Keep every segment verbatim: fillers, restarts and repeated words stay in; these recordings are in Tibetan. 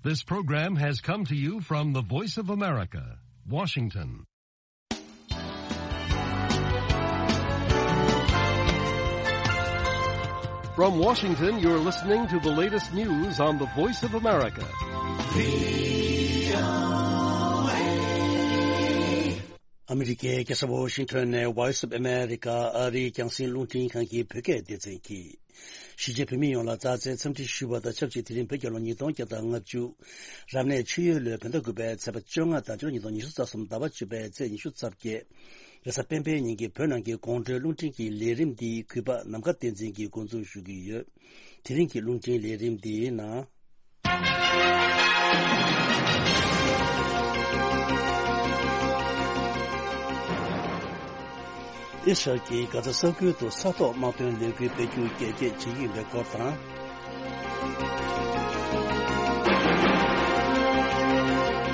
This program has come to you from the Voice of America, Washington. From Washington, you're listening to the latest news on the Voice of America. ཨ་མི་རི་ཀའི་རྒྱལ་ས་ཝ་ཤིང་ཊོན་ནས་Voice of America ཨ་རིའི་རྒྱང་སྲིང་རླུང་འཕྲིན་ཁང་གི་བོད་སྐད་སྡེ་ཚན་གྱིས། གཞིས་བྱེས་བོད་མི་ཡོངས་ལ་མཛའ་བརྩེའི་འཚམས་འདྲི་ཞུ་བ་དང་ཆབས་ཅིག་དེ་རིང་བོད་རྒྱལ་ལོ་ཉིས་སྟོང་བརྒྱ་དང་ལྔ་བཅུ། རབ་གནས་ཆུ་ཡོས་ལོའི་བོད་ཟླ་དགུ་པའི་ཚེས་པ་བཅོ་ལྔ་དང་སྤྱི་ལོ་ཉིས་སྟོང་ཉི་ཤུ་རྩ་གསུམ་ཟླ་བ་བཅུ་པའི་ཚེས་ཉི་ཤུ་རྩ་བརྒྱད། རེས་གཟའ་སྤེན་པའི་ཉིན་གྱི་བོད་ནང་གི་དགོང་དྲོའི་རླུང་འཕྲིན་གྱི་ལས་རིམ་འདི་གུས་པ་ནམ་མཁའ་བསྟན་འཛིན་གྱིས་འགོ་འཛུགས་ཞུ་གི་ཡོད། དེ་རིང་གི་རླུང་འཕྲིན་ལས་རིམ་འདིའི་ནང་། ཨི་སི་རལ་གྱིས་གྷ་ཛ་ས་ཁུལ་དུ་ས་ཐོག་དམག་དོན་ལས་འགུལ་སྤེལ་རྒྱུ་རྒྱས་བསྐྱེད་བྱེད་ཀྱི་ཡིན་པའི་སྐོར་དང་།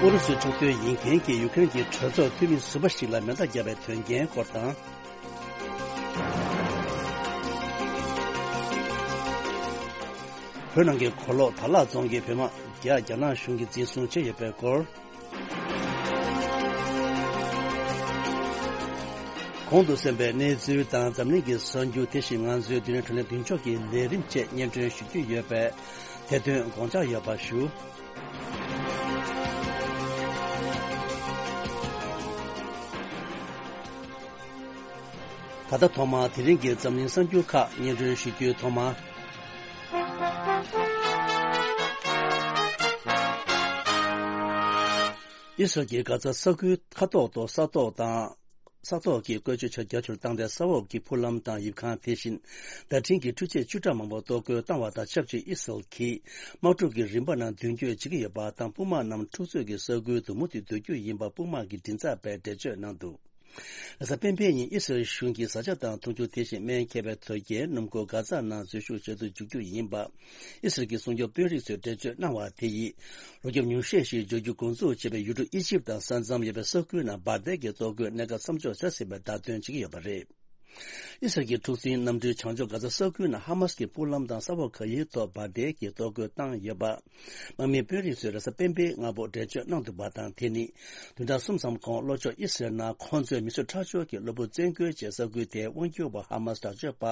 ཨུ་རུ་སུའི་ཕྱོགས་སྡོད་ཡིན་མཁན་གྱི་ཡུ་ཀེ་རེན་གྱི་གྲོས་ཚོགས་འཐུས་མི་ཟུར་པ་ཞིག་ལ་མེ་མདའ་བརྒྱབ་པའི་དོན་རྐྱེན་སྐོར་དང་། བོད་ནང་གི་གོ་ལོག་དར་ལག་རྫོང་གི་བོད་དམག་བརྒྱ་རྒྱ་ནག་གཞུང་གིས་འཛིན་བཟུང་བྱས་ཡོད་པའི་སྐོར། གོང་དུ་གསན་པའི་གནས་ཚུལ་དང་འཛམ་གླིང་གི་གསར་འགྱུར། དེ་བཞིན་ང་ཚོའི་མདུན་ནས་བགྲོ་གླེང་མདུན་ལྕོག་གི་ལས་རིམ་བཅས་སྙན་སྒྲོན་ཞུ་རྒྱུ་ཡོད་པས། དེ་དོན་དགོངས་འཇགས་ཡོད་པ་ཞུ། ད་ལྟ་ཐོག་མར་དེ་རིང་གི་འཛམ་གླིང་གསར་འགྱུར་ཁག་སྙན་སྒྲོན་ཞུ་རྒྱུའི་ཐོག་མར། ཨི་སི་རལ་གྱིས་གྷ་ཛ་ས་ཁུལ་མཁའ་ཐོག་ཏུ་ས་ཐོག་དང་། ས་ཐོག་གི་བཀོལ་སྤྱོད་ཆ་རྒྱ་ཆེར་བཏང་སྟེ། ས་འོག་གི་འཕུར་ལམ་དང་ཡིབ་ཁང་། དེ་བཞིན་བརྡ་འཕྲིན་གྱི་འཕྲུལ་ཆས་བཅུ་ཕྲག་མང་པོ་གཏོར་རྒོལ་བཏང་བ་དང་ཆབས་ཅིག་ཨི་སི་རལ་གྱིས་དམག་འཁྲུག་གི་རིམ་པ་ནང་མདུན་སྐྱོད་བྱེད་ཀྱི་ཡོད་པ་དང་། དཔུང་དམག་རྣམས་འཁྲུག་རྩོད་ཀྱི་ས་ཁུལ་དུ་མུ་མཐུད་སྡོད་རྒྱུ་ཡིན་པ་དཔུང་དམག་གི་མགྲིན་ཚབ་པས་འགྲེལ་བརྗོད་གནང་འདུག་རེས་གཟའ་སྤེན་པའི་ཉིན་ཨི་སི་རལ་གཞུང་གིས་བཟའ་བཅའ་དང་འཐུང་ཆུ། དེ་བཞིན་སྨན་མཁས་པའི་དོས་སྐྱེལ། སྣུམ་འཁོར་གྷ་ཛ་ནང་འཛུལ་ཞུགས་བྱེད་དུ་འཇུག་རྒྱུ་ཡིན་པ། ཨི་སི་རལ་གྱི་སྲུང་སྐྱོབ་དཔོན་རིགས་ཚོས་འགྲེལ་བརྗོད་གནང་བ་དེ་ཡིས། རོགས་སྐྱོབ་ཉུང་ཤས་ཤིག་འབྱོར་རྒྱུ་འགོ་འཛུགས་བྱས་པའི་ཡུལ་གྲུ་ཨི་ཇིབ་དང་ས་མཚམས་ཡོད་པའི་ས་ཁུལ་ནང་འབར་མདེལ་གྱི་གཏོར་རྒོལ་གནད་འགག་མཚམས་འཇོག་བྱ་སྲིད་པའི་བརྡ་སྟོན་བྱེད་ཀྱི་ཡོད་པ་རེད། ཨི་སི་རལ་གྱི་འཁྲུག་འཛིང་གནམ་གྲུའི་བྱང་ཕྱོགས་གྷ་ཛ་ས་ཁུལ་ནང་ཧ་མ་སི་གི་སྤུངས་ལམ་དང་ས་འོག་ག་ཡི་ཐོག་འབར་མདེལ་གྱི་གཏོར་རྒོལ་བཏང་ཡོད་པ། དམག་མིའི་དཔོན་རིགས་ཚོས་རེས་གཟའ་སྤེན་པའི་སྔ་པོ་འགྲེལ་བརྗོད་གནང་འདུག་པ་དང་། དེ་ནི་བདུན་ཕྲག་གསུམ་ཙམ་གོང་ལྷོ་ཕྱོགས་ཨི་སི་རལ་ནང་ཁོང་ཚོས་མི་གསོད་ཁྲག་སྦྱོར་གྱི་གློ་བུར་བཙན་རྒོལ་བྱས། ས་ཁུལ་དེའི་དབང་སྒྱུར་བ་ཧ་མ་སི་དྲག་སྤྱོད་པ་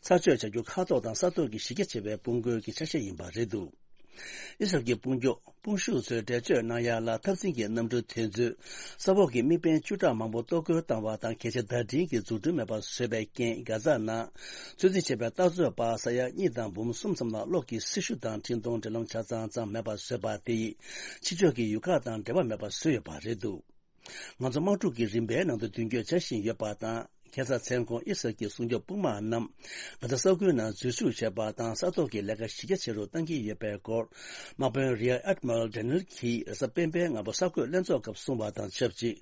ཚར་གཅོད་བྱ་རྒྱུ་ཁ་ཐོར་དང་ས་ཐོག་གི་གཞི་རྒྱ་ཆེ་བའི་དཔུང་རྒོལ་གྱི་ཆ་ཤས་ཡིན་པ་རེད་འདུག་ཨི་སི་རལ་གྱི་དཔུང་སྐྱོད་དཔུང་ཤུགས་ཚོས་འགྲེལ་བརྗོད་གནང་ཡ་ལ། འཐབ་འཛིང་གི་གནམ་གྲུ་དེ་ཚོས་ས་འོག་གི་དམིགས་འབེན་བཅུ་ཕྲག་མང་པོ་གཏོར་རྒོལ་བཏང་བ་དང་། གལ་ཆེའི་བརྡ་འཕྲིན་གྱི་འཛུགས་སྐྲུན་མེད་པར་བཟོས་པའི་རྐྱེན། གྷ་ཛ་ནང་ཚོད་འཛིན་བྱས་པའི་རྟ་རྩོད་པ་ས་ཡ་གཉིས་དང་འབུམ་གསུམ་ཙམ་ལ་གློག་གི་སྲི་ཞུ་དང་འཕྲིན་གཏོང་འབྲེལ་ལམ་ཆ་ཚང་ཙམ་མེད་པར་བཟོས་པ་དེ་ཡིས་ཕྱི་ཕྱོགས་ཀྱི་ཡུལ་ཁག་དང་འབྲེལ་བ་མེད་པར་བཟོས་ཡོད་པ་རེད་འདུག་ང་ཚོ་དམག་འཁྲུག་གི་རིམ་པའི་ནང་དུ་མདུན་སྐྱོད་བྱ་བཞིན་ཡོད་པ་དང་། ཁ་སང་མཚན་གུང་ཨི་སི་རལ་གྱི་སྲུང་སྐྱོབ་དཔུང་དམག་རྣམས་གྷ་ཛ་ས་ཁུལ་ནང་འཛུལ་ཞུགས་བྱས་པ་དང་། ས་ཐོག་གི་ལས་ཀ་གཞི་རྒྱ་ཆེ་རུ་གཏང་གི་ཡོད་པའི་སྐོར། དམག་དཔོན་རི་ཡར་ཨེཌ་མི་རལ་ཌེ་ནེལ་གྱིས་རེས་གཟའ་སྤེན་པའི་སྔ་པོ་གསར་འགོད་ལྷན་ཚོགས་སྐབས་གསུངས་པ་དང་ཆབས་ཅིག་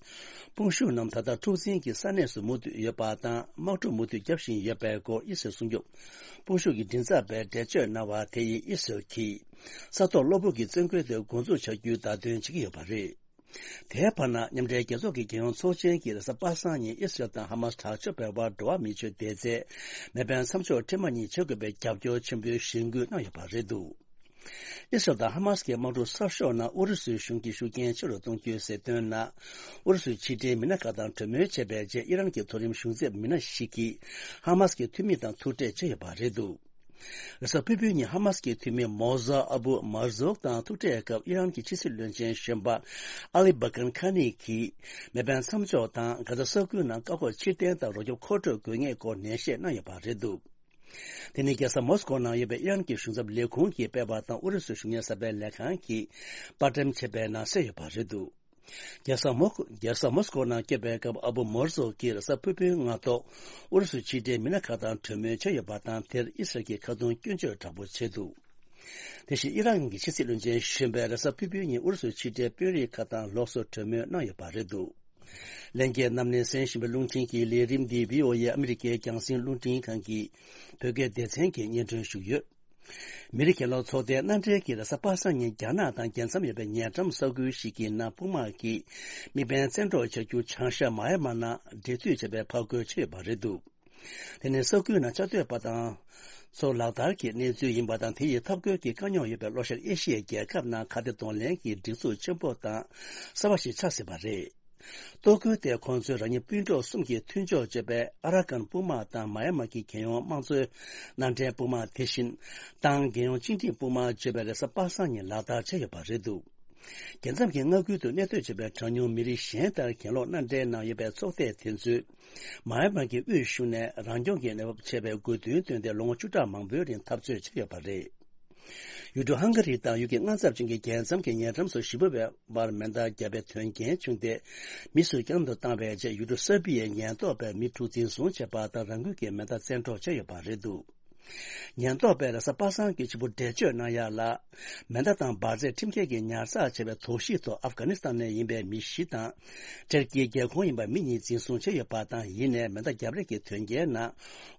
དཔུང་ཤུགས་རྣམས་ད་ལྟ་འཁྲུག་འཛིང་གི་ས་གནས་སུ་མུ་མཐུད་ཡོད་པ་དང་། དམག་འཁྲུག་མུ་མཐུད་བརྒྱབ་བཞིན་ཡོད་པའི་སྐོར་ཨི་སི་རལ་སྲུང་སྐྱོབ་དཔུང་ཤུགས་ཀྱི་མགྲིན་ཚབ་པས་འགྲེལ་བརྗོད་གནང་བ་དེ་ཡིས་ཨི་སི་རལ་གྱིས་ས་ཐོག་གློ་བུར་གྱི་བཙན་རྒོལ་དེ་འགོ་འཛུགས་བྱ་རྒྱུའི་བརྡ་སྟོན་བྱེད་ཀྱི་ཡོད་པ་རེད། དེའི་བར་ན། མཉམ་འབྲེལ་རྒྱལ་ཚོགས་ཀྱི་རྒྱལ་ཡོངས་ཚོགས་ཆེན་གྱིས་རེས་གཟའ་པ་སངས་ཉིན་ཨི་སི་རལ་དང་ཧ་མ་སི་དྲག་སྤྱོད་པའི་དབར་འགྲོ་བ་མིའི་ཆོས་སྡེ་ཚན་མེ་འཕེན་མཚམས་འཇོག་འཕྲལ་མ་གཉིས་བྱེད་དགོས་པའི་རྒྱབ་སྐྱོར་ཆེན་པོའི་གཞེན་སྐུལ་གནང་ཡོད་པ་རེད་འདུག་ཨི་སི་རལ་དང་ཧ་མ་སི་ཀྱི་དམག་འཁྲུག་གསར་ཤོག་ནང་ཨུ་རུ་སུའི་གཞུང་གིས་ཤུགས་རྐྱེན་ཆེ་རུ་གཏོང་རྒྱུའི་ཟེར་དོན་ནང་། ཨུ་རུ་སུའི་ཕྱི་འབྲེལ་མི་སྣ་ཁག་དང་གྲོས་མོལ་བྱས་པའི་རྗེས། ཨི་རན་གྱི་མཐོ་རིམ་གཞུང་ཚབ་མི་སྣ་ཞིག་གིས་ཧ་མ་སི་ཀྱི་འཐུས་མི་དང་ཐུག་འཕྲད་བྱས་ཡོད་པ་རེད་འདུག་རེས་གཟའ་ཕུར་བུའི་ཉིན་ཧ་མ་སི་ཀྱི་འཐུས་མི་མོ་ཟ་ཨ་བུ་མར་ཟོག་དང་ཐུག་འཕྲད་སྐབས། ཨི་རན་གྱི་ཕྱི་སྲིད་བློན་ཆེན་གཞོན་པ་ཨ་ལི་བྷ་ཀན་ཁ་ནི་གིས་མེ་འཕེན་མཚམས་འཇོག་དང་། གྷ་ཛ་ས་ཁུལ་ནང་བཀག་འགོག་ཕྱིར་འཐེན་དང་རོགས་སྐྱོབ་མཁོ་སྤྲོད་དགོས་ངེས་སྐོར་ནན་བཤད་གནང་ཡོད་པ་རེད་འདུག་དེ་ནི་རྒྱལ་ས་མོ་སི་ཀོ་ནང་ཡོད་པའི་ཨི་རན་གྱི་གཞུང་ཚབ་ལས་ཁུངས་ཀྱིས་སྤེལ་བ་དང་། ཨུ་རུ་སུའི་གཞུང་གཉེར་གསར་སྤེལ་ལས་ཁང་གིས་པར་འགྲེམས་བྱས་པའི་ནང་གསལ་ཡོད་པ་རེད་འདུག་རྒྱལ་ས་མོ་རྒྱལ་ས་མོ་སི་ཀོ་ནང་སྐྱོད་པའི་སྐབས། ཨ་བུ་མོར་ཟོག་གིས་རེས་གཟའ་ཕུར་བུའི་སྔ་ཐོག་ཨུ་རུ་སུའི་ཕྱི་འབྲེལ་མི་སྣ་ཁག་དང་གྲོས་མོལ་བྱས་ཡོད་པ་དང་། དེར་ཨི་སི་རལ་གྱིས་ཁ་རྡུང་སྐྱོན་བརྗོད་དྲག་པོ་བྱས་འདུག་དེ་བཞིན་ཨི་རན་གྱི་ཕྱི་སྲིད་བློན་ཆེན་གཞོན་པས་རེས་གཟའ་ཕུར་བུའི་ཉིན་ཨུ་རུ་སུའི་ཕྱི་འབྲེལ་དཔོན་རིགས་ཁག་དང་ལོགས་སུ་གྲོས་མོལ་གནང་ཡོད་པ་རེད་འདུག་ལྷན་རྒྱས་རྣམས་ནས་གསན་བཞིན་པའི་རླུང་འཕྲིན་གྱི་ལས་རིམ་འདི་བྷི་ཨོ་ཨེ་ཨ་མི་རི་ཀའི་རྒྱང་སྲིང་རླུང་འཕྲིན་ཁང་གི་བོད་སྐད་སྡེ་ཚན་གྱིས་སྙན་སྒྲོན་ཞུས་ཡོད། མི་རིགས་གྱེན་ལོག་ཚོགས་སྡེའི་མནའ་འབྲེལ་གྱིས་རེས་གཟའ་པ་སངས་ཉིན་རྒྱ་ནག་དང་རྒྱལ་མཚམས་ཡོད་པའི་ཉེ་འགྲམ་ས་ཁུལ་ཞིག་གི་ནང་དཔུང་དམག་གིས་དམིགས་འབེན་བཙན་འཕྲོག་བྱ་རྒྱུ་བྱང་ཤར་མ་ཡ་མ་ནང་འབྲེལ་མཐུད་བྱས་པའི་ཕར་རྒོལ་བྱས་ཡོད་པ་རེད་འདུག་དེ་ནི་ས་ཁུལ་ནང་བཅའ་སྡོད་པ་དང་། ཚོ་ལག་བསྟར་གྱི་གནས་ཚུལ་ཡིན་པ་དང་། དེ་ཡི་འཐབ་རྒོལ་གྱི་དཀའ་རྙོག་ཡོད་པའི་ལྷོ་ཤར་ཨེ་ཤི་ཡའི་རྒྱལ་ཁབ་ནང་ཁ་གཏད་གདོང་ལེན་གྱི་སྒྲིག་འཛུགས་ཆེན་པོ་དང་གསར་བ་ཞིག་ཆགས་སྲིད་པ་རེད། གཏོར་རྒོལ་དེ་ཁོང་ཚོའི་རང་ཉིད་སྤུན་གྲོགས་གསུམ་གྱིས་མཐུན་ཕྱོགས་བྱས་པའི་ཨ་ར་ཀན་དཔུང་དམག་དང་། མ་ཡ་མ་གི་རྒྱལ་ཡོངས་དམངས་གཙོའི་མནའ་འབྲེལ་དཔུང་དམག་དེ་བཞིན། ཏང་རྒྱལ་ཡོངས་བཅིངས་འགྲོལ་དཔུང་དམག་བརྗོད་པའི་རེས་གཟའ་པ་སངས་ཉིན་ལག་བསྟར་བྱས་ཡོད་པ་རེད་འདུག་རྒྱལ་མཚམས་ཀྱི་མངའ་ཁུལ་དུ་གནས་སྡོད་བྱེད་པའི་གྲངས་ཉུང་མི་རིགས་གཞན་ལྟར་གྱེན་ལོག་མནའ་འབྲེལ་ནང་ཡོད་པའི་ཚོགས་སྡེ་དེ་ཚོས། མ་ཡ་མ་གི་དབུས་གཞུང་ནས་རང་སྐྱོང་གི་གནས་བབ་ཆེ་བའི་དགོས་འདུན་བཏོན་ཏེ། ལོ་ངོ་བཅུ་ཕྲག་མང་པོའི་རིང་འཐབ་རྩོད་བྱས་ཡོད་པ་རེད། ཡུལ་གྲུ་ཧང་ག་རི་དང་ཡུལ་གྱི་མངའ་ཚབ་ཅན་གྱི་རྒྱལ་མཚམས་ཀྱི་ཉེ་འགྲམ་སུ་ཞི་བའི་བར་མེ་མདའ་བརྒྱབ་པའི་དོན་རྐྱེན་བྱུང་སྟེ། མི་སུ་བསྐྱར་དུ་བཏང་བའི་རྗེས། ཡུལ་གྲུ་སེར་པི་ཡའི་ཉེན་རྟོག་པས་མི་དྲུག་འཛིན་བཟུང་བྱས་པ་དང་། རང་འགུལ་གྱིས་མེ་མདའ་བཙན་འཕྲོག་བྱས་ཡོད་པ་རེད་འདུག་ཉེན་རྟོག་པས་རེས་གཟའ་པ་སངས་ཀྱི་ཕྱི་པོ་འགྲེལ་བརྗོད་གནང་ཡ་ལ། མེ་མདའ་དང་འབར་རྫས་ཁྲིམས་འགལ་གྱིས་ཉར་ཚགས་བྱས་པའི་དོགས་གཞི་ཐོག་ཨབ་གྷ་ནི་སི་ཐན་ནས་ཡིན་པའི་མི་བཞི་དང་། ཊར་ཀིའི་རྒྱལ་ཁོངས་ཡིན་པ་མི་གཉིས་འཛིན་བཟུང་བྱས་ཡོད་པ་དང་། ཡིན་ནའི་མེ་མདའ་བརྒྱབ་རེས་ཀྱི་དོན་རྐྱེན་ནང་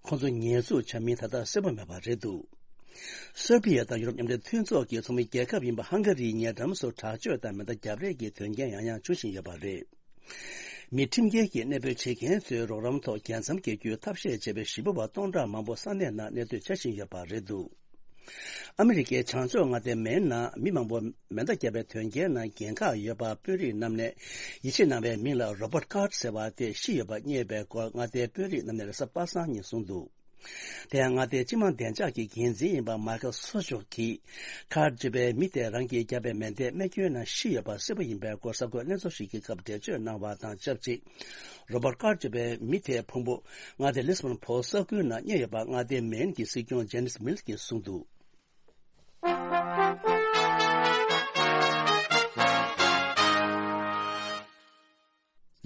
ཁོང་ཚོ་ཉེས་འཛུགས་བྱ་མིན་ད་ལྟ་གསལ་པོ་མེད་པ་རེད་འདུག་སེར་བྷི་ཡ་དང་ཡུ་རོབ་མཉམ་འབྲེལ་མཐུན་ཚོགས་ཀྱི་ཚོགས་མི་རྒྱལ་ཁབ་ཡིན་པ་ཧང་ག་རིའི་ཉེ་འགྲམ་སུ་དྲག་སྤྱོད་དང་མེ་མདའ་བརྒྱབ་རེས་ཀྱི་དོན་རྐྱེན་ཡང་ཡང་འབྱུང་བཞིན་ཡོད་པ་རེད། མི་ཁྲིམས་འགལ་གྱིས་གནས་སྤོས་བྱེད་མཁན་ཚོའི་རོགས་རམ་ཐོག་རྒྱལ་མཚམས་བརྒལ་རྒྱུའི་ཐབས་ཤེས་བྱས་པའི་ཞི་བ་བ་སྟོང་ཕྲག་མང་པོ་ས་གནས་ནང་གནས་སྡོད་བྱ་བཞིན་ཡོད་པ་རེད་འདུག་ཨ་མི་རི་ཀའི་བྱང་ཕྱོགས་མངའ་སྡེ་མེན་ནང་མི་མང་པོ་མེ་མདའ་བརྒྱབ་པའི་དོན་རྐྱེན་ནང་འགན་ཁག་ཡོད་པ་དཔོན་རིགས་རྣམས་ནས་ཡིད་ཆེས་གནང་བའི་མིང་ལ་རོ་བར་ཀཱར་ཟེར་བ་དེ་ཤི་ཡོད་པ་རྙེད་པའི་སྐོར་མངའ་སྡེའི་དཔོན་རིགས་རྣམས་ནས་རེས་གཟའ་པ་སངས་ཉིན་གསུངས་འདུག་དེ་ཡང་མངའ་སྡེའི་སྤྱི་དམངས་བདེ་འཇགས་ཀྱི་འགན་འཛིན་ཡིན་པ་མཱ་ཁེལ་སོ་ཅོག་གིས། ཁཱར་ཅེས་པའི་མི་དེ་རང་གིས་བརྒྱབ་པའི་མེ་མདའི་རྨས་སྐྱོན་ནང་ཤི་ཡོད་པ་གསལ་པོ་ཡིན་པའི་སྐོར་གསར་འགོད་བརྙན་ཐུང་ཞིག་གི་སྐབས་འགྲེལ་བརྗོད་གནང་བ་དང་ཆབས་ཅིག་རོ་བར་ཀཱར་ཅེས་པའི་མི་དེའི་ཕུང་པོ་མངའ་སྡེ་ལི་སི་བོན་བོད་ས་ཁུལ་ནང་རྙེད་ཡོད་པ་མངའ་སྡེའི་མེན་གྱི་སྲིད་སྐྱོང་ཇེ་ནིས་མིལ་གྱིས་གསུངས་འདུག་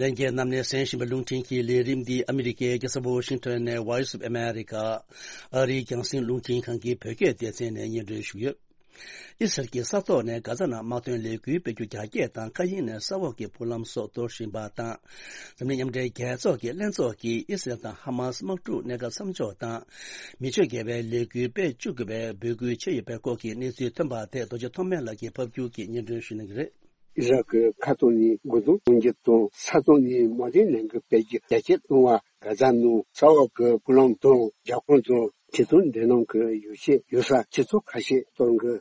ལྷན་རྒྱས་རྣམས་ནས་གསན་བཞིན་པའི་རླུང་འཕྲིན་གྱི་ལས་རིམ་འདི་ཨ་མི་རི་ཀའི་རྒྱལ་ས་ཝོ་ཤིང་ཊོན་ནས་Voice of America ཨ་རིའི་རྒྱང་སྲིང་རླུང་འཕྲིན་ཁང་གི་བོད་སྐད་སྡེ་ཚན་ནས་སྙན་སྒྲོན་ཞུས་ཡོད། ཨི་སི་རལ་གྱི་ས་ཐོག་ནས་གྷ་ཛ་ནང་དམག་དོན་ལས་འགུལ་སྤེལ་རྒྱུ་རྒྱ་སྐྱེད་དང་། མཁའ་དབྱིངས་ནས་ས་འོག་གི་འཕུར་ལམ་སོགས་གཏོར་བཞིན་པ་དང་། འཛམ་གླིང་མཉམ་འབྲེལ་རྒྱལ་ཚོགས་ཀྱི་ལྷན་ཚོགས་ཀྱིས་ཨི་སི་རལ་དང་ཧ་མ་སི་དམག་འཁྲུག་གནད་འགག་མཚམས་འཇོག་དང་། མི་ཆོས་འགལ་བའི་ལས་འགུལ་སྤེལ་བཅུག་དགོས་པའི་འབོད་སྐུལ་བྱས་ཡོད་པའི་སྐོར་གྱི་གནས་ཚུལ་ཐོན་པ་དེ་རྡོ་རྗེ་ཐོགས་མེད་ལགས་ཀྱིས་ཕབ་སྒྱུར་གྱིས་སྙན་སྒྲོན་ཞུ་གནང་གི་རེད། ཨི་ཟ་རལ་གྱི་མཁའ་ཐོག་ནས་རྒོལ་རྡུང་གཏོང་རྒྱུ་དང་། ས་ཐོག་ནས་དམག་དོན་ལས་འགུལ་སྤེལ་རྒྱུ་རྒྱ་སྐྱེད་གཏོང་བ། གྷ་ཛ་ནང་ས་འོག་གི་འཕུར་ལམ་དང་། རྒྱབ་ཁུངས་དང་། ཁྲིམས་མཐུན་འབྲེལ་ལམ་གྱི་ཡོ་བྱད་ཡོད་ས་ཆུ་ཚོད་ཁ་ཤས་གཏོར་འགོ།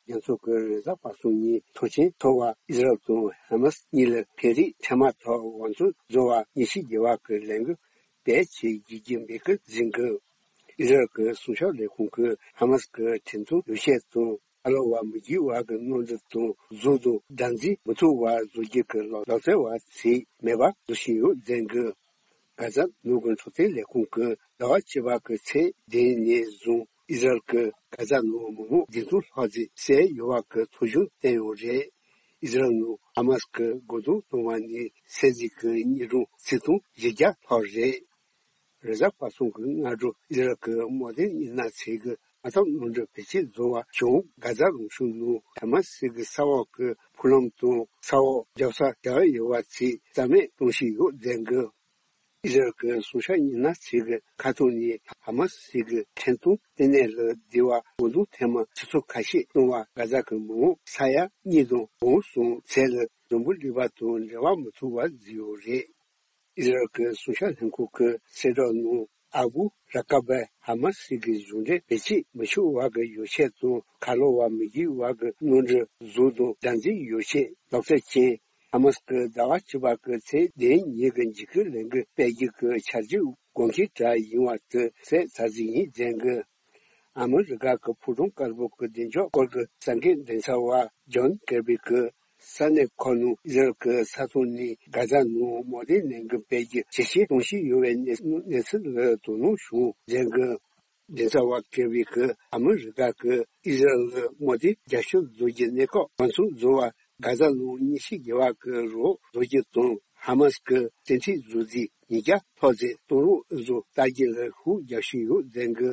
རྒྱལ་ཚོགས་ཀྱི་རེས་གཟའ་པ་སངས་ཉིན་ཐོངས་མཆན་ཐོབ་པར། ཨི་ཟ་རལ་དང་ཧ་མ་སི་གཉིས་ལ་བོད་རིགས་འཕྲལ་མ་ཐོག་འོས་འཚམ་བཟོ་བར་ཉེས་ཆད་འགེལ་བ་གི་ལས་འགུལ་སྤེལ་ཆེད་བརྒྱུད་རྒྱུ་འབོད་སྐུལ་མཛད་འགོ། ཨི་ཟ་རལ་གྱི་སྲུང་སྐྱོབ་ལས་ཁུངས་ཀྱིས་ཧ་མ་སི་གི་ཁྲིམས་མཐུན་ཡོ་བྱད་དང་། ཁ་ལོ་བ་མི་འགྱུར་བ་གི་གནོན་འདྲེན་དང་། གཟུགས་དང་སྒྲ་འཛིན་མི་ཐུབ་པ་བཟོ་རྒྱུ་གི་ལག་ལག་རྩལ་བ་ཚོས་མེད་པ་བཟོ་བཞིན་ཡོད་མཛད་འགོ། གྷ་ཛ་ནང་གི་འཕྲོད་བསྟེན་ལས་ཁུངས་ཀྱིས་ཟླ་བ་བཅུ་པ་གི་ཚེས་བདུན་ནས་བཟུང་ཨི་ཟ་རལ་གྱིས་གྷ་ཛ་ནང་མི་མང་བདུན་ཚོད་ལྷག་ཙམ་བསད་ཡོད་པ་གི་ཐོ་གཞུང་བཏོན་ཡོད་རེད། ཨི་ཟ་རལ་ནང་ཧ་མ་སི་གི་རྒོལ་རྡུང་བཏང་བ་ནས་བསད་རྗེས་ཀྱི་དངོས་གྲངས་ཆིག་སྟོང་བཞི་བརྒྱ་ལྷག་རེད། རེས་གཟའ་པ་སངས་ཀྱི་སྔ་དྲོ་ཨི་ཟ་རལ་གྱི་དམག་དོན་གཉེར་གནང་ཚོས་ཀྱི་མ་དམ་གནམ་གྲུ་བེད་སྤྱོད་བཟོ་བ་བྱུང་། གྷ་ཛ་རང་ཤུགས་ནང་ཧ་མ་སི་གི་ས་འོག་གི་འཕུར་ལམ་དང་། ས་འོག་རྒྱབ་ས་རྒྱག་ཡོད་པ་ཚོས་རྩ་མེད་གཏོང་བཞིན་ཡོད་མཛད་འགོ། ཨི་ཟ་རལ་གྱི་སྲུང་སྐྱོབ་གཉེར་གནང་ཚོས་ཀྱི་མཁའ་ཐོག་ནས་ཧ་མ་སི་གི་ཁྲིམས་མཐུན་ལྟེ་གནས་ལ་བདེ་བར་རྒོལ་རྡུང་ཐེངས་མ་ཆུ་ཚོད་ཁ་ཤས་གཏོང་བར། གྷ་ཛ་གི་མི་མང་ས་ཡ་གཉིས་དང་གོ་གསུམ་ཚད་ལ་འཛམ་བུ་གླིང་པ་དང་འབྲེལ་བ་མི་ཐུབ་པ་བཟོས་ཡོད་རེད། ཨི་ཟ་རལ་གྱི་སྲུང་སྐྱོབ་ལྷན་ཁང་གི་གསལ་བསྒྲགས་ནང་ཨ་བུ་ར་ཀ་བས་ཧ་མ་སི་གི་གཞུང་འབྲེལ་བེད་སྤྱོད་མི་ཆོག་པ་གི་ཡོ་བྱད་དང་། ཁ་ལོ་བ་མི་འགྱུར་བ་གི་གནོན་འདྲེན། གཟུགས་དང་སྒྲ་འཛིན་ཡོ་བྱད། ལག་རྩལ་ཅན། ཧ་མ་སི་གིས་ཟླ་བ་བཅུ་པ་གི་ཚེས་བདུན་ཉིན་གྱི་འཇིགས་སྐུལ་ལས་འགུལ་སྤེལ་རྒྱུ་གི་འཆར་གཞི་དགོངས་འགལ་འདྲ་ཡིན་པ་དེ་གསལ་ཚར་ཟིན་ཡིན་མཛད་འགོ། ཨ་མི་རི་ཀ་གི་ཕོ་བྲང་དཀར་པོ་གི་བདེ་འཇགས་སྐོར་གྱི་གསར་འགོད་མགྲིན་ཚབ་པ་ཇོན་ཀེར་བི་གིས་ས་གནས་ཁག་ནང་ཨི་ཟ་རལ་གྱི་ས་ཐོག་ནས་གྷ་ཛ་ནང་དམག་དོན་ལས་འགུལ་སྤེལ་རྒྱུ་ཇེ་ཆེར་གཏོང་བཞིན་ཡོད་པའི་གནས་གནས་ཚུལ་ལ་དོ་སྣང་ཞུ་མཛད་འགོ། མགྲིན་ཚབ་པ་ཀེར་བི་གིས་ཨ་མི་རི་ཀ་གིས་ཨི་ཟ་རལ་ལ་དམག་དོན་རྒྱབ་སྐྱོར་བཟོ་རྒྱུ་གནས་སྐབས་འོས་འཚམ་བཟོ་བར་གྷ་ཛ་ནང་ཉེས་ཆད་འགེལ་བ་གི་རོགས་བཟོ་རྒྱུ་དང་། ཧ་མ་སི་གིས་བཙན་ཁྲིད་བཟོ་རྩིས་ཉིས་བརྒྱ་ལྷག་ཙམ་གཏོང་རོགས་བཟོ་ལྟ་རྒྱུ་ལ་ཤུགས་རྒྱག་བཞིན་ཡོད་མཛད་འགོ།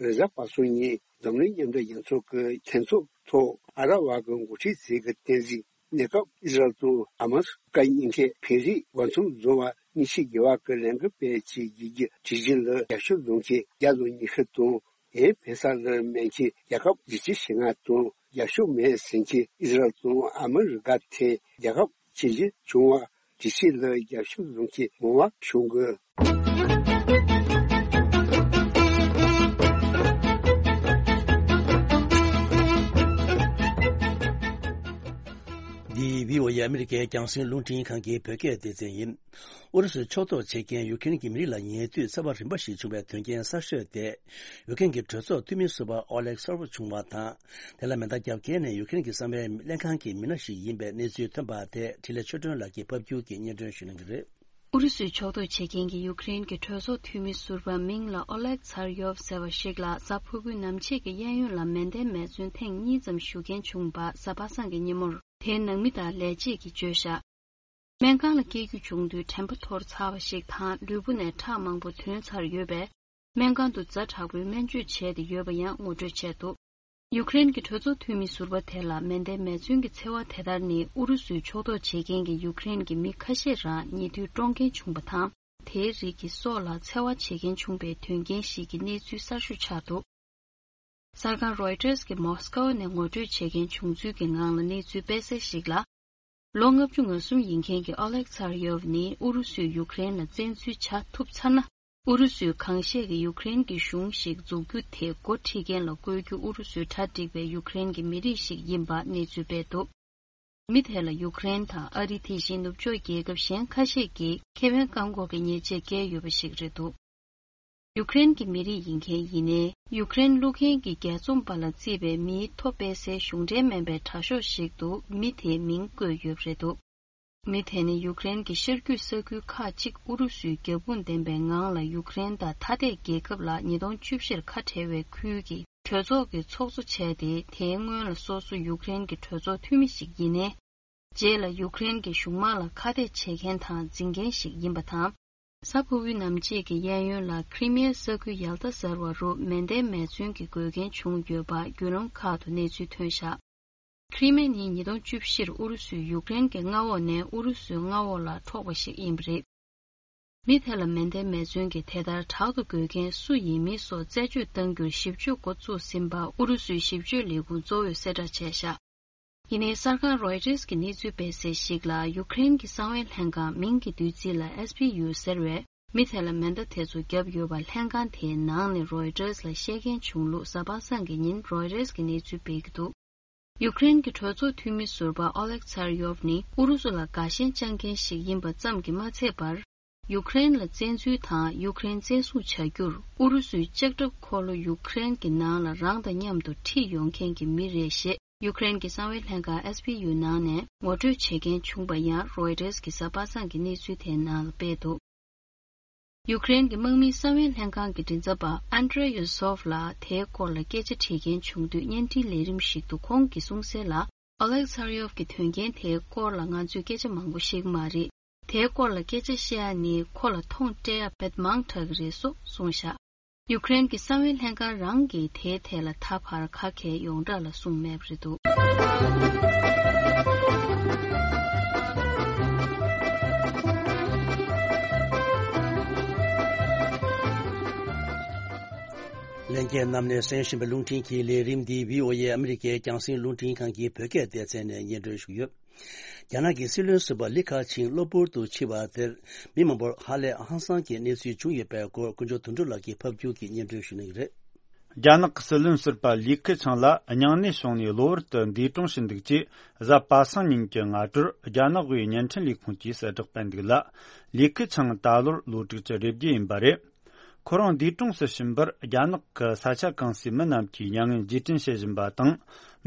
རེས་གཟའ་པ་སངས་ཉིན་འཛམ་གླིང་མཉམ་འབྲེལ་རྒྱལ་ཚོགས་ཀྱི་ལྷན་ཚོགས་ཐོག་ཨ་ར་བ་གི་འགོ་ཁྲིད་ཚོས་ཀྱི་བསྟན་འཛིན་གནས་སྐབས་ཨི་ཟ་རལ་དང་ཧ་མ་སི་བཀའ་རྙིང་མཁན་བོད་རིགས་འོས་འཚམ་བཟོ་བར་ཉེས་ཆད་འགེལ་བ་གི་ལས་འགུལ་སྤེལ་ཆེད་བརྒྱུད་རྒྱུ་གྲོས་གཞི་ལ་རྒྱབ་སྐྱོར་འཛོམས་མཁན་བརྒྱ་དང་ཉི་ཤུ་དང་། ཡང་བོད་ས་ལ་སྨན་ཁྱིམ་རྒྱལ་ཁབ་བཞི་བཅུ་ཞེ་ལྔ་དང་རྒྱབ་སྐྱོར་མེད་ཟེར་མཁན་ཨི་ཟ་རལ་དང་ཨ་མི་རི་ཀ་ཐད་རྒྱལ་ཁབ་ཆེ་བཞི་བྱུང་བ་གྲོས་ཆོད་ལ་རྒྱབ་སྐྱོར་འཛོམས་མཁན་མང་བ་བྱུང་དགོས། འདི་བྷི་ཨོ་ཨེ་ཨ་མི་རི་ཀའི་རྒྱང་སྲིང་རླུང་འཕྲིན་ཁང་གི་བོད་སྐད་སྡེ་ཚན་ཡིན། ཨུ་རུ་སུས་ཕྱོགས་གཏོགས་བྱེད་མཁན་ཡུ་ཀེ་རེན་གྱི་མི་རིགས་ལ་ཉེ་དུས་འཚེ་བ་རིམ་པ་ཞིག་བྱུང་བའི་དོན་རྐྱེན་གསར་ཤོས་དེ། ཡུ་ཀེ་རེན་གྱི་གྲོས་ཚོགས་འཐུས་མི་ཟུར་པ་ཨོ་ལེག་སར་བོ་བྱུང་བ་དང་། དེ་ལ་མེ་མདའ་བརྒྱབ་མཁན་ནི་ཡུ་ཀེ་རེན་གྱི་གསང་བའི་ལྷན་ཁང་གི་མི་སྣ་ཞིག་ཡིན་པའི་གནས་ཚུལ་ཐོན་པ་དེ་འཕྲིན་ལས་ཆོས་སྒྲོན་ལགས་ཀྱིས་ཕབ་སྒྱུར་གྱིས་སྙན་སྒྲོན་ཞུ་གནང་གི་རེད། ཨུ་རུ་སུས་ཕྱོགས་གཏོགས་བྱེད་མཁན་གྱི་ཡུ་ཀེ་རེན་གྱི་གྲོས་ཚོགས་འཐུས་མི་ཟུར་པ་མིང་ལ་ཨོ་ལེག་ཚར་ཡོབ་ཟེར་བ་ཞིག་ལ་གཟའ་ཕུར་བུའི་ནམ་ཕྱེད་ཀྱི་གཡས་གཡོན་ལ་མེ་མདའི་མེ་མཚོན་ཐེངས་གཉིས་ཙམ་གཞུ་མཁན་བྱུང་བ་གཟའ་པ་སངས་ཀྱི་ཉིན་མོར། དེའི་ནང་མི་དང་ལས་བྱེད་ཀྱིས་བརྗོད་བཞག་སྨན་ཁང་ལ་སྐྱེལ་རྒྱུ་བྱུང་དུས་དྲན་པ་འཐོར་ཚར་བ་ཞིག་དང་ལུས་པོ་ནས་ཁྲག་མང་པོ་ཐོན་ཚར་ཡོད་པས། སྨན་ཁང་དུ་ཛ་དྲག་པོའི་སྨན་བཅོས་བྱས་ཏེ་ཡོད་པ་ཡང་ངོ་སྤྲོད་བྱས་འདུག་ཡུ་ཀེ་རེན་གྱི་གྲོས་ཚོགས་འཐུས་མི་ཟུར་པ་དེ་ལ་མེ་མདའི་མེ་མཚོན་གྱི་འཚེ་བ་དེ་ལྟར་ནི་ཨུ་རུ་སུའི་ཕྱོགས་གཏོགས་བྱེད་མཁན་གྱི་ཡུ་ཀེ་རེན་གྱི་མི་ཁ་ཤས་རང་ཉེ་དུས་བཀྲོངས་མཁན་བྱུང་བ་དང་། དེའི་རིགས་ཀྱི་སྲོག་ལ་འཚེ་བ་བྱེད་མཁན་བྱུང་བའི་དོན་རྐྱེན་ཞིག་གི་གནས་ཚུལ་གསར་ཤོས་ཆགས་འདུག་གསར་ཁང་རོའི་ཊར་གྱིས་མོ་སི་ཀོ་ནས་ངོ་སྤྲོད་བྱེད་མཁན་བྱུང་ཚུལ་གྱི་ངང་ལ་གནས་ཚུལ་སྤེལ་གསལ་ཞིག་ལ། ལོ་ལྔ་བཅུ་ང་གསུམ་ཡིན་མཁན་གྱི་ཨོ་ལེག་ཚར་ཡོབ་ནི་ཨུ་རུ་སུས་ཡུ་ཀེ་རེན་ལ་བཙན་འཛུལ་བྱ་ཐུབ་ཚར་ན། ཨུ་རུ་སུས་གང་ཤེས་ཀྱི་ཡུ་ཀེ་རེན་གྱི་གཞུང་ཞིག་འཛུགས་རྒྱུ་དེ་འགོ་ཁྲིད་མཁན་ལ་བསྐོས་རྒྱུ་ཨུ་རུ་སུའི་གྲ་སྒྲིག་པའི་ཡུ་ཀེ་རེན་གྱི་མི་རིགས་ཤིག་ཡིན་པ་གནས་ཚུལ་སྤེལ་འདུག་མི་དེ་ལ་ཡུ་ཀེ་རེན་དང་ཨ་རི་དེ་བཞིན་ནུབ་ཕྱོགས་རྒྱལ་ཁབ་གཞན་ཁ་ཤས་ཀྱིས་ཁེ་ཕན་བཀག་འགོག་གི་ཉེས་ཆད་བཀལ་ཡོད་པ་ཞིག་རེད་འདུག་ཡུ་ཀེ་རེན་གྱི་མི་རིགས་ཡིན་མཁན་ཡིན་ནའི་ཡུ་ཀེ་རེན་བླུག་མཁན་གྱི་རྒྱལ་འཛོམས་པ་ལ་བརྩིས་པའི་མིའི་ཐོ་སྤེལ་སའི་གཞུང་འབྲེལ་མིན་པའི་དྲ་ཤོག་ཞིག་ཏུ་མི་དེའི་མིང་བཀོད་ཡོད་པ་རེད་འདུག་མི་དེ་ནི་ཡུ་ཀེ་རེན་གྱི་ཤར་རྒྱུད་ས་ཁུལ་ཁག་ཅིག་ཨུ་རུ་སུའི་རྒྱབ་དཔུང་ལྡན་པའི་ངང་ལ་ཡུ་ཀེ་རེན་དང་ཐ་དད་རྒྱལ་ཁབ་ལ་ཉིས་སྟོང་བཅུ་བཞིར་ཁ་བྲལ་བའི་ཁུལ་གྱི་གྲོས་ཚོགས་ཀྱི་ཚོགས་གཙོ་བྱས་ཏེ། དེའི་སྔོན་ལ་སོ་སོ་ཡུ་ཀེ་རེན་གྱི་གྲོས་ཚོགས་འཐུས་མི་ཞིག་ཡིན་ནའི། རྗེས་ལ་ཡུ་ཀེ་རེན་གྱི་གཞུང་དམག་ལ་ཁ་གཏད་བྱེད་མཁན་དང་འཛིན་མཁན་ཞིག་ཡིན་པ་དང་། གཟའ་ཕུར་བུའི་ནམ་ཕྱེད་ཀྱི་གཡས་གཡོན་ལ་ཁི་རི་མི་ཡའི་ས་ཁུལ་ཡལ་ཏ་ཟེར་བ་རུ་མེ་མདའི་མེ་མཚོན་གྱི་འགོས་མཁན་བྱུང་ཡོད་པ་བརྒྱུད་ལམ་ཁག་ཏུ་གནས་ཚུལ་ཐོན་བཞག་ཁི་རི་མི་ཡ་ནི་ཉིས་སྟོང་བཅུ་བཞིར་ཨུ་རུ་སུས་ཡུཀ་རེན་གྱི་མངའ་འོག་ནས་ཨུ་རུ་སུའི་མངའ་འོག་ལ་འཕྲོག་པ་ཞིག་ཡིན་པ་རེད། མི་དེ་ལ་མེ་མདའི་མེ་མཚོན་གྱིས་དེ་ལྟར་དྲག་ཏུ་འགོས་མཁན་སུ་ཡིན་མིན་སོགས་རྩད་གཅོད་གཏང་རྒྱུར་ཞིབ་དཔྱོད་འགོ་བཙུགས་ཟིན་པ་ཨུ་རུ་སུའི་ཞིབ་དཔྱོད་ལས་ཁུངས་གཙོ་བོས་གསལ་བསྒྲགས་བྱས་བཞག་ཡིན་ནའི་གསར་ཁང་རོའི་ཊར་གྱི་གནས་ཚུལ་སྤེལ་གསལ་ཞིག་ལ། ཡུཀ་རེན་གྱི་གསང་བའི་ལྷན་ཁང་མིང་གི་བསྡུས་ཚིག་ལ་ཨེས་པི་ཡུ་ཟེར་བས། མི་དེ་ལ་མེ་མདའ་དེ་ཚོ་བརྒྱབ་ཡོད་པ་ལྷན་ཁང་དེའི་ནང་ནས་རོའི་ཊར་ལ་བཤད་མཁན་བྱུང་ལུགས་གཟའ་པ་སངས་ཀྱི་ཉིན་རོའི་ཊར་གྱིས་གནས་ཚུལ་སྤེལ་གྱི་འདུག་ཡུཀ་རེན་གྱི་གྲོས་ཚོགས་འཐུས་མི་ཟུར་པ་ཨོ་ལེག་ཚར་ཡོབ་ནི་ཨུ་རུ་སུ་ལ་དགའ་ཞེན་བཅངས་མཁན་ཞིག་ཡིན་པ་ཙམ་གྱིས་མ་ཚད་པར། ཡུཀ་རེན་ལ་བཙན་འཛུལ་དང་ཡུཀ་རེན་བཙན་བཟུང་བྱ་རྒྱུར་ཨུ་རུ་སུའི་ལྕགས་ཁྲབ་འཁོར་ལོ་ཡུཀ་རེན་གྱི་ནང་ལ་རང་དང་མཉམ་དུ་ཁྲིད་ཡོང་མཁན་གྱི་མི་རེད་ཞེས། ཡུཀ་རེན་གྱི་གསང་བའི་ལྷན་ཁང་ཨེས་པི་ཡུ་ནང་ནས་ངོ་སྤྲོད་བྱེད་མཁན་བྱུང་པ་ཡང་རོའི་ཊར་གྱིས་གཟའ་པ་སངས་ཀྱི་གནས་ཚུལ་དེའི་ནང་ལ་སྤེལ་འདུག་ཡུཀ་རེན་གྱི་དམག་མིའི་གསང་བའི་ལྷན་ཁང་གི་མགྲིན་ཚབ་པ་ཨན་ཏྲེ་ཡུ་སོབ་ལ་དེའི་སྐོར་ལ་སྐད་ཆ་དྲིས་མཁན་བྱུང་དུས། བརྙན་འཕྲིན་ལས་རིམ་ཞིག་ཏུ་ཁོང་གིས་གསུངས་གསལ་ལ། ཨོ་ལེག་ཚར་ཡོབ་ཀྱི་དོན་རྐྱེན་དེའི་སྐོར་ལ་ང་ཚོས་སྐད་ཆ་མང་པོ་ཤེས་ཀྱི་མ་རེད། དེའི་སྐོར་ལ་སྐད་ཆ་བཤད་ཡ་ནི་ཁོ་ལ་མཐོང་སྤྲད་ཡ་དཔེ་མང་དྲགས་ཀྱི་རེད་སོགས་གསུངས་བཞག་ཡུཀ་རེན་གྱི་གསང་བའི་ལྷན་ཁང་རང་གིས་དེའི་ཐད་ལ་ད་བར་ཁ་གསལ་ཡོངས་གྲགས་ལ་གསུངས་མེད་པ་རེད་འདུག་ལྷན་རྒྱས་རྣམས་ནས་གསན་བཞིན་པའི་རླུང་འཕྲིན་གྱི་ལས་རིམ་འདི་བྷི་ཨོ་ཨེ་ཨ་མི་རི་ཀའི་རྒྱང་སྲིང་རླུང་འཕྲིན་ཁང་གི་བོད་སྐད་སྡེ་ཚན་ནས་སྙན་སྒྲོན་ཞུས་ཡོད། རྒྱ་ནག་གི་སྲིད་བློན་ཟུར་པ་ལི་ཁ་ཆིང་གློ་བུར་དུ་འཆི་བ་དེར་མི་མང་པོར་ཧ་ལས་ཧང་སང་གི་གནས་ཚུལ་བྱུང་ཡོད་པའི་སྐོར་དཀོན་མཆོག་དོན་གྲུབ་ལགས་ཀྱིས་ཕབ་སྒྱུར་གྱིས་སྙན་སྒྲོན་ཞུ་གནང་གི་རེད། རྒྱ་ནག་གི་སྲིད་བློན་ཟུར་པ་ལི་ཁི་ཆང་ལ་སྙིང་ནད་བྱུང་ནས་གློ་བུར་དུ་འདས་གྲོངས་ཕྱིན་འདུག་ཅེས་གཟའ་པ་སངས་ཉིན་གྱི་སྔ་དྲོར་རྒྱ་ནག་དབུས་བརྙན་འཕྲིན་ལས་ཁུངས་ཀྱིས་གསལ་བསྒྲགས་སྤེལ་འདུག་ལ། ལི་ཁི་ཆང་ད་ལོར་ལོ་དྲུག་ཅུ་རེ་བརྒྱད་ཡིན་པ་རེད། ཁོ་རང་འདས་གྲོངས་སུ་ཕྱིན་པར་རྒྱ་ནག་གི་ས་ཆ་གང་སའི་མི་རྣམས་ཀྱིས་མྱ་ངན་རྗེས་དྲན་བྱེད་བཞིན་པ་དང་།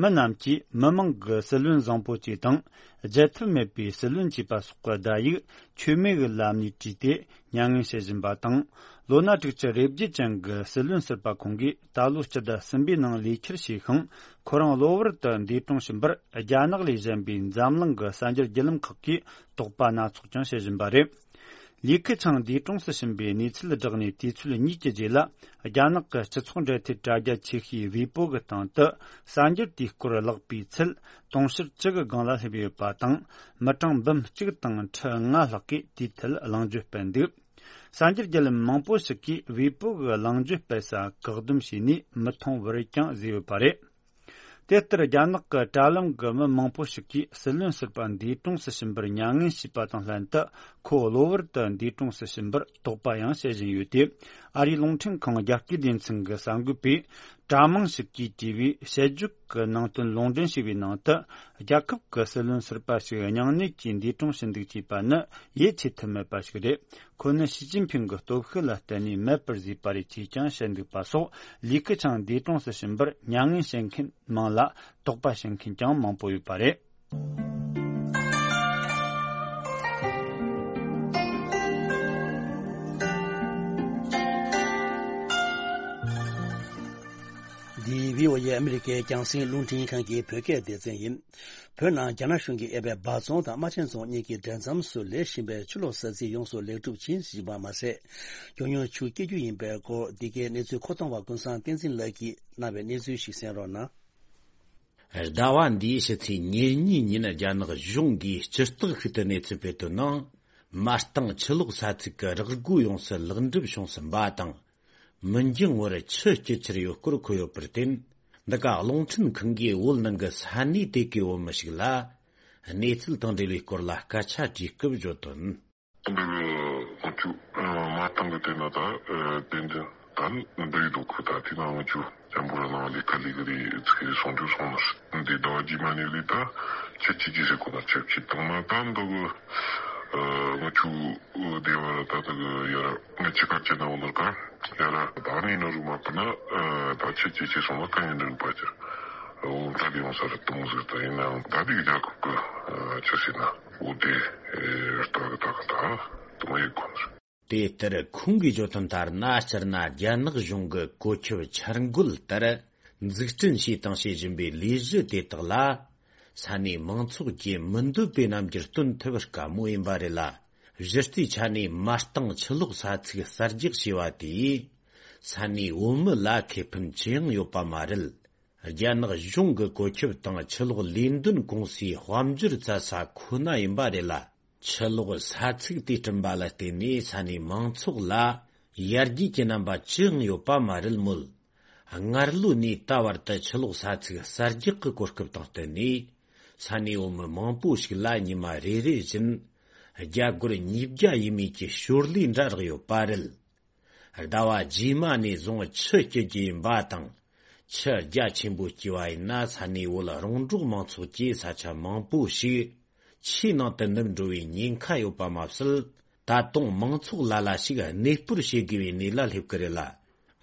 མི་རྣམས་ཀྱིས་མི་མང་གི་སྲིད་བློན་བཟང་པོ་བཅས་དང་། བརྗེད་ཐབས་མེད་པའི་སྲིད་བློན་བཅས་པ་སོགས་ཀྱི་བརྡ་ཡིག་མཆོད་མེ་གི་ལམ་ནས་བྲིས་ཏེ་མྱ་ངན་བྱེད་བཞིན་པ་དང་། ལོ་ན་དྲུག་ཅུ་རེ་བརྒྱད་ཅན་གྱི་སྲིད་བློན་ཟུར་པ་ཁོང་གིས་ད་ལོ་སྤྱི་ཟླ་གསུམ་པའི་ནང་ལས་འཁྱུར་བྱས་ཤིང་། ཁོ་རང་གློ་བུར་དུ་འདས་གྲོངས་ཕྱིན་པར་རྒྱ་ནག་ལས་གཞན་པའི་འཛམ་གླིང་གི་གསར་འགྱུར་བརྒྱུད་ལམ་ཁག་གིས་དོགས་པ་སྣ་ཚོགས་ཀྱང་བྱེད་བཞིན་པ་རེད། ལི་ཁི་ཆང་འདས་གྲོངས་སུ་ཕྱིན་པའི་གནས་ཚུལ་བསྒྲགས་ནས་དུས་ཚོད་གཉིས་ཀྱི་རྗེས་ལ། རྒྱ་ནག་གི་སྤྱི་ཚོགས་འབྲེལ་མཐུད་དྲ་རྒྱ་ཆེ་ཤོས་ཝེ་པོ་གི་སྟེང་དུ་གསར་འགྱུར་དེའི་སྐོར་བཀླགས་པའི་ཚད་དུང་ཕྱུར་བཅུ་གི་སྒང་ལ་སླེབས་ཡོད་པ་དང་། མི་གྲངས་འབུམ་གཅིག་དང་ཁྲི་ལྔ་ལྷག་གིས་དེའི་ཐད་གླེང་བརྗོད་སྤེལ་འདུག་གསར་འགྱུར་བརྒྱུད་ལམ་མང་པོ་ཞིག་གིས་ཝེ་པོ་གི་གླེང་བརྗོད་སྤེལ་ས་བཀག་སྡོམ་བྱས་ནས་མི་མཐོང་བར་ཀྱང་བཟོས་ཡོད་པ་རེད། དེ་ལྟར་རྒྱ་ནག་གི་དྲ་ལམ་གྱི་མི་མང་པོ་ཞིག་གིས་སྲིད་བློན་ཟུར་པ་འདས་གྲོངས་སུ་ཕྱིན་པར་མྱ་ངན་ཞུས་པ་དང་ལྷན་དུ། ཁོ་གློ་བུར་དུ་འདས་གྲོངས་སུ་ཕྱིན་པར་དོགས་པ་ཡང་བྱེད་བཞིན་ཡོད་དེ། ཨ་རིའི་རླུང་འཕྲིན་ཁང་རྒྱ་སྐད་སྡེ་ཚན་གྱི་གསར་འགོད་པས། དྲ་མིང་ཞིག་གིས་བྲིས་པའི་དཔྱད་བརྗོད་ཀྱི་ནང་དོན་ལུང་འདྲེན་བྱས་པའི་ནང་དུ། རྒྱལ་ཁབ་ཀྱི་སྲིད་བློན་ཟུར་པ་ཞིག་སྙིང་ནད་ཀྱིས་འདས་གྲོངས་ཕྱིན་འདུག་ཅེས་པ་ནི་ཡིད་ཆེས་ཐུབ་མེད་པ་ཞིག་རེད། ཁོ་ནི་ཞི་ཅིན་ཕིང་གི་སྟོབས་ཤུགས་ལ་བརྟེན་ནས་མེད་པར་བཟོས་པ་རེད་ཅེས་ཀྱང་བཤད་འདུག་པ་སོགས། ལི་ཁེ་ཆང་འདས་གྲོངས་སུ་ཕྱིན་པར་མྱ་ངན་བྱེད་མཁན་མང་ལ། དོགས་པ་བྱེད་མཁན་ཀྱང་མང་པོ་ཡོད་པ་རེད། འདི་བྷི་ཨོ་ཨེ་ཨ་མི་རི་ཀའི་རྒྱང་སྲིང་རླུང་འཕྲིན་ཁང་གི་བོད་སྐད་སྡེ་ཚན་ཡིན། བོད་ནང་རྒྱ་ནག་གཞུང་གིས་གཡས་པའི་འབའ་རྫོང་དང་རྨ་ཆེན་རྫོང་གཉིས་ཀྱི་འབྲེལ་མཚམས་སུ་ལས་བཞིན་པའི་ཆུ་གློག་ས་ཚིགས་ཡོངས་སུ་ལེགས་གྲུབ་ཕྱིན་ཟིན་པ་མ་ཟད། མགྱོགས་མྱུར་ཆུ་སྐྱེ་རྒྱུ་ཡིན་པའི་སྐོར། འདི་གའི་གནས་ཚུལ་མཁོ་གཏོང་བ་ཀུན་བཟང་བསྟན་འཛིན་ལགས་ཀྱིས་གནང་བའི་གནས་ཚུལ་ཞིག་གསན་རོགས་གནང་། ཟླ་བ་འདིའི་ཕྱི་ཚེས་ཉེར་གཉིས་ཉིན་རྒྱ་ནག་གཞུང་གིས་སྤྱིར་བཏོག་ཤིག་ཏུ་གནས་ཚུལ་སྤེལ་དོན་ནང་། མ་རྟིང་ཆུ་གློག་ས་ཚིགས་ཀྱི་རག་སྒོ་ཡོངས་སུ་ལེགས་འགྲུབ་བྱུང་ཟིན་པ་དང་། མི་འགྱང་བར་ཆུ་སྐྱེལ་འཆར་ཡོད་སྐོར་འཁོད་ཡོད་པར་བརྟེན། འདི་ག་རླུང་འཕྲིན་ཁང་གིས་བོད་ནང་གི་ས་གནས་དེ་གའི་བོད་མི་ཞིག་ལ། གནས་ཚུལ་དང་འབྲེལ་བའི་སྐོར་ལ་སྐད་ཆ་དྲིས་སྐབས་བརྗོད་དོན། འདི་གི་ང་ཚོ་མ་བཏང་གི་དེ་ན་ད་དེ་འདི་ད་འདི་ཡི་འདུག་གི། ད་དེ་ན་ང་ཚོ་ཅམ་པོ་ར་ནང་ལས་ཀ་ལས་གི་རེད། ཚིག་གི་སོང་རྒྱུ་སོང་ནི་འདི་ཟླ་བ་རྗེས་མ་ནས་ལས་ད་ཁྱེད་ཀྱི་ཅི་ཟེར་གོ་ན་ཁྱེད་ཀྱི་བཏང་ན་ད་འདི་གི་ང་ཚོ་སྡེ་བ་ར་ད་འདི་གི་ཡ་ར་ང་ཅི་ཀ་ཅི་ན་འོ་ནོར་ག་ཡ་ར་ད་ནི་ན་རུ་མ་པ་ན་ད་ཁྱེད་ཀྱི་ཅི་སོང་ན་ག་ཡིན་འདྲ་པ་ཅི་འོ་ད་དེ་ཡོང་ས་ར་དུ་མོ་ཟེར་ད་ཡིན་ན་ད་དེ་གི་རྒྱལ་ཁབ་གི་ཅི་ཟེར་ན། འོ་དེ་ལྟ་གི་ད་གི་ད་དུ་མ་ཡི་གོ། དེ་ལྟར་ཁོང་གིས་བརྗོད་དོན་ལྟར་ན། སྤྱིར་ན་རྒྱ་ནག་གཞུང་གི་བཀོད་ཁྱབ་འཆར་འགོད་ལྟར་འཛུགས་སྐྲུན་བྱས་དང་བྱེད་བཞིན་པའི་ལས་གཞི་དེ་དག་ལ། ས་གནས་མང་ཚོགས་ཀྱི་མི་འདོད་པའི་རྣམ་འགྱུར་སྟོན་ཐུབ་དཀའ་མོ་ཡིན་པ་རེད་ལ། གཞི་རྩའི་ཆ་ནས་མ་རྟིང་ཆུ་གློག་ས་ཚིགས་གསར་རྒྱག་བྱས་པ་དེས། ས་གནས་བོད་མི་ལ་ཁེ་ཕན་ཅི་ཡང་ཡོད་པ་མ་རེད། རྒྱ་ནག་གཞུང་གི་བཀོད་ཁྱབ་དང་ཆུ་གློག་ལས་འདོན་ཀུང་སིའི་དཔལ་འབྱོར་བཙལ་ས་ཁོ་ན་ཡིན་པ་རེད་ལ། ཆུ་གློག་ས་ཚིགས་དེ་བསྐྲུན་པ་ལ་བརྟེན་ནས་ས་གནས་མང་ཚོགས་ལ་ཡར་རྒྱས་ཀྱི་རྣམ་པ་ཅི་ཡང་ཡོད་པ་མ་རེད་མོད། སྔར་ལོ་ནས་ད་བར་དུ་ཆུ་གློག་ས་ཚིགས་གསར་རྒྱག་གི་གོ་སྐབས་དང་བསྟུན་ནས། ས་གནས་བོད་མི་མང་པོ་ཞིག་ལ་ཉི་མ་རེ་རེ་བཞིན་རྒྱ་སྒོར་ཉིས་བརྒྱ་ཡས་མས་ཀྱི་ཞོར་ལས་འདྲ་རག་ཡོད་པ་རེད། ཟླ་བ་རྗེས་མ་ནས་བཟུང་ཆུ་སྐྱེལ་རྒྱུ་ཡིན་པ་དང་། ཆུ་རྒྱ་ཆེན་པོ་སྐྱེས་པ་ཡིན་ན་ས་གནས་བོད་རོང་འབྲོག་མང་ཚོགས་ཀྱི་ས་ཆ་མང་པོ་ཞིག་ཆུའི་ནང་དུ་ནུབ་འགྲོ་བའི་ཉེན་ཁ་ཡོད་པ་མ་ཟད། ད་དུང་མང་ཚོགས་ལ་ལ་ཞིག་གནས་སྤོར་བྱེད་དགོས་པའི་གནས་ལ་སླེབས་ཀྱི་རེད་ལ།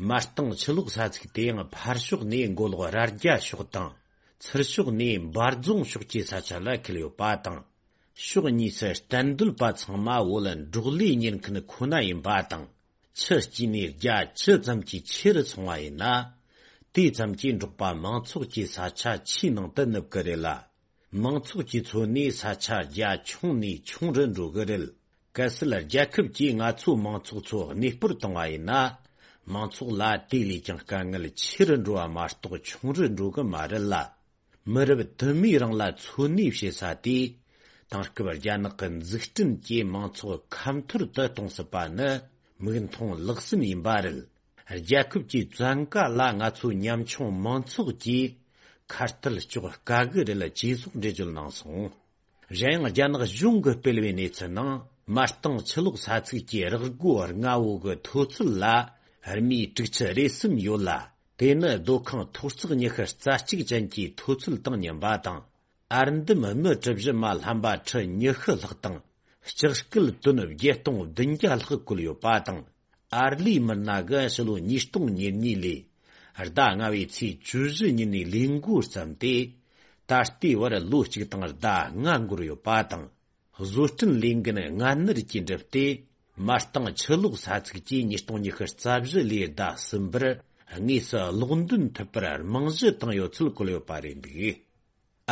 མ་རྟིང་ཆུ་གློག་ས་ཚིགས་དེ་ཡང་ཕར་ཕྱོགས་ནས་མགོ་ལོག་རྭ་རྒྱ་ཕྱོགས་དང་། ཚུར་ཕྱོགས་ནས་འབའ་རྫོང་ཕྱོགས་ཀྱི་ས་ཆ་ལ་འཁེལ་ཡོད་པ་དང་། ཕྱོགས་གཉིས་སུ་གཏན་སྡོད་པ་ཚང་མ་བོད་འབྲོག་ལས་གཉེར་མཁན་ཁོ་ན་ཡིན་པ་དང་། ཆུ་སྐྱེས་ནས་རྒྱ་ཇི་ཙམ་གྱིས་ཆེ་རུ་སོང་བ་ཡིན་ན། དེ་ཙམ་གྱིས་འབྲོག་པ་མང་ཚོགས་ཀྱི་ས་ཆ་ཆུའི་ནང་དུ་ནུབ་ཀྱི་རེད་ལ། མང་ཚོགས་ཀྱིས་འཚོ་གནས་ས་ཆ་རྒྱ་ཆུང་ནས་ཆུང་རུ་འགྲོ་གི་རེད། གལ་སྲིད་རྒྱལ་ཁབ་ཀྱིས་ང་ཚོ་མང་ཚོགས་ཚོ་གནས་སྤོར་བཏང་བ་ཡིན་ན། མང་ཚོགས་ལ་དེ་ལས་ཀྱང་དཀའ་ངལ་ཆེ་རུ་འགྲོ་བ་མ་གཏོགས་ཆུང་རུ་འགྲོ་གི་མ་རེད་ལ། མི་རབས་དུ་མའི་རིང་ལ་འཚོ་གནས་བྱེད་ས་དེ། དེང་སྐབས་རྒྱ་ནག་གི་འཛུགས་སྐྲུན་གྱིས་མང་ཚོགས་ཁ་འཐོར་དུ་གཏོང་སྲིད་པ་ནི་མིག་མཐོང་ལག་ཟིན་ཡིན་པ་རེད། རྒྱལ་ཁབ་ཀྱི་བཙན་བཀའ་ལ་ང་ཚོ་ཉམ་ཆུང་མང་ཚོགས་ཀྱིས་ཁ་གཏད་གཅོག་དཀའ་གི་རེད། ཅེས་སོགས་འགྲེལ་བརྗོད་གནང་སོང་། གཞན་ཡང་རྒྱ་ནག་གཞུང་གིས་སྤེལ་བའི་གནས་ཚུལ་ནང་། མ་རྟིང་ཆུ་གློག་ས་ཚིགས་ཀྱི་རག་སྒོ་ལྔ་བོ་གི་མཐོ་ཚད་ལ་རྨིས་དྲུག་ཅུ་རེ་གསུམ་ཡོད་ལ། དེ་ནི་སྡོད་ཁང་མཐོ་གཙུག་ཉི་ཤུ་རྩ་གཅིག་ཅན་གྱི་མཐོ་ཚད་དང་མཉམ་པ་དང་། ཨར་འདམ་སྨི་གྲུ་བཞི་མ་ལྷམ་པ་ཁྲི་ཉི་ཤུ་ལྷག་དང་། ལྕགས་སྐུད་ཏོན་བརྒྱད་སྟོང་བདུན་བརྒྱ་ལྷག་བཀོལ་ཡོད་པ་དང་། ཨར་ལས་མི་སྣ་གིས་ཕྱི་ལོ་ཉིས་སྟོང་ཉེར་གཉིས་ལོའི་ཟླ་ལྔ་བའི་ཚེས་བཅུ་བཞི་ཉིན་ནས་ལས་འགོ་བརྩམས་ཏེ། ད་ལྟའི་བར་ལོ་གཅིག་དང་ཟླ་ལྔ་འགོར་ཡོད་པ་དང་། བཟོ་སྐྲུན་ལས་འགན་སྔ་སྣུར་གྱིས་བསྒྲུབས་ཏེ། མ་རྟིང་ཆུ་གློག་ས་ཚིགས་ཀྱིས་ཉིས་སྟོང་ཉི་ཤུ་རྩ་བཞི་ལོའི་ཟླ་གསུམ་པར་དངོས་སུ་གློག་འདོན་ཐུབ་པར་རྨང་གཞི་བཏིང་ཡོད་ཚུལ་བཀོད་ཡོད་པ་རེད་འདུག།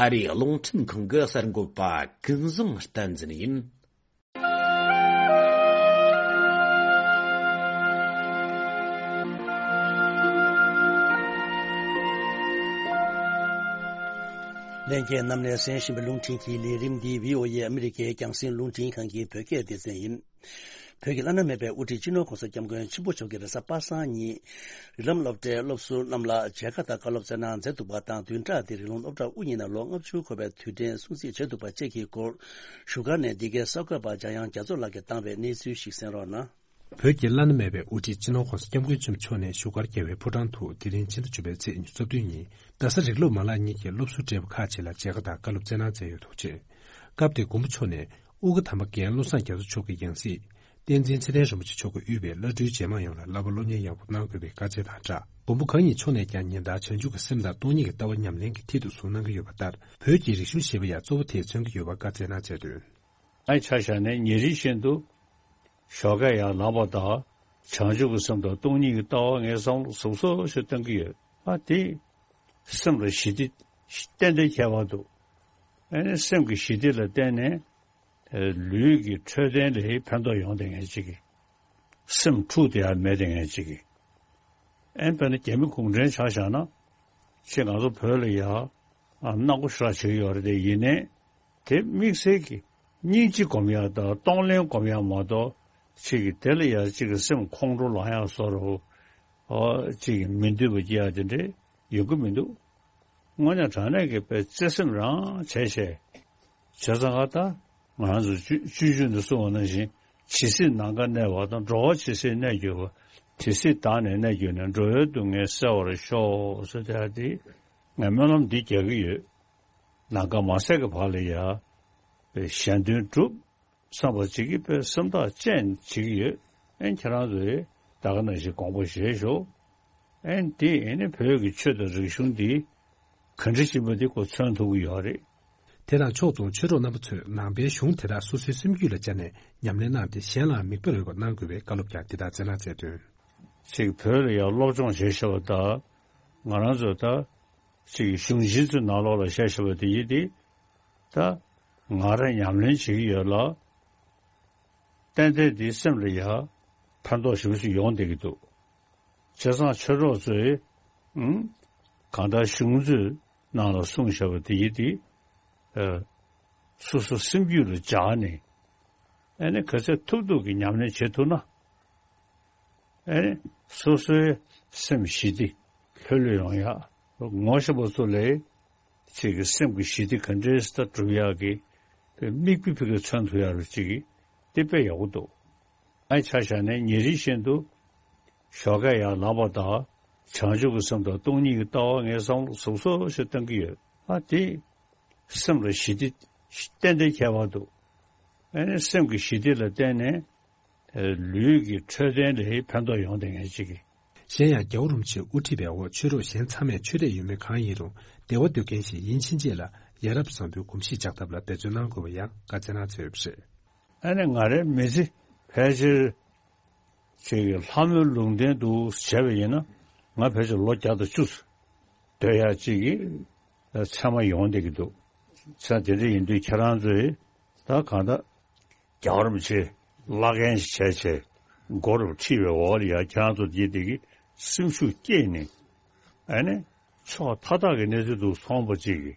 ཨ་རིའི་རླུང་འཕྲིན་ཁང་གི་གསར་འགོད་པ་ཀུན་བཟང་བསྟན་འཛིན་ཡིན། ལྷན་རྒྱས་རྣམས་ནས་གསན་བཞིན་པའི་རླུང་འཕྲིན་གྱི་ལས་རིམ་འདི་བྷི་ཨོ་ཨེ་ཨ་མི་རི་ཀའི་རྒྱང་སྲིང་རླུང་འཕྲིན་ཁང་གི་བོད་སྐད་སྡེ་ཚན་ཡིན། བོད་ཀྱི་བླ་ན་མེད་པའི་དབུ་ཁྲིད་སྤྱི་ནོར་༸གོང་ས་༸སྐྱབས་མགོན་ཆེན་པོ་མཆོག་གིས་རེས་གཟའ་པ་སངས་ཉིན། རིགས་ལམ་སློབ་གྲྭའི་སློབ་ཟུར་རྣམས་ལ་མཇལ་ཁ་དང་བཀའ་སློབ་སྩལ་གནང་མཛད་འདུག་པ་དང་། བདུན་ཕྲག་འདིར་རིགས་ལམ་སློབ་གྲྭ་དབུ་བརྙེས་ནས་ལོ་ལྔ་བཅུ་འཁོར་བའི་དུས་དྲན་སྲུང་བརྩི་བྱེད་འདུག་པ་བཅས་ཀྱི་སྐོར། བཞུགས་སྒར་ནས་འདི་གའི་གསར་འགོད་པ་འཇམ་དབྱངས་རྒྱ་མཚོ་ལགས་ཀྱིས་བཏང་བའི་གནས་ཚུལ་ཞིག་གསན་རོགས་གནང་། བོད་ཀྱི་བླ་ན་མེད་པའི་དབུ་ཁྲིད་སྤྱི་ནོར་༸གོང་ས་༸སྐྱབས་མགོན་ཆེན་པོ་མཆོག་ནས་བཞུགས་སྒར་རྒྱལ་བའི་ཕོ་བྲང་དུ་དེ་རིང་ཕྱི་ཟླ་བཅུ་པའི་ཚེས་ཉི་ཤུ་རྩ་བདུན་ཉིན་རྡ་ས་རིགས་སློབ་མ་ལག་གཉིས་ཀྱི་སློབ་ཟུར་བགྲེས་པོ་ཁག་ཅིག་ལ་མཇལ་ཁ་དང་བཀའ་སློབ་སྩལ་གནང་མཛད་ཡོད་འདུག་ཅེས། སྐབས་དེར་མགོན་པོ་མཆོག་ནས་དབུ་དགའ་དམ་པ་རྒན་བློ་བཟང་རྒྱ་མཚོ་མཆོག་གི་ཡང་སྲིད། བསྟན་འཛིན་ཚེ་བརྟན་རིན་པོ་ཆེ་མཆོག་གིས་དབུས་པའི་བླ་སྤྲུལ་རྗེས་མ་ཡོངས་ལ་བསླབ་པ་སློབ་གཉེར་ཡག་པོ་གནང་དགོས་པའི་བཀའ་སྩལ་དང་སྦྲགས། མགོན་པོ་གང་ཉིད་མཆོག་ནས་ཀྱང་ཉིན་ལྟར་བྱང་ཆུབ་ཀྱི་སེམས་དང་སྟོང་ཉིད་ཀྱི་ལྟ་བ་ཉམས་ལེན་གྱི་མཐིལ་དུ་བཟུང་གནང་གི་ཡོད་པ་ལྟར། བོད་ཀྱི་རིག་གཞུང་ཞེས་པ་ཡང་གཙོ་བོ་དེས་མཚོན་གྱི་ཡོད་པ་བཀའ་སྩལ་གནང་མཛད་དོན། ཨའི་ཆ་བཞག་ནས་ཉིན་རེ་བཞིན་དུ་ཞོགས་ཀས་ཡར་ལངས་པ་དང་བྱང་ཆུབ་ཀྱི་སེམས་དང་སྟོང་ཉིད་ཀྱི་ལྟ་བ་ངས་བསམ་བློ་ཟབ་ཟབ་ཞིག་གཏོང་གི་ཡོད། ཨ་དེ་སེམས་ལ་ཞི་བདེ་ཏན་ཏན་ཁྱད་པར་འདུག་ཨ་ནི་སེམས་ཀྱི་ཞི་བདེ་ལ་བརྟེན་ནས་ལུས་ཀྱི་འཕྲོད་བསྟེན་ལ་ཕན་ཐོགས་ཡོང་བསྡད་མཁན་ཅིག་གི། སེམས་འཁྲུག་བསྡད་ཡ་མེད་བསྡད་མཁན་ཅིག་གི། ཨེ་དཔེར་ན་རྒྱ་མི་གུང་ཁྲན་ཆ་བཞག་ན། ཅིག་ང་ཚོ་བོད་ལ་ཡ་ཨ་སྣ་སྒོ་ཞེ་དྲག་བྱེད་ཀྱི་ཡོད་རེད་དེ། ཡིན་ནའི་དེ་དམིགས་བསལ་གྱི་སྙིང་རྗེ་སྒོམ་ཡ་དང་གཏོང་ལེན་སྒོམ་ཡ་མ་གཏོགས། ཅིག་གི་དེ་ལ་ཡ་ཅིག་གི་སེམས་ཁོང་ཁྲོ་ལངས་ཡ་བཟོ་འདྲ་བོ། ཨོ་ཅིག་གི་མི་འདོད་པ་སྐྱེ་ཡ་དེ་འདྲ་ཡོང་གི་མི་འདུག་དངོས་གནས་དྲང་གནས་ཀྱི་དཔེ་བརྩེ་སེམས་རང་བྱས་བྱས། བྱས་ཙང་ད་ང་རང་ཚོ་སྤྱོད་སྤྱོད་འཇུག་ནས་གསུངས་པ་ནང་བཞིན། ཇི་སྲིད་ནམ་མཁའ་གནས་པ་དང་། འགྲོ་བ་ཇི་སྲིད་གནས་གྱུར་པ། དེ་སྲིད་བདག་ནི་གནས་གྱུར་ནས། འགྲོ་བའི་སྡུག་བསྔལ་སེལ་བར་ཤོག་ཟེར་དེ་ཡ་དེ། ངས་སྨོན་ལམ་འདི་རྒྱག་གི་ཡོད། ནམ་མཁའ་མ་ཟད་ཀྱི་བར་ལ་ཡ་གཞན་དོན་སྒྲུབ་བསམ་པ་ཅིག་གིས་དཔེ་སེམས་ཐག་བཅད་བྱེད་ཀྱི་ཡོད། ཨེ་ཁྱེད་རང་ཚོས་ད་ག་ནང་བཞིན་དགོངས་པ་བཞེས་ཤོག་ཨེ་འདི་ཨེ་ནི་བོད་ཀྱི་ཆོས་དང་རིག་གཞུང་འདི་ག་འདྲ་ཞིག་མ་འདི་ཁོ་མཚོན་ཐུབ་ཀྱི་ཡོད་རེད། དེ་དང་ཕྱོགས་མཚུངས་ཆོས་གྲོགས་རྣམ་པ་ཚོས་ནང་པའི་གཞུང་དེ་དག་སོ་སོའི་སེམས་རྒྱུད་ལ་བཅངས་ནས་ཉམས་ལེན་གནང་སྟེ། གཞན་ལའང་མིག་དཔེར་འོས་པ་གནང་དགོས་པའི་བཀའ་སློབ་ཀྱང་འདི་ལྟར་སྩལ་གནང་མཛད་དོན། ཅིག་བོད་ལ་ཡང་སློབ་སྦྱོང་བྱེད་ཤེས་པ་དང་། ང་རང་ཚོ་ད་ཅིག་གཞུང་ཆེན་ཚོའི་ནང་ལོགས་ལ་བཤད་ཤེས་པ་དེ་ཡིན་ཏེ། ད་ང་རང་ཉམས་ལེན་བྱེད་ཀྱི་ཡོད་ལ། ཏན་ཏན་འདིའི་སེམས་ལ་ཡང་ཕན་ཐོགས་ཞེ་པོ་ཞིག་ཡོང་བསྡད་ཀྱི་འདུག་བྱས་ཙང་ཆོས་གྲོགས་ཚོས་ཨང་གང་ལྟར་གཞུང་ཚོའི་ནང་ལ་གསུངས་བཞག་པ་དེ་ཡིན་ཏེ། ཨ་སོ་སོ་སེམས་རྒྱུད་ལ་འཇགས་ནས། ཨ་ནི་ག་ཚད་ཐུབ་ཐུབ་ཀྱི་ཉམས་ལེན་བྱེད་ཐུབ་ན། ཨ་ནི་སོ་སོའི་སེམས་ཞི་བདེ་ལྷོད་ལྷོད་ཡོང་ཡ། ངོ་ཤེས་པ་ཚོ་ལས་ཅིག་གི་སེམས་ཀྱི་ཞི་བདེ་ག་འདྲས་སེ་སྒྲུབ་ཡག་གི་དམིགས་པའི་ཕ་གིར་མཚོན་ཐུབ་ཡག་རུ་ཅིག་གི་དེ་དཔེ་ཡག་པོ་འདུག་ཨ་ཆ་བཞག་ནས་ཉིན་རེ་བཞིན་དུ་ཞོགས་ཀས་ཡར་ལངས་པ་དང་། བྱང་ཆུབ་ཀྱི་སེམས་དང་སྟོང་ཉིད་ཀྱི་ལྟ་བ་ངས་བསམ་བློ་ཟབ་ཟབ་ཞིག་གཏོང་གི་ཡོད། ཨ་དེ་སེམས་ལ་ཞི་བདེ་ཏན་ཏན་ཁྱད་པར་འདུག་ཨ་ནི་སེམས་ཀྱི་ཞི་བདེ་ལ་བརྟེན་ནས། ལུས་ཀྱི་འཕྲོད་བསྟེན་ལ་ཕན་ཐོགས་ཡོང་བསྡད་མཁན་ཅིག་གི། གཞན་ཡང་རྒྱལ་བ་རིན་པོ་ཆེས་དབུ་ཁྲིད་པའི་འོག་ཆོས་གྲོགས་གཞན་ཚང་མས་ཆོས་དད་ཡོད་མེད་གང་ཡིན་རུང་བདེ་བ་འདོད་མཁན་ཞིག་ཡིན་ཕྱིན་ཆད་ལ་ཡ་རབས་བཟང་པོའི་གོམས་གཤིས་འཇགས་ཐབས་ལ་འབད་བརྩོན་གནང་དགོས་པ་ཡང་བཀའ་སྩལ་གནང་མཛད་ཡོད་པ་རེད། ཨ་ནི་ང་རའི་མི་ཚེ་ཕལ་ཆེར་ཅིག་གི་ལྷ་མོའི་ལུང་བསྟན་དུ་བྱས་པ་ཡིན་ན། ང་ཕལ་ཆེར་ལོ་བརྒྱ་དང་བཅུ་སྡོད་ཡག་ཅིག་གི་ཚད་མ་ཡོང་བསྡད་ཀྱི་འདུག་ཚེ་དེ་འདྲ་ཡིན་དུས་ཁྱེད་རང་ཚོས་ད་གང་ལྟར། རྒྱལ་བ་རིན་པོ་ཆེ་བླ་རྒན་ཞིག་བྱས་བྱས་མགོ་རུ་ཁྲིད་པའི་འོག་ལ་ཡ་ཁྱེད་རང་ཚོ་འདི་དེ་གི་སེམས་ཤུགས་བསྐྱེད་ནས། ཨ་ནི་ཕྱོགས་མཐའ་དག་གི་གནས་ཚུལ་དུ་སོང་བ་ཅིག་གི་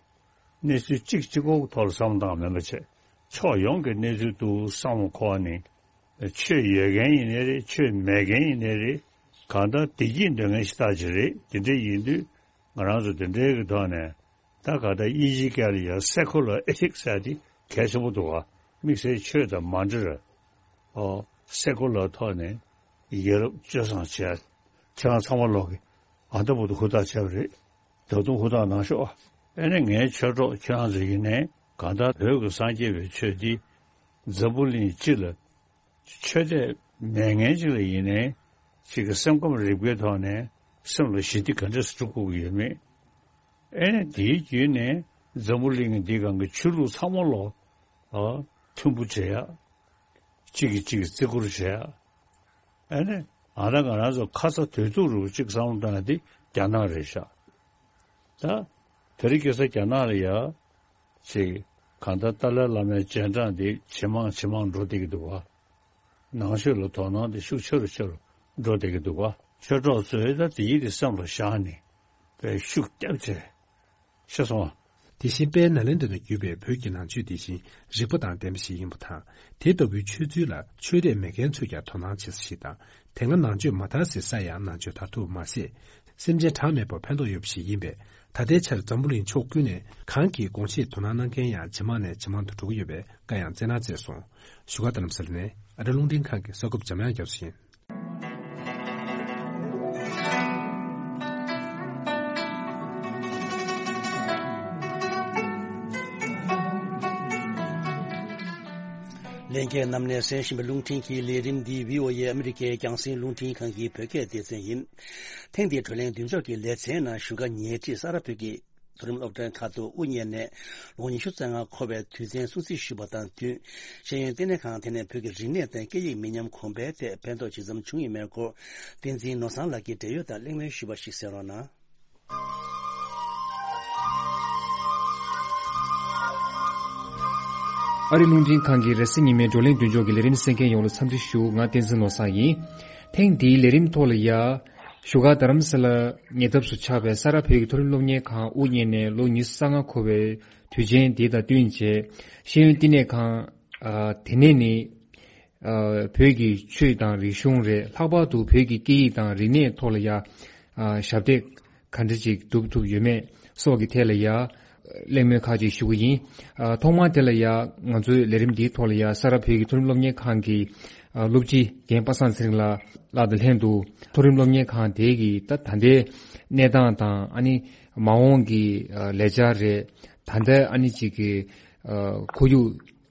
གནས་ཚུལ་གཅིག་གཅིག་པོ་གི་ཐོག་ལ་བསམ་བློ་བཏང་མེད་པ་བྱས། ཕྱོགས་ཡོངས་ཀྱི་གནས་ཚུལ་དུ་བསམ་བློ་འཁོར་ནས། ཆོས་ཡོད་མཁན་ཡིན་ནའི་རེད། ཆོས་མེད་མཁན་ཡིན་ནའི་རེད། གང་ལྟར་བདེ་སྐྱིད་འདོད་མཁན་ཞིག་ལྟ་ཅི་རེད། དེ་འདྲ་ཡིན་དུས་ང་རང་ཚོ་དེ་འདྲའི་གི་ཐོག་ནས། ད་ག་ད་དབྱིན་ཇིའི་སྐད་ལ་ཡང་སེ་ཁུ་ལར་ཨེ་ཐིག་ཟེར་དེ་གལ་ཆེན་པོ་འདུག་ག་དམིགས་བསལ་ཆོས་དང་མ་འབྲེལ་བར། ཨོ་སེ་ཁུ་ལར་ཐོག་ནས་ཡ་རབས་སྤྱོད་བཟང་བྱས། ཁྱེད་རང་ཚང་མ་ལོག་གི་ཨ་ད་བུ་དུ་ཧུར་ཐག་བྱས་པ་རེད། ད་དུང་ཧུར་ཐག་གནང་ཤོག་ཨ་ནི་ངའི་ཆོས་གྲོགས་ཁྱེད་རང་ཚོ་ཡིན་ནའི་གང་ལྟར་བོད་ཀྱི་སངས་རྒྱས་པའི་ཆོས་འདི་འཛམ་བུ་གླིང་སྤྱི་ལ། ཆོས་དད་མེད་མཁན་ཅིག་ལ་ཡིན་ནའི་ཅིག་གི་སེམས་ཁམས་རིག་པའི་ཐོག་ནས་སེམས་ལ་ཞི་བདེ་ག་འདྲས་སེ་སྒྲུབ་དགོས་ཀྱི་ཡོད་མེད། ཨེ་ནས་དེའི་བརྒྱུད་ནས་འཛམ་བུ་གླིང་འདི་སྒང་གི་ཆོས་ལུགས་ཚང་མ་ལོག་ཨ་མཐུན་པོ་བྱེད་ཡ། གཅིག་གིས་གཅིག་གི་བརྩི་བཀུར་བྱེད་ཡ། ཨེ་ནས་ཨ་ད་ང་རང་ཚོ་ཁ་ཚ་དོད་ཐུག་རུ་གཅིག་བསམ་བློ་བཏང་ཡ་དེ་རྒྱ་ནག་རེད་ཤག་ད་དེ་རིང་ཁ་སང་རྒྱ་ནག་ལ་ཡ། ཅིག་གང་ལྟར་ཏཱ་ལའི་བླ་མའི་རྗེས་འབྲང་དེ་ཇེ་མང་ཇེ་མང་འགྲོ་བསྡད་ཀྱི་འདུག་བ། ནང་ཆོས་ལ་དོ་སྣང་དེ་ཤུགས་ཆེ་རུ་ཆེ་རུ་འགྲོ་བསྡད་ཀྱི་འདུག་བ། ཆོས་གྲོགས་ཚོས་ད་དེ་ཡིད་དེ་སེམས་ལ་བཞག་ནས་དཔེ་ཤུགས་བརྒྱབ་བྱས། ཤེས་སོང་བ། དེ་བཞིན་དཔལ་ནཱ་ལེནྡྲ་ནས་བརྒྱུད་པའི་བོད་ཀྱི་ནང་ཆོས་དེ་བཞིན་རིག་པ་དང་ལྡན་པ་ཞིག་ཡིན་པ་དང་། དེ་ལྟ་བུའི་ཆོས་ཚུལ་ལ་ཆོས་དད་མེད་མཁན་ཚོས་ཀྱང་དོ་སྣང་བྱེད་ས་ཞིག་དང་། དེ་སྔ་ནང་ཆོས་མ་དར་སའི་ས་ཡང་ནང་ཆོས་དར་ཐུབ་མ་ཟད། སེམས་ཅན་གྲངས་མེད་པར་ཕན་ཐོགས་ཡོད་པ་ཞིག་ཡིན་པས། ད་ལྟའི་ཆར་འཛམ་བུ་གླིང་ཕྱོགས་ཀུན་ནས་གང་གིས་དགོངས་བཞེས་དོ་སྣང་གནང་མཁན་ཡང་ཇེ་མང་ནས་ཇེ་མང་དུ་འགྲོ་གི་ཡོད་པའི་བཀའ་ཡང་སྩལ་གནང་མཛད་སོང་། བཞུགས་སྒར་རྡ་རམ་ས་ལ་ནས་ཨ་རི་རླུང་འཕྲིན་ཁང་གི་གསར་འགོད་པ་འཇམ་དབྱངས་རྒྱ་མཚོ་ཡིན། ལྷན་རྒྱས་རྣམས་ནས་གསན་བཞིན་པའི་རླུང་འཕྲིན་གྱི་ལས་རིམ་འདི་བྷི་ཨོ་ཨེ་ཨ་མི་རི་ཀའི་རྒྱང་སྲིང་རླུང་འཕྲིན་ཁང་གི་བོད་སྐད་སྡེ་ཚན་ཡིན། ཐེངས་འདིའི་བགྲོ་གླེང་མདུན་ཅོག་གི་ལེ་ཚན་ནང་བཞུགས་སྒར་ཉེ་འཁྲིས་ས་རཱ་བོད་ཀྱི་མཐོ་རིམ་སློབ་གྲྭའི་ཁ་ཐུག་དབུ་བརྙེས་ནས་ལོ་ཉི་ཤུ་རྩ་ལྔ་འཁོར་བའི་དུས་ཆེན་སྲུང་བརྩི་ཞུས་པ་དང་བསྟུན། ཤེས་ཡོན་བསྟི་གནས་ཁང་དེ་ནས་བོད་ཀྱི་རིག་གནས་དང་སྐད་ཡིག་མི་ཉམས་གོང་འཕེལ་ཐད་ཕན་ཐོགས་ཇི་ཙམ་བྱུང་ཡོད་མེད་སྐོར། བསྟན་འཛིན་ནོར་བཟང་ལགས་ཀྱིས་འབྲེལ་ཡོད་དང་གླེང་མོལ་ཞུས་པ་ཞིག་གསན་རོགས་གནང་། ཨ་རི་རླུང་འཕྲིན་ཁང་གི་རེས་གཟའ་ཉི་མའི་བགྲོ་གླེང་མདུན་ཅོག་གི་ལས་རིམ་གསན་མཁན་ཡོངས་ལ་འཚམས་འདྲི་ཞུ། ང་བསྟན་འཛིན་ནོར་བཟང་ཡིན། ཐེངས་འདིའི་ལས་རིམ་ཐོག་ལ་ཡ། བཞུགས་སྒར་རྡ་རམ་ས་ལ་ཉེ་འདབས་སུ་ཆགས་པའི་ས་རཱ་བོད་ཀྱི་མཐོ་རིམ་སློབ་གཉེར་ཁང་དབུ་བརྙེས་ནས་ལོ་ཉི་ཤུ་རྩ་ལྔ་འཁོར་བའི་དུས་ཆེན་འདི་དང་བསྟུན་བྱས། ཤེས་ཡོན་བསྟི་གནས་ཁང་། ཨ། དེ་ནས་ནི། ཨ། བོད་ཀྱི་ཆོས་དང་རིག་གཞུང་རེད། ལྷག་པར་དུ་བོད་ཀྱི་སྐད་ཡིག་དང་རིག་གནས་ཐོག་ལ་ཡ། ཨ། ཞབས་འདེགས་ག་འདྲ་ཅིག་སྒྲུབ་ཐུབ་ཡོད་མེད་སོགས་ཀྱི་ཐད་ལ་ཡ། གླེང་མོལ་ཁག་ཅིག་ཞུ་གི་ཡིན། ཨ། ཐོག་མར་དེ་ལ་ཡ། ང་ཚོའི་ལས་རིམ་འདིའི་ཐོག་ལ་ཡ་ས་རཱ་བོད་ཀྱི་མཐོ་རིམ་སློབ་གཉེར་ཁང་གི། ཨ། སློབ་སྤྱི་རྒན་པ་སངས་ཚེ་རིང་ལགས་ལགས་དང་ལྷན་དུ་མཐོ་རིམ་སློབ་གཉེར་ཁང་དེ་གི་ད་ད་ལྟའི་གནས་སྟངས་དང་། ཨ་ནི་མ་འོངས་ཀྱི། ཨ། ལས་འཆར་རེད། ད་ལྟ་ཨ་ནི་ཅིག་གི། ཨ། ཁོར་ཡུག་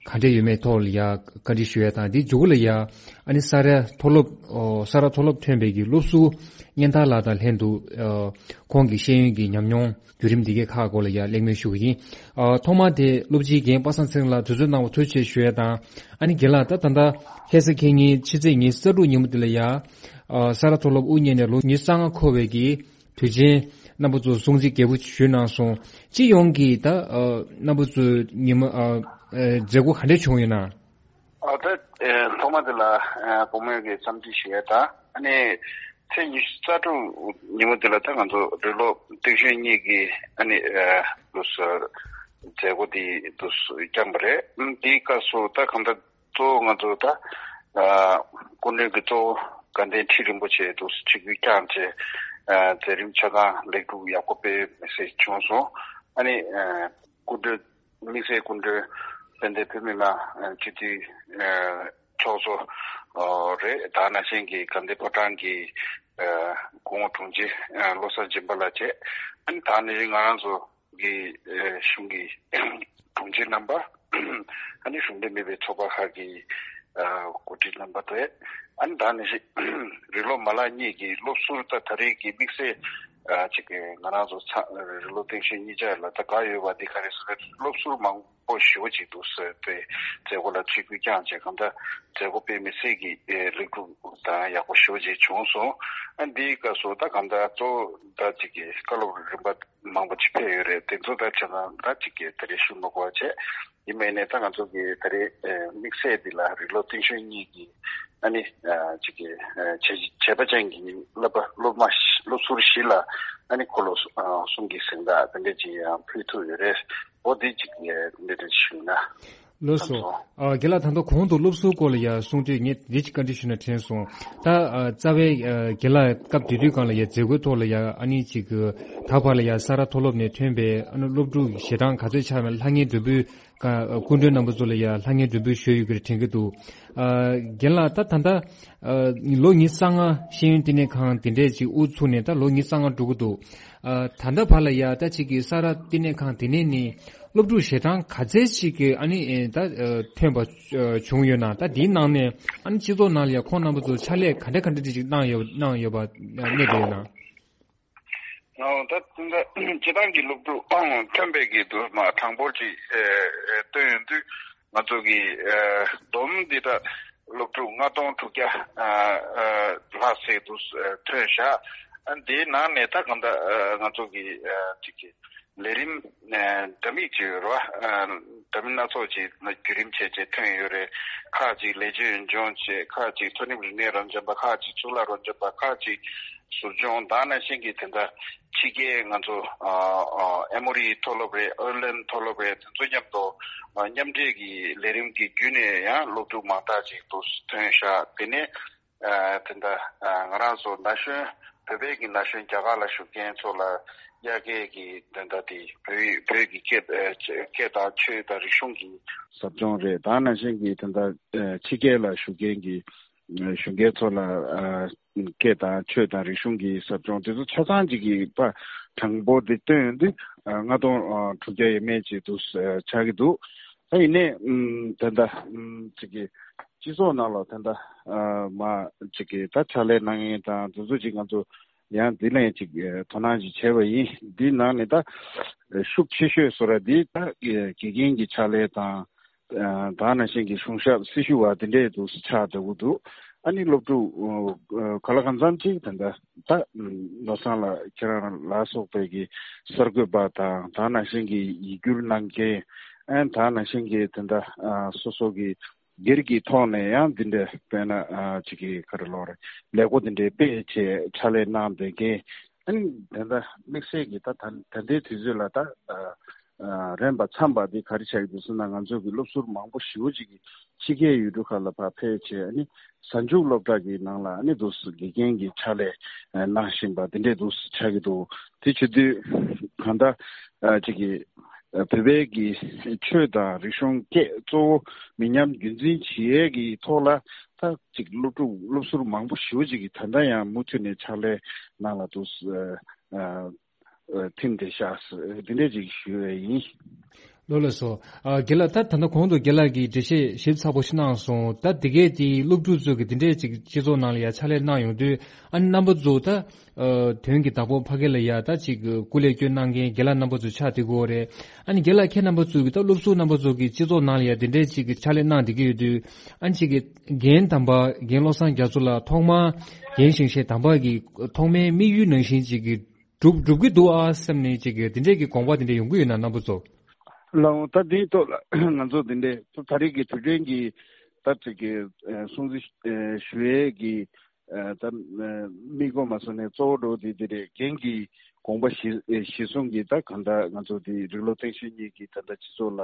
ག་འདྲ་ཡོད་མེད་ཐོག་ལ་ཡ་བཀའ་འདྲི་ཞུ་ཡ་དང་། དེའི་མཇུག་ལ་ཡ་ཨ་ནི་ས་རཱ་མཐོ་སློབ། ཨོ། ས་རཱ་མཐོ་སློབ་ཐོན་པའི་གི་སློབ་ཟུར་གཉན་ཐར་ལགས་དང་ལྷན་དུ། ཨ། ཁོང་གི་ཤེས་ཡོན་གྱི་ཉམས་མྱོང་བརྒྱུད་རིམ་འདི་གའི་ཁག་སྐོར་ལ་ཡ་གླེང་མོལ་ཞུ་གི་ཡིན། ཨ། ཐོག་མར་དེ་སློབ་སྤྱི་རྒན་པ་སངས་ཚེ་རིང་ལགས་དུས་ཚོད་གནང་བར་ཐུགས་རྗེ་ཆེ་ཞུ་ཡ་དང་། ཨ་ནི་རྒན་ལགས། ད་ད་ལྟ་ཁ་སང་ཁ་ཉིན་ཕྱི་ཚེས་ཉི་ཤུ་རྩ་དྲུག་ཉིན་མོ་འདི་ལ་ཡ། ཨ། ས་རཱ་མཐོ་སློབ་དབུ་བརྙེས་ནས་ལོ་ཉི་ཤུ་རྩ་ལྔ་འཁོར་བའི་གི་དུས་ཆེན་རྣམ་པ་ཚོ་སྲུང་བརྩི་རྒྱས་པོ་ཞུས་གནང་སོང་། སྤྱི་ཡོངས་ཀྱི་ད། ཨ། རྣམ་པ་ཚོའི་ཉིན་མོ། ཨ། ཨ། མཛད་སྒོ་ག་འདྲ་བྱུང་ཡོད་ན། ཨ། ད། ཨ། ཐོག་མ་དེ་ལ། ཨ། བུ་མོས་ཀྱི་འཚམས་འདྲི་ཞུ་ཡ་དང་། ཨ་ནི་ཚེས་ཉི་ཤུ་རྩ་དྲུག་ཉིན་མོ་དེ་ལ་ད་ང་ཚོ་རིགས་སློབ་སྟེང་གཞོན་གཉིས་ཀྱི། ཨ་ནི། ཨ། དུ་མཛད་སྒོ་དེ་དུ་བསྐྱངས་པ་རེད། ཨ། དེའི་སྐབས་སུ་ད་གང་ལྟར། གཙོ་བོ་ང་ཚོ་ད། ཨ། སྐུ་མགྲོན་གྱི་གཙོ་བོ་དགའ་ལྡན་ཁྲི་རིན་པོ་ཆེ་དུ་ཆིབས་བསྒྱུར་བསྐྱངས་བྱས། ཨ། མཛད་རིམ་ཆ་ཚང་ལེགས་གྲུབ་ཡག་པོ་སྤེལ་མི་སེར་བྱུང་སོང་། ཨ་ནི། ཨ། སྐུ་མགྲོན། དམིགས་བསལ་སྐུ་མགྲོན་དཔལ་ལྡན་བོད་མི་མང་སྤྱི་འཐུས། ཨ། ཚོགས་གཙོ། ཨ། རེད། ད་ནང་བཞིན་གྱི་དགའ་ལྡན་ཕོ་བྲང་གི། ཨ། སྐུ་ངོ་དྲུང་ཆེ། ཨ། བློ་བཟང་སྦྱིན་པ་ལགས་བཅས། ཨ་ནི་ད་ནང་བཞིན་ང་རང་ཚོ་གི། ཨ། གཞུང་གི་དྲུང་ཆེ་རྣམ་པ། ཨ་ནི་གཞུང་འབྲེལ་མིན་པའི་ཚོགས་པ་ཁག་གི། ཨ། འགོ་ཁྲིད་རྣམ་པ་དེ། ཨ་ནི་ད་ནང་བཞིན་རིགས་སློབ་མ་ལག་གཉིས་ཀྱི་སློབ་ཟུར། ད་ད་རེས་ཀྱི་དམིགས་བསལ། ཨ། ཅིག་གི་ང་རང་ཚོ་ཚང་རིགས་སློབ་སྟེང་གཞོན་གཉིས་ཆ་ལ་ད་དགའ་ཡོད་པ་འདི་ག་རེ་ཟེར་ན། སློབ་ཟུར་མང་པོ་ཞེ་པོ་ཅིག་འདུག་ཟེར་ཏེ་མཛད་སྒོ་ལ་ཆིབས་བསྒྱུར་བསྐྱངས་བྱས། གང་ལྟར་མཛད་སྒོ་དཔེ་མི་སྲིད་ཀྱི། ཨེ། ལེགས་གྲུབ་དང་ཡག་པོ་ཞེ་པོ་ཅིག་བྱུང་སོང་། ཨ། འདིའི་སྐབས་སུ་ད་གང་ལྟར་གཙོ་བོ་ད་ཅིག་གི་བཀའ་སློབ་རིམ་པ་མང་པོ་ཅིག་ཕེབས་ཡོད་རེད། དེ་ཚོ་ད་ཆ་ཚང་ད་ཅིག་གི་ད་རེས་ཞུ་མ་དགོས་པ་བྱས། ཡིན་མིན་ནས་ད་ང་ཚོ་གི་ད་རེས། ཨེ། དམིགས་བསལ་འདི་ལ་རིགས་སློབ་སྟེང་གཞོན་གཉིས་ཀྱི། ཨ་ནི། ཨ། ཅིག་གི། ཨ། བྱས་བྱས་པ་ཅན་གྱི་བསླབ་པ། སློབ་མ། སློབ་ཟུར་བཞི་ལ། ཨ་ནི་འཁོར་ལོ། ཨ། གསུམ་གྱི་གཟེངས་རྟགས་དེ་འདྲ་ཅིག་ཡང་ཕུལ་ཐུབ་ཡོད་རེད། འོ་དེ་ཅིག་འདི་འདྲ་ཞུས་ན། ལགས་སོ། ཨ། རྒན་ལགས། ད་ལྟ་གོང་དུ་སློབ་ཟུར་སྐོར་ལ་ཡ་གསུང་དུས་ངས་འདི་ཅིག་བཀའ་འདྲི་ཞུས་ན་དྲན་སོང་། ད། ཨ། རྩ་བའི། ཨ། རྒན་ལགས་སྐབས་དེ་དུས་སྒང་ལ་ཡ་མཛད་སྒོའི་ཐོག་ལ་ཡ། ཨ་ནི་ཅིག་ད་བར་ལ་ཡ་ས་རཱ་མཐོ་སློབ་ནས་ཐོན་པའི། ཨ་ནི་སློབ་ཕྲུག་ཞལ་གྲངས་ག་ཚོད་ཆགས་མེད་ལྷང་ངེར་མགྲོན་འབོད། ཀ། སྐུ་མགྲོན་རྣམ་པ་ཚོ་ལ་ཡ་ལྷང་ངེར་མགྲོན་འབོད་ཞུས་ཡོད་ཀྱི་རེད་དྲན་གྱི་འདུག། ཨ། རྒན་ལགས། ད་ད་ལྟ། ཨ། ལོ་ཉི་ཤུ་རྩ་ལྔ་ཤེས་ཡོན་བསྟི་གནས་ཁང་དེ་འདྲས་ཅིག་དབུ་ཚུགས་ནས་ད་ལོ་ཉི་ཤུ་རྩ་ལྔ་འགྲོ་གི་འདུག། ཨ། ད་ལྟ་བར་ལ་ཡ་ད་ཅིག་གི་ས་རཱ་བསྟི་གནས་ཁང་དེ་ནས་ནི་སློབ་ཕྲུག་ཞལ་གྲངས་ག་ཚད་ཅིག་གི། ཨ་ནི། ཨེ། ད། ཨ། ཐོན་པ། ཨ། བྱུང་ཡོད་ན། ད་དེའི་ནང་ནས། ཨ་ནི་སྤྱི་ཚོགས་ནང་ལ་ཡ་ཁོང་རྣམ་པ་ཚོ་ཕྱག་ལས་ག་འདྲ་ག་འདྲ་ཅིག་གནང་ཡོད། གནང་ཡོད་པ་གནས་བསྡད་ཡོད་ན། ཨོ། ད་ད་སྤྱིར་བཏང་གི་སློབ་ཕྲུག་ཐོན་པའི་གི་དུ་མ་གྲངས་འབོར་ཅིག་ཨེ་ཨེ་བཏོན་ཡོང་དུས། ང་ཚོ་གི་ཨེ་བསྡོམས་འདི་ད་སློབ་ཕྲུག་ལྔ་སྟོང་དྲུག་བརྒྱ་ཨ་ཨ་ལྷག་ཙམ་དུ་ཨེ་ཐོན་བཞག། ཨ། འདིའི་ནང་ནས་ད་གང་ལྟར་ཨ་ང་ཚོ་གི་ཨ་ཅིག་གི་ལས་རིམ་ཨེ་འདྲ་མིན་ཅིག་ཡོད་རེད་བ། ཨ། འདྲ་མིན་སྣ་ཚོགས་ཅིག་བརྒྱུད་རིམ་བྱས་བྱས་ཐོན་ཡོད་རེད། ཁག་ཅིག་ལེགས་བཅོས་ཡོན་སྦྱོང་བྱས། ཁག་ཅིག་མཐོ་རིམ་རིག་གནས་རབ་འབྱམས་པ། ཁག་ཅིག་གཙུག་ལག་རབ་འབྱམས་པ། ཁག་ཅིག་ཟུར་སྦྱོང་དང་། ནང་བཞིན་གྱི་དེ་འདྲ་ཕྱི་རྒྱལ། ང་ཚོ་ཨ་ཨ་ཨེ་མོ་རི་མཐོ་སློབ་རེད། ཨེར་ལན་མཐོ་སློབ་རེད། དེ་ཚོ་མཉམ་དུ་ཨ་མཉམ་འབྲེལ་གྱི་ལས་རིམ་གྱི་བརྒྱུད་ནས་ཡང་སློབ་ཕྲུག་མང་དག་ཅིག་ཏུ་ཐོན་ཤག། དེ་ནས་ཨ་དེ་འདྲ་ཨ་ང་རང་ཚོ་ན་གཞོན། བོད་པའི་གི་ན་གཞོན་རྒྱ་གར་ལ་བཞུགས་མཁན་ཚོ་ལ་དབྱར་ཁའི་གི་དེ་འདྲ་དེ་བོད་བོད་ཀྱི་སྐད་ཨ་སྐད་དང་ཆོས་དང་རིག་གཞུང་གི་ཟབ་སྦྱོང་རེད། དེ་ནང་བཞིན་གྱི་དེ་འདྲ་ཨ་ཕྱི་རྒྱལ་ལ་བཞུགས་མཁན་གྱི་གཞོན་སྐྱེས་ཚོ་ལ་ཨ་སྐད་དང་ཆོས་དང་རིག་གཞུང་གི་ཟབ་སྦྱོང་དེ་ཚོ་ཆ་ཚང་གཅིག་གི་པ་གྲངས་འབོར་དེ་བཏོན་ཡོང་དུས་ཨ་ལྔ་སྟོང་ཨ་དྲུག་བརྒྱ་ཡས་མས་ཅིག་འདུག་ཨ་ཆགས་ཀྱི་འདུག། ད་ཡིན་ནའི་ཨམ་ད་ལྟ་ཨམ་ཅིག་གི་སྤྱི་ཚོགས་ནང་ལ་ད་ལྟ་ཨ་མ་ཅིག་གི་ད་ཕྱག་ལས་གནང་མཁན་དང་དེ་ཚོ་ཅིག་ང་ཚོ་ཡང་འདི་ལན་ཅིག་ཨ་དོ་སྣང་ཅིག་བྱས་པ་ཡིན། འདི་ནང་ནས་ད་ཤུགས་ཆེ་ཤོས་བཟོ་ར་འདི་ད་དགེ་རྒན་གྱི་ཕྱག་ལས་དང་། ཨ་ད་ནང་བཞིན་གྱི་གཞུང་ཞབས་སྲི་ཞུ་བ་དེ་འདྲས་འདུག་ཆགས་བསྡད་ཀྱི་འདུག་ཨ་ནི་སློབ་ཕྲུག་ཨ་ག་ལ་གང་འཚམ་ཅིག་ད་ལྟ་ད་ནོར་བཟང་ལགས་ཁྱེད་རང་ལ་སོགས་པའི་གི་གསར་འགོད་པ་དང་ད་ནང་བཞིན་གྱི་ཡིག་སྒྱུར་གནང་མཁན། ཨ་ད་ནང་བཞིན་གྱི་ད་ལྟ་ཨ་སོ་སོ་གི་སྒེར་གྱི་ཐོག་ནས་ཡང་འདི་འདྲ་དཔེར་ན་ཨ་ཅིག་གི་ག་རེ་ལབ་དགོས་རེད། ལས་འགུལ་འདི་འདྲའི་སྤེལ་བྱས་ཕྱག་ལས་གནང་བསྡད་མཁན། ཨ་ནི་ད་ལྟ་དམིགས་བསལ་གྱི་ད་ད་ད་ལྟའི་དུས་ཚོད་ལ་ད་ཨ་ཨ་རན་པ་འཚམས་པ་འདི་ག་རེ་ཆགས་ཀྱི་འདུག་ཟེར་ན། ང་ཚོ་གི་སློབ་ཟུར་མང་པོ་ཞེ་པོ་ཅིག་གིས་ཕྱི་རྒྱལ་ཡུལ་གྲུ་ཁག་ལ་ཕར་ཕེབས་བྱས། ཨ་ནི་གཟའ་མཇུག་སློབ་གྲྭ་གི་ནང་ལ་ཨ་ནི་འདུག་སེ་དགེ་རྒན་གྱི་ཕྱག་ལས་ཨ་གནང་བཞིན་པ་འདི་འདྲས་འདུག་སེ་ཆགས་ཀྱི་འདུག་དེ་བྱེད་དུས་གང་ལྟར་ཨ་ཅིག་གི་ཨ་བོད་པའི་གི་ཆོས་དང་རིག་གཞུང་བཅས་གཙོ་བོ་མི་ཉམས་རྒྱུན་འཛིན་བྱེད་ཡས་ཀྱི་ཐོག་ལ་ད་ཅིག་སློབ་ཕྲུག་སློབ་ཟུར་མང་པོ་ཞེ་པོ་ཅིག་གིས་ད་ལྟ་ཡང་མུ་མཐུད་ནས་ཕྱག་ལས་གནང་ལ་འདུག་སེ་ཨ་ཨ་ཐིམ་བསྡད་ཤག་ཟེར་འདི་འདྲས་ཅིག་ཞུ་ཡས་ཡིན། ལགས་ལགས་སོ། ཨ་རྒན་ལགས། ད་ད་ལྟ་གོང་དུ་རྒན་ལགས་ཀྱིས་འགྲེལ་བཤད་ཞིབ་ཚགས་པོ་ཞིག་གནང་སོང་། ད་དེ་གས་དེ་སློབ་ཕྲུག་ཚོ་གི་དེ་འདྲས་ཅིག་སྤྱི་ཚོགས་ནང་ལ་ཡ་ཕྱག་ལས་གནང་ཡོང་དུས། ཨ་ནི་རྣམ་པ་ཚོ་ད་ཨ་དོན་གྱི་བདག་པོ་ཕ་གི་ལ་ཡ་ད་ཅིག་སྐུ་ལས་སྐྱོན་གནང་མཁན་རྒན་ལགས་རྣམ་པ་ཚོ་ཆགས་བསྡད་ཀྱི་ཡོད་རེད། ཨ་ནི་རྒན་ལགས་ཁྱེད་རྣམ་པ་ཚོ་གི་ད་སློབ་ཟུར་རྣམ་པ་ཚོ་གི་སྤྱི་ཚོགས་ནང་ལ་ཡ་དེ་འདྲས་ཅིག་གི་ཕྱག་ལས་གནང་བསྡད་ཀྱི་ཡོད་དུས། ཨ་ནི་ཅིག་གི་རྒན་དམ་པ་རྒན་བློ་བཟང་རྒྱ་མཚོ་ལགས་ཐོག་མར་རྒན་ཞིང་གཤེགས་དམ་པ་གི་ཐོག་མའི་དམིགས་ཡུལ་ནང་བཞིན་ཅིག་གི་འགྲུབ་འགྲུབ་ཀྱི་འདུག་ཨ་བསམ་ནས་ཅིག་གི་དེ་འདྲས་ཀྱི་དགོངས་པ་དེ་འདྲས་ཡོང་གི་ཡོད་ན། རྣམ་པ་ཚོ། ལགས་འོང་། ད་འདིའི་ཐོག་ལ་ང་ཚོ་འདི་འདྲས་ད་རེས་ཀྱི་དུས་དྲན་གྱི་ད་ཅིག་གི་ཨ་སྲུང་བརྩི་ཨ་ཞུ་ཡས་ཀྱི་ཨ་ད་ཨ་དམིགས་སྒོ་མ་སོང་ནས་གཙོ་བོ་འགྲོ་དེ་འདི་རེད། རྒན་གྱི་དགོངས་པ་གཞི་ཨ་གཞི་བཟུང་གིས་ད་གང་ལྟར་ང་ཚོ་འདི་རིགས་སློབ་སྟེང་ཤོག་གཉིས་ཀྱིས་ད་ལྟ་སྤྱི་ཚོགས་ལ་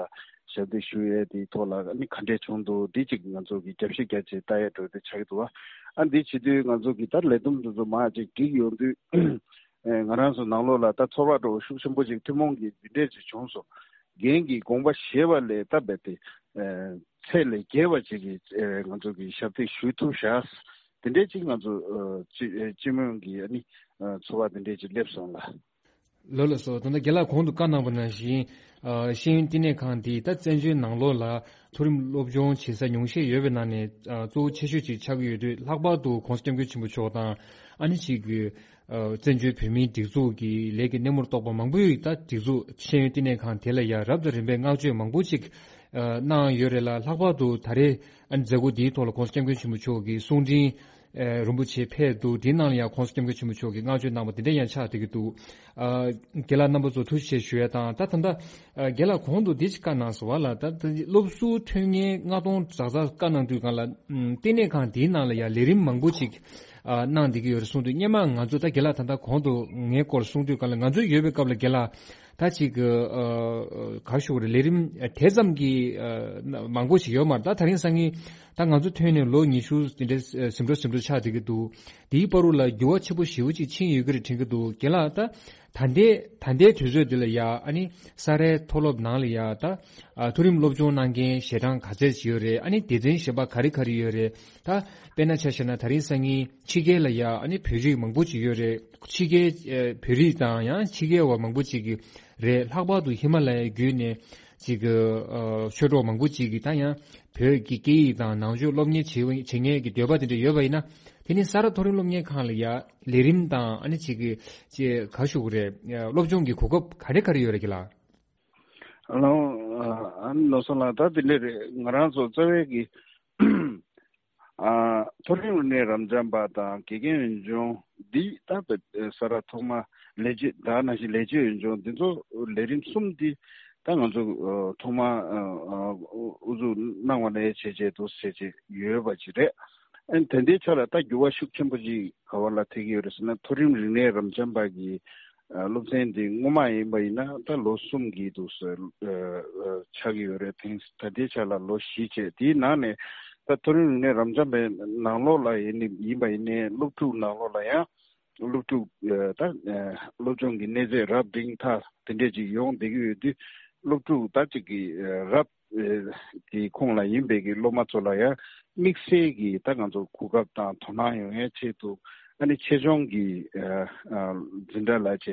ཞབས་འདེགས་ཞུ་ཡས་དེའི་ཐོག་ལ་ཨ་ནི་ག་འདྲས་བྱུང་འདུག་འདི་ཅིག་ང་ཚོ་གིས་རྒྱབ་བཤིག་རྒྱག་བྱས་ལྟ་ཡས་འགྲོ་དེ་ཆགས་ཀྱི་འདུག་བ། ཨ་འདི་བྱེད་དུས་ང་ཚོ་གིས་ད་ལས་བསྡོམས་འདི་ཚོ་མར་ཅིག་བསྒྲིགས་ཡོང་དུས། ཨེ་ང་རང་ཚོ་ནང་ལོགས་ལ་ད་ཚོར་བ་འདྲ་བོ་ཤུགས་ཆེན་པོ་ཅིག་ཐུན་མོང་གི་འདི་འདྲས་ཅིག་བྱུང་སོང་། རྒན་གྱི་དགོངས་པ་བཞེས་པ་ལས་ད་རྦད་དེ་ཨེ་ཚད་ལས་བརྒལ་བ་ཅིག་གིས་ཨེ་ང་ཚོ་གི་ཞབས་འདེགས་ཞུ་ཐུབ་ཤག་འདི་འདྲས་ཅིག་ང་ཚོ་ཨེ་སྤྱི་ཨེ་སྤྱི་མོས་ཀྱི་ཨ་ནི་ཨེ་ཚོར་བ་འདི་འདྲས་ཅིག་སླེབས་སོང་ལ། ལགས་ལགས་སོ། ད་ལྟ་རྒན་ལགས་གོང་དུ་བཀའ་གནང་པ་ནང་བཞིན། ཨ་ཤེས་ཡོན་བསྟི་གནས་ཁང་འདི་ད་བཙན་བྱོལ་ནང་ལོགས་ལ་མཐོ་རིམ་སློབ་སྦྱོང་བྱེད་ས་ཉུང་ཤས་ཡོད་པའི་ནང་ནས་ཨ་གཙོ་བོ་ཆེ་ཤོས་ཅིག་ཆགས་ཀྱི་ཡོད་དུས། ལྷག་པར་དུ་༸གོང་ས་༸སྐྱབས་མགོན་ཆེན་པོ་མཆོག་དང་ཨ་ནི་ཅིག་གི་ཨ་བཙན་བྱོལ་བོད་མིའི་སྒྲིག་འཛུགས་ཀྱི་ལས་ཀྱི་སྣེ་མོར་གཏོགས་པ་མང་པོས་ད་སྒྲིག་འཛུགས་ཤེས་ཡོན་བསྟི་གནས་ཁང་དེ་ལ་ཡང་རབ་དང་རིམ་པས་བསྔགས་བརྗོད་མང་པོ་ཅིག་ཨ་གནང་ཡོད་རེད་ལ། ལྷག་པར་དུ་ད་རེས་ཨ་ནི་མཛད་སྒོ་འདིའི་ཐོག་ལ་༸གོང་ས་༸སྐྱབས་མགོན་ཆེན་པོ་མཆོག་གིས་གསུང་འཕྲིན་ཨ་རིན་པོ་ཆེ་ཕེབས་འདུག་འདིའི་ནང་ལ་ཡང་༸གོང་ས་༸སྐྱབས་མགོན་ཆེན་པོ་མཆོག་གིས་བསྔགས་བརྗོད་གནང་བ་དེ་འདྲ་ཡང་ཆགས་བསྡད་ཀྱི་འདུག་ཨ་རྒན་ལགས་རྣམ་པ་ཚོ་ཐུགས་རྗེ་ཆེ་ཞུ་ཡ་དང་། ད་ད་ལྟ་ཨ་རྒན་ལགས་གོང་དུ་འདི་ཅིག་བཀའ་གནང་སོང་བ་ལ། ད་ད་སློབ་ཟུར་ཐོན་མཁན་ལྔ་སྟོང་ཙག་ཙག་བཀའ་གནང་དུས་སྒང་ལ་ཨམ་བསྟི་གནས་ཁང་འདིའི་ནང་ལ་ཡང་ལས་རིམ་མང་པོ་ཅིག་ཨ་གནང་བསྡད་ཀྱི་ཡོད་རེད་གསུངས་དུས། སྔོན་མ་ང་ཚོ་ད་རྒན་ལགས་ད་ལྟ་གོང་དུ་ངའི་སྐོར་གསུངས་དུས་སྒང་ལ། ང་ཚོ་ཡོད་པའི་སྐབས་ལ་རྒན་ལགས་ད་ཅིག་ཨ་ཨ་ག་ཞུ་དགོས་རེད། ལས་རིམ་དེ་ཙམ་གྱི་ཨ་མང་པོ་ཞིག་ཡོད་མ་རེད། ད་དེ་རིང་སང་ཉིན་ད་ང་ཚོ་ཐོན་ནས་ལོ་ཉི་ཤུ་དེ་འདྲ་ཟིན་འགྲོ་ཟིན་འགྲོ་ཆགས་བསྡད་ཀྱི་འདུག་དེའི་བར་དུ་ལ་འགྱུར་བ་ཆེན་པོ་ཞེ་པོ་ཅིག་ཕྱིན་ཡོད་ཀྱི་རེད་དྲན་གྱི་འདུག་རྒན་ལགས། ད་ད་ལྟའི་ད་ལྟའི་དུས་ཚོད་འདི་ལ་ཡ་ཨ་ནི་ས་རཱའི་མཐོ་སློབ་ནང་ལ་ཡ་ད་ཨ་མཐོ་རིམ་སློབ་སྦྱོང་གནང་མཁན་ཞལ་གྲངས་ག་ཚད་ཅིག་ཡོད་རེད། ཨ་ནི་སྡེ་ཚན་གཞན་པ་ག་རེ་ག་རེ་ཡོད་རེད། ད་དཔེར་ན་ཆ་བཞག་ན་དེ་རིང་སང་ཉིན་ཕྱི་རྒྱལ་ལ་ཡ་ཨ་ནི་བོད་རིགས་མང་པོ་ཅིག་ཡོད་རེད། ཕྱི་རྒྱལ་ཨ་བོད་རིགས་དང་ཡང་ཕྱི་རྒྱལ་བ་མང་པོ་ཅིག་གིས་རེད། ལྷག་པར་དུ་ཧི་མ་ལ་ཡའི་བརྒྱུད་ནས་ཅིག་གི་ཨ་ཆོས་གྲོགས་མང་པོ་ཅིག་གིས་ད་ཡང་བོད་ཀྱི་སྐད་ཡིག་དང་ནང་ཆོས་སློབ་གཉེར་བྱེད་བྱེད་མཁན་གྱི་འདོད་པ་དེ་འདྲ་ཡོད་པ་ཡིན་ན། དེ་ནི་ས་རཱ་མཐོ་རིམ་སློབ་གཉེར་ཁང་ལ་ཡ་ལས་རིམ་དང་ཨ་ནི་ཅིག་གི་ཅིག་ག་ཞུ་དགོས་རེད། སློབ་སྦྱོང་གི་གོ་སྐབས་ག་རེ་ག་རེ་ཡོད་རེད་རྒན་ལགས། ཨ་ནི་ལགས་སོ་ལགས། ད་དེ་འདྲ་རེད། ང་རང་ཚོ་རྩ་བའི་གི་ཨ་མཐོ་རིམ་རིག་གནས་རབ་འབྱམས་པ་དང་དགེ་རྒན་འོས་སྦྱོང་འདི་ད་ས་རཱ་ཐོག་མ་ལས་བྱེད་ད་ནང་བཞིན་ལས་བྱེད་འོས་སྦྱོང་འདི་ཚོ་ལས་རིམ་གསུམ་འདི་ད་ང་ཚོ་ཐོག་མ་ཨ་ཨ་དབུ་འཛུགས་གནང་བ་ནས་བྱས་བྱས་འདུག་བྱས་བྱས་ཡོད་པ་ཅིག་རེད། ཨ་ནི་ད་ལྟའི་ཆ་ལ་ད་འགྱུར་བ་ཤུགས་ཆེན་པོ་ཅིག་ག་བ་ལ་ཐེབས་ཀྱི་ཡོད་རེད་ཟེར་ན། མཐོ་རིམ་རིག་གནས་རབ་འབྱམས་པ་གི་ཨ་སློབ་ཚན་འདི་སྔོན་མ་ཡིན་པ་ཡིན་ན་ད་ལོ་གསུམ་གྱི་འདུག་སེ་ཨ་ཨ་ཆགས་ཀྱི་ཡོད་རེད། དེང་ད་ལྟའི་ཆ་ལ་ལོ་བཞི་བྱས། དེའི་ནང་ནས་ད་མཐོ་རིམ་རིག་གནས་རབ་འབྱམས་པའི་ནང་ལོགས་ལ་ཡིན་ནི་ཡིན་པ་ཡིན་ནའི་སློབ་ཕྲུག་ནང་ལོགས་ལ་ཡང་སློབ་ཕྲུག་ཨ་ད་ཨ་སློབ་སྦྱོང་གི་གནས་ཚད་རབ་འབྲིང་ཐ་དེ་འདྲས་ཅིག་ཡོང་བསྡད་ཀྱི་ཡོད་དུས། སློབ་ཕྲུག་ད་ཅིག་གི་ཨ་རབ་ཨེ་དེའི་ཁོངས་ལ་ཡིན་པའི་གི་སློབ་མ་ཚོ་ལ་ཡང་དམིགས་བསལ་གྱི་ད་ང་ཚོ་གོ་སྐབས་དང་དོ་སྣང་ཡོང་ཡའི་ཆེད་དུ། ཨ་ནི་ཆེད་སྦྱོང་གི་ཨ་ཨ་འཛིན་གྲྭ་ལ་བྱས་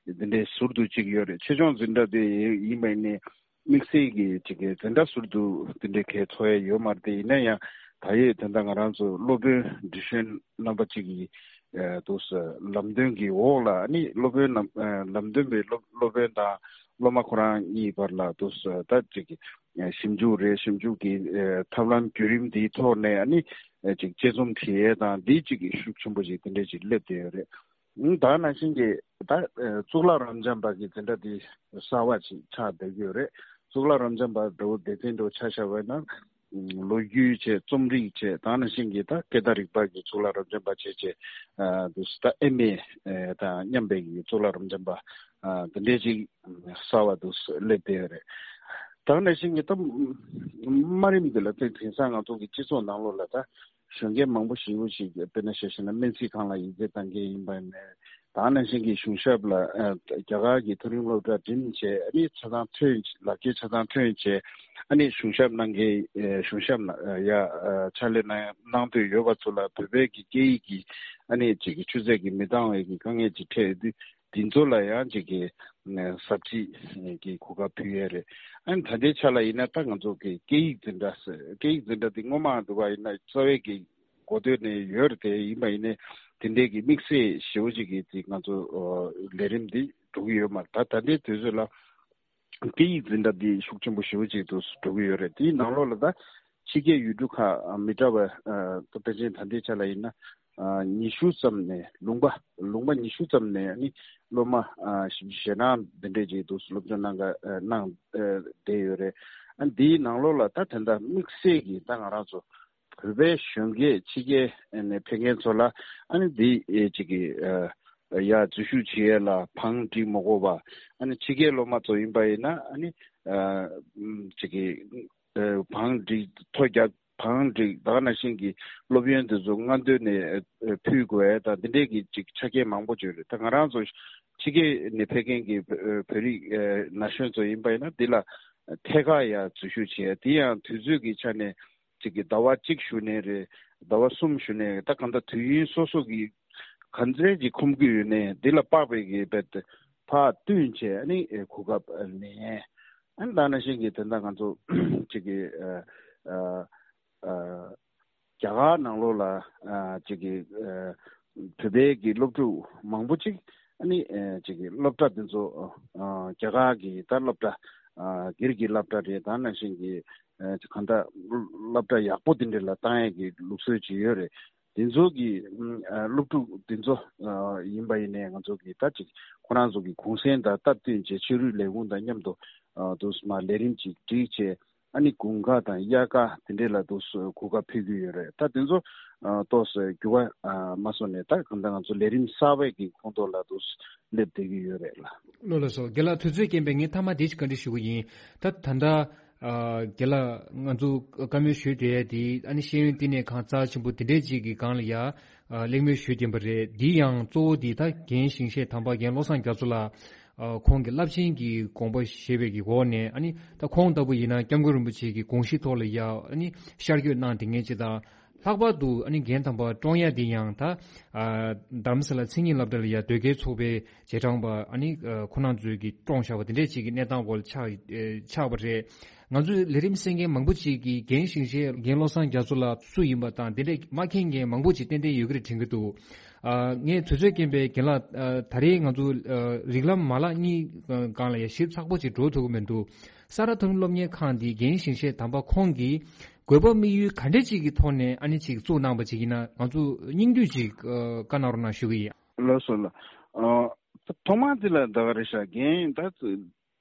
འདི་འདྲའི་ཟུར་དུ་གཅིག་ཡོད་རེད། ཆེད་སྦྱོང་འཛིན་གྲྭ་དེ་ཡིན་པ་ཡིན་ནའི་ དམིགས་བསལ་གྱི་ཅིག་གི་དེ་འདྲ་ཟུར་དུ་དེ་འདྲའི་གལ་ཚོར་ཡ་ཡོད་མ་རེད་དེ། ཡིན་ན་ཡང་ད་ཡོད་དེ་འདྲ་ང་རང་ཚོ་སློབ་དཔོན་འདི་གཞོན་རྣམ་པ་ཅིག་གི་ཨ་འདུག་སེ་ལམ་སྟོན་གྱི་འོག་ལ་ཨ་ནི་སློབ་དཔོན་རྣམ་ཨ་ལམ་སྟོན་པའི་སློབ་སློབ་དཔོན་དང་སློབ་མ་ཁོ་རང་གཉིས་བར་ལ་འདུག་སེ་ད་ཅིག་གི་ཞིབ་འཇུག་རེད། ཞིབ་འཇུག་གི་ཨ་ཐབས་ལམ་བརྒྱུད་རིམ་འདིའི་ཐོག་ནས་ཨ་ནི་ཨ་ཅིག་དཔྱད་རྩོམ་བྲིས་ཡས་དང་འདི་ཅིག་གི་ཤུགས་ཆེན་པོ་ཅིག་དེ་འདྲ་ཅིག་སླེབས་བསྡད་ཡོད་རེད། ཨང་། ད་ནང་བཞིན་གྱི་ད་ཨ་གཙུག་ལག་རབ་འབྱམས་པ་གི་དེ་འདྲ་དེ་གསར་བ་ཅིག་ཆགས་བསྡད་ཀྱི་ཡོད་རེད། གཙུག་ལག་རབ་འབྱམས་པ་འདྲ་བོ་སྡེ་ཚན་འདྲ་བོ་ཆ་བཞག་པ་ཡིན་ན། ཨ་ལོ་རྒྱུས་བྱས། རྩོམ་རིག་བྱས། ད་ནང་བཞིན་གྱི་ད་སྐད་བརྡ་རིག་པ་གི་གཙུག་ལག་རབ་འབྱམས་པ་བྱས་བྱས། ཨ་དུ་ད་ཨེམ་ཨེ་ཨ་དང་མཉམ་པའི་གི་གཙུག་ལག་རབ་འབྱམས་པ་ཨ་དེ་འདྲས་ཅིག་གསར་བ་དུ་སླེབས་བསྡད་ཡོད་རེད། ད་ནང་བཞིན་གྱི་ད་དམའ་རིམ་འདི་ལ་དེ་དེང་སང་ང་ཚོ་གི་སྤྱི་ཚོགས་ནང་ལོགས་ལ་ད་གཞོན་སྐྱེས་མང་པོ་ཞེ་པོ་ཞིག་དཔེར་ན་ཆ་བཞག་ན་སྨན་རྩིས་ཁང་ལ་ཡིག་ཚད་གཏང་མཁན་ཡིན་པ་ནས། ད་ནང་བཞིན་གྱི་གཞུང་ཞབས་ལ་ཨ་རྒྱ་གར་གྱི་མཐོ་རིམ་སློབ་གྲྭ་འགྲིམས་བྱས། ཨ་ནི་ཆ་ཚང་ཐོན། ལག་འཁྱེར་ཆ་ཚང་ཐོན་བྱས། ཨ་ནི་གཞུང་ཞབས་གནང་མཁན་ཨ་གཞུང་ཞབས་ནང་ཨ་ཡ་ཨ་ཕྱག་ལས་གནང་གནང་འདོད་ཡོད་པ་ཚོ་ལ་བོད་པའི་གི་སྐད་ཡིག་གི་ཨ་ནི་ཅིག་གི་ཆུ་ཚད་ཀྱི་མི་འདང་བའི་གི་དཀའ་ངལ་ཅིག་འཕྲད་ཡོད་དུས། དེ་ཚོ་ལ་ཡང་ཅིག་གི་ཨ་ཟབ་ཁྲིད་ཀྱི་གོ་སྐབས་ཕུལ་ཡས་རེད། ཨ་ནི་ད་ལྟའི་ཆ་ལ་ཡིན་ན་ད་ང་ཚོ་གི་སྐད་ཡིག་འཛིན་གྲྭ་ཟེར། སྐད་ཡིག་འཛིན་གྲྭ་དེ་སྔོན་མ་འདུག་པ་ཡིན་ན་རྩ་བའི་གི་འགོ་སྟོད་ནས་ཡོད་རེད་དེ། ཡིན་པ་ཡིན་ནའི་དེ་འདྲའི་གི་དམིགས་བསལ་ཞེ་པོ་ཅིག་གི་དེ་ང་ཚོ་ཨ་ལས་རིམ་འདི་འགྲོ་གི་ཡོད་མ་རེད། ད་ད་ལྟའི་དུས་ཚོད་ལ་སྐད་ཡིག་འཛིན་གྲྭ་འདི་ཤུགས་ཆེན་པོ་ཞེ་པོ་ཅིག་ཏུ་འགྲོ་གི་ཡོད་རེད། དེའི་ནང་ལོགས་ལ་ད་ཕྱི་རྒྱལ་ཡུལ་གྲུ་ཁག་མི་འདྲ་བ་ཨ་ད་ཕལ་ཆེར་ད་ལྟའི་ཆ་ལ་ཡིན་ན་ཨ་ཉི་ཤུ་ཙམ་ནས། ལུང་པ་ལུང་པ་ཉི་ཤུ་ཙམ་ནས་ཨ་ནི་སློབ་མ་ཨ་ཞེ་དྲག་འདི་འདྲས་ཅིག་ཏུ་སློབ་སྦྱོང་གནང་ག་ཨ་གནང་ཨ་བསྡད་ཡོད་རེད། ཨ་འདིའི་ནང་ལོགས་ལ་ད་དེ་འདྲ་དམིགས་བསལ་གྱི་ད་ང་རང་ཚོ་བོད་པའི་གཞོན་སྐྱེས་ཕྱི་རྒྱལ་ནས་ཕེབས་མཁན་ཚོ་ལ་ཨ་ནི་འདི་ཨེ་ཅིག་གི་ཨ་ཡ་འཛུལ་ཞུགས་བྱེད་ཡས་ལ་བང་སྒྲིག་མ་དགོས་པ། ཨ་ནི་ཕྱི་རྒྱལ་སློབ་མ་ཚོ་ཡིན་པ་ཡིན་ན་ཨ་ནི་ཨ་ཅིག་གི་ཨ་བང་སྒྲིག་ཐོ་རྒྱག་བང་སྒྲིག་ད་ག་ནང་བཞིན་གྱི་སློབ་ཡོན་དེ་ཚོ་སྔ་འདོན་ནས་ཨ་ཕུལ་དགོས་ཡས་དང་འདི་འདྲས་ཀྱི་ཅིག་ཆ་རྐྱེན་མང་པོ་ཡོད་རེད། ད་ང་རང་ཚོ་ཕྱི་རྒྱལ་ནས་ཕེབས་མཁན་གྱི་བོད་རིགས་ཨ་ན་གཞོན་ཚོ་ཡིན་པ་ཡིན་ན་འདི་ལ་ཐད་ཀར་ཡ་འཛུལ་ཞུགས་བྱེད་ཡས། དེ་ཡང་དུས་ཚོད་ཀྱི་ཆ་ནས་ཅིག་གི་ཟླ་བ་གཅིག་ཞུ་ནའི་རེད། ཟླ་བ་གསུམ་ཞུ་ནའི་རེད། ད་གང་ལྟར་དུས་ཡུན་སོ་སོ་གི་ག་ཚད་ཅིག་ཁོམ་གྱི་ཡོད་ནའི་འདི་ལ་དཔག་པའི་གི་རྦད་དེ་ཕར་བསྟུན་བྱས་ཨ་ནི་ཨེ་གོ་སྐབས་ལེན། ཨ་ནི་ད་ནང་བཞིན་གྱི་དེ་འདྲ་ང་ཚོ་ཅིག་གི་ཨ་ཨ་ཨ་རྒྱ་གར་ནང་ལོགས་ལ་ཨ་ཅིག་གི་ཨ་བོད་པའི་གི་སློབ་ཕྲུག་མང་པོ་ཅིག་ཨ་ནི་ཨ་ཅིག་གི་སློབ་གྲྭ་དེ་ཚོ་ཨ་རྒྱ་གར་གི་ད་སློབ་གྲྭ་ཨ་སྒེར་གྱི་སློབ་གྲྭ་རེད། ད་ནང་བཞིན་གྱི་ཨ་གང་ལྟར་སློབ་གྲྭ་ཡག་པོ་དེ་འདྲ་ལ་བཏང་ཡས་ཀྱི་ལུགས་སྲོལ་ཅིག་ཡོད་རེད། དེ་ཚོ་གི་ཨ་སློབ་ཕྲུག་དེ་ཚོ་ཨ་ཡིན་པ་ཡིན་ནའི་ང་ཚོ་གི་ད་ཅིག་ཁོ་རང་ཚོ་གི་གུང་སེང་དང་སྟབས་བསྟུན་བྱས་ཕྱི་རོལ་ལས་ཁུངས་དང་མཉམ་དུ་ཨ་དུ་མ་ལས་རིམ་ཅིག་སྒྲིག་བྱས། ཨ་ནི་དགུན་ཁ་དང་དབྱར་ཁ་དེ་འདྲས་ལ་དུ་གོ་སྐབས་ཕུལ་གྱི་ཡོད་རེད། ད་དེ་ཚོ་ཨ་ཏོག་ཙམ་འགྱུར་བ་ཨ་མ་སོང་ནས་ད་གང་ལྟར་ང་ཚོ་ལས་རིམ་གསར་པའི་གི་ཁོངས་གཏོགས་ལ་དུ་སླེབས་བསྡད་ཀྱི་ཡོད་རེད་ལ། ལགས་ལགས་སོ། རྒན་ལགས་དུས་ཚོད་རྐྱེན་པས་ངས་མཐའ་མ་འདི་ཞིག་བཀའ་འདྲི་ཞུ་གི་ཡིན། ད་ད་ལྟ་ཨ་རྒན་ལགས་ང་ཚོ་བཀའ་མོལ་ཞུས་བསྡད་ཡས་དེ་ཨ་ནི་ཤེས་ཡོན་བསྟི་གནས་ཁང་རྩ་ཆེན་པོ་དེ་འདྲས་ཅིག་གི་སྒང་ལ་ཡ་ཨ་གླེང་མོལ་ཞུས་བསྡད་པ་རེད། འདི་ཡང་གཙོ་བོ་འདི་ད་རྒན་ཞིང་གཤེགས་དམ་པ་རྒན་བློ་བཟང་རྒྱ་མཚོ་ལགས་ཨ་ཁོང་གི་རླབས་ཆེན་གྱི་དགོངས་པ་བཞེས་པའི་གི་འོག་ནས་ཨ་ནི་ད་ཁོང་ལྟ་བུ་ཡིན་ན་སྐྱབས་མགོན་རིན་པོ་ཆེ་གི་དགོངས་གཞི་ཐོག་ལ་ཡ་ཨ་ནི་ཤར་བསྐྱོད་གནང་བསྡད་མཁན་ཅིག་དང་། ལྷག་པར་དུ་ཨ་ནི་རྒན་དམ་པ་བཀྲོངས་ཡ་འདི་ཡང་ད་ཨ་རྡ་རམ་ས་ལ་མཚན་ཉིད་སློབ་གྲྭ་ལ་ཡ་དོལ་རྒྱལ་ཚོགས་པའི་རྗེས་འབྲང་པ་ཨ་ནི་ཨ་ཁོ་རང་ཚོས་ཀྱིས་བཀྲོངས་བཞག་པ་དེ་འདྲས་ཅིག་གི་གནས་སྟངས་འོག་ལ་ཆགས་ཨ་ཆགས་པ་རེད། ང་ཚོས་ལས་རིམ་གསན་མཁན་མང་པོ་ཅིག་གིས་རྒན་ཞིང་གཤེགས་རྒན་བློ་བཟང་རྒྱ་མཚོ་ལགས་སུ་ཡིན་པ་དང་དེ་འདྲས་མ་མཁྱེན་མཁན་མང་པོ་ཅིག་ཏན་ཏན་ཡོད་ཀྱི་རེད་དྲན་གྱི་འདུག་ཨ་ངས་དུས་ཚོད་རྐྱེན་པས་རྒན་ལགས་ཨ་ད་རེས་ང་ཚོ་ཨ་རིགས་ལམ་མ་ལག་གཉིས་སྒང་ལ་ཡ་ཞིབ་ཚགས་པོ་ཅིག་འགྲོ་ཐུབ་ཀྱི་མི་འདུག་ས་རཱ་མཐོ་རིམ་སློབ་གཉེར་ཁང་འདི་རྒན་ཞིང་གཤེགས་དམ་པ་ཁོང་གིས་དགོས་པ་དམིགས་ཡུལ་ག་འདྲ་ཅིག་གི་ཐོག་ནས་ཨ་ནི་ཅིག་བཙུགས་གནང་པ་ཅིག་ཡིན་ན་ང་ཚོ་སྙིང་བསྡུས་ཅིག་ཨ་བཀའ་གནང་རོགས་གནང་ཞུ་གི་ཡིན། ལགས་སོ་ལགས། ཨ་ཐོག་མར་འདི་ལ་ད་ག་རེ་བྱ། རྒན་ད་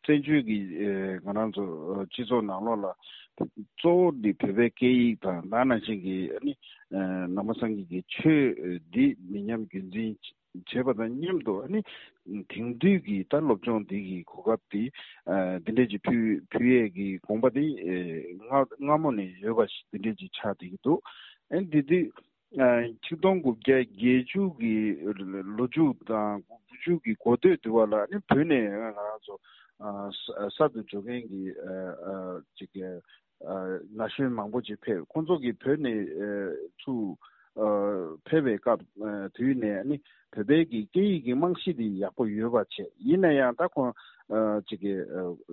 བཙན་བྱོལ་གྱི་ཨེ་ང་རང་ཚོ་ཨ་སྤྱི་ཚོགས་ནང་ལོགས་ལ་གཙོ་བོ་འདི་བོད་པའི་སྐད་ཡིག་དང་ད་ནང་བཞིན་གྱི་ཨ་ནི་ཨ་ནང་པ་སངས་རྒྱས་ཀྱི་ཆོས་འདི་མི་ཉམས་རྒྱུན་འཛིན་བྱེད་པ་དང་མཉམ་དུ་ཨ་ནི་དེང་དུས་ཀྱི་ད་སློབ་སྦྱོང་འདི་གི་གོ་སྐབས་འདི་ཨ་འདི་འདྲས་ཀྱི་ཕུལ་ཕུལ་ཡས་ཀྱི་དགོངས་པ་འདི་ཨེ་སྔ་སྔ་མོ་ནས་ཡོད་པ་ཞིག་འདི་འདྲས་ཀྱི་ཆགས་བསྡད་ཀྱི་འདུག་ཨ་འདི་དུས་ཨ་ཆིག་སྟོང་དགུ་བརྒྱ་བརྒྱད་ཅུ་གི་ལོ་མཇུག་དང་དགུ་བཅུ་གི་འགོ་སྟོད་དུས་བ་ལ་ཨ་ནི་བོད་ནས་ང་རང་ཚོ་ཨ་ས་གསར་དུ་འབྱོར་མཁན་གྱི་ཨ་ཨ་ཅིག་ཨ་ན་གཞོན་མང་པོ་ཅིག་ཕེབས། ཁོང་ཚོ་གིས་བོད་ནས་ཨ་ཚུར་ ཕེབས་པའི་སྐབས་དུས་ནས་ཨ་ནི་བོད་པའི་གི་སྐད་ཡིག་གི་རྨང་གཞི་དེ་ཡག་པོ་ཡོད་པ་བྱས། ཡིན་ན་ཡང་ད་ཁོང་ཅིག་གི་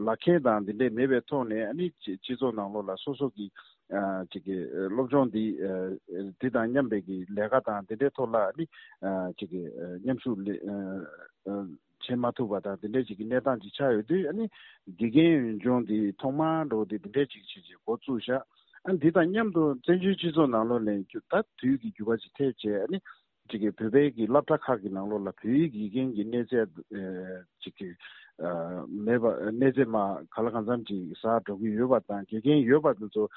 ལག་ཁྱེར་དང་འདི་འདྲས་མེད་པའི་ཐོག་ནས་ཨ་ནི་སྤྱི་ཚོགས་ནང་ལོགས་ལ་སོ་སོ་གི་ཅིག་གི་སློབ་སྦྱོང་འདི་འདི་དང་མཉམ་པའི་གི་ལས་ཀ་དང་འདི་འདྲའི་ཐོག་ལ་ཨ་ནི་ཅིག་གི་མཉམ་ཞུགས་བྱེད་མ་ཐུབ་པ་དང་དེ་འདྲའི་ཅིག་གི་གནས་སྟངས་ཅིག་ཆགས་ཡོད་དུས། ཨ་ནི་དགེ་རྒན་ཡོན་སྦྱོང་འདི་ཐོག་མར་འགྲོ་དེ་དེ་འདྲའི་ཅིག་བྱེད་ཅིག་འགོ་བཙུགས་ཤག་ཨ་འདི་དང་མཉམ་དུ་བཙན་བྱོལ་སྤྱི་ཚོགས་ནང་ལོགས་ལ་ད་དུས་ཀྱི་འགྱུར་བ་ཅིག་ཐེབས་བྱས། ཨ་ནི་ཅིག་གི་བོད་པའི་གི་སློབ་གྲྭ་ཁག་གི་ནང་ལོགས་ལ་བོད་ཡིག་དགེ་རྒན་གྱི་གནས་ཚད་ཅིག་གི་མེད་པ། གནས་ཚད་མ་ག་ལ་གང་འཚམ་ཅིག་ཟག་འགྲོ་གི་ཡོད་པ་དང་། དགེ་རྒན་ཡོད་པ་དེ་ཚོ་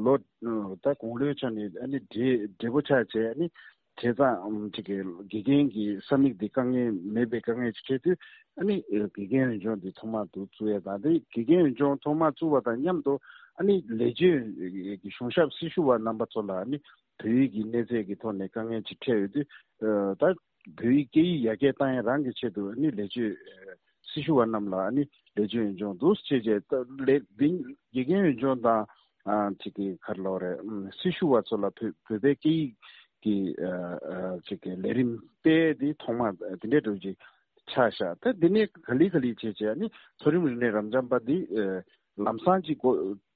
ལོ་ད་དགུང་ལོའི་ཆ་ནས་ཨ་ནི་བགྲེས་བགྲེས་པོ་ཆགས་བྱས། ཨ་ནི་བྱས་ཙང་ཅིག་གི་དགེ་རྒན་གྱི་ས་མིག་འདི་དཀའ་ངལ་མེད་པའི་དཀའ་ངལ་ཅིག་འཕྲད་དུས། ཨ་ནི་དགེ་རྒན་ཡོན་སྦྱོང་འདི་ཐོག་མར་དུ་བཙུགས་ཡས་དང་། དེ་དགེ་རྒན་ཡོན་སྦྱོང་ཐོག་མར་བཙུགས་པ་དང་མཉམ་དུ་ཨ་ནི་ལས་བྱེད་གཞུང་ཞབས་སྲི་ཞུ་བ་རྣམ་པ་ཚོ་ལ་ཨ་ནི་བོད་ཡིག་གི་གནས་ཚད་ཀྱི་ཐོག་ནས་དཀའ་ངལ་ཅིག་འཕྲད་ཡོད་དུས། ད་བོད་ཡིག་སྐད་ཡིག་ཡར་རྒྱས་བཏང་ཡས་རང་གི་ཆེད་དུ་ཨ་ནི་ལས་བྱེད་སྲི་ཞུ་བ་རྣམས་ལ་ཨ་ནི་ལས་བྱེད་ཡོན་སྦྱོང་འདུག་སེ་བྱས་བྱས། ད་ལས་འདི་དགེ་རྒན་ཡོན་སྦྱོང་དང་ཨ་ཅིག་གི་ག་རེ་ལབ་རེད། སྲི་ཞུ་བ་ཚོ་ལ་བོད་བོད་པའི་སྐད་ཡིག་གི་ཨ་ཅིག་གི་ལས་རིམ་སྤེལ་དེ་ཐོག་མ་དེ་འདྲའི་འགྲོ་ཅིག་ཆགས་ཤག་ད་འདི་ནས་ག་ལེ་ག་ལེ་བྱས་བྱས་ཨ་ནི་མཐོ་རིམ་རིག་གནས་རབ་འབྱམས་པ་འདི་ཨ་ལམ་སང་ཅིག་གོ་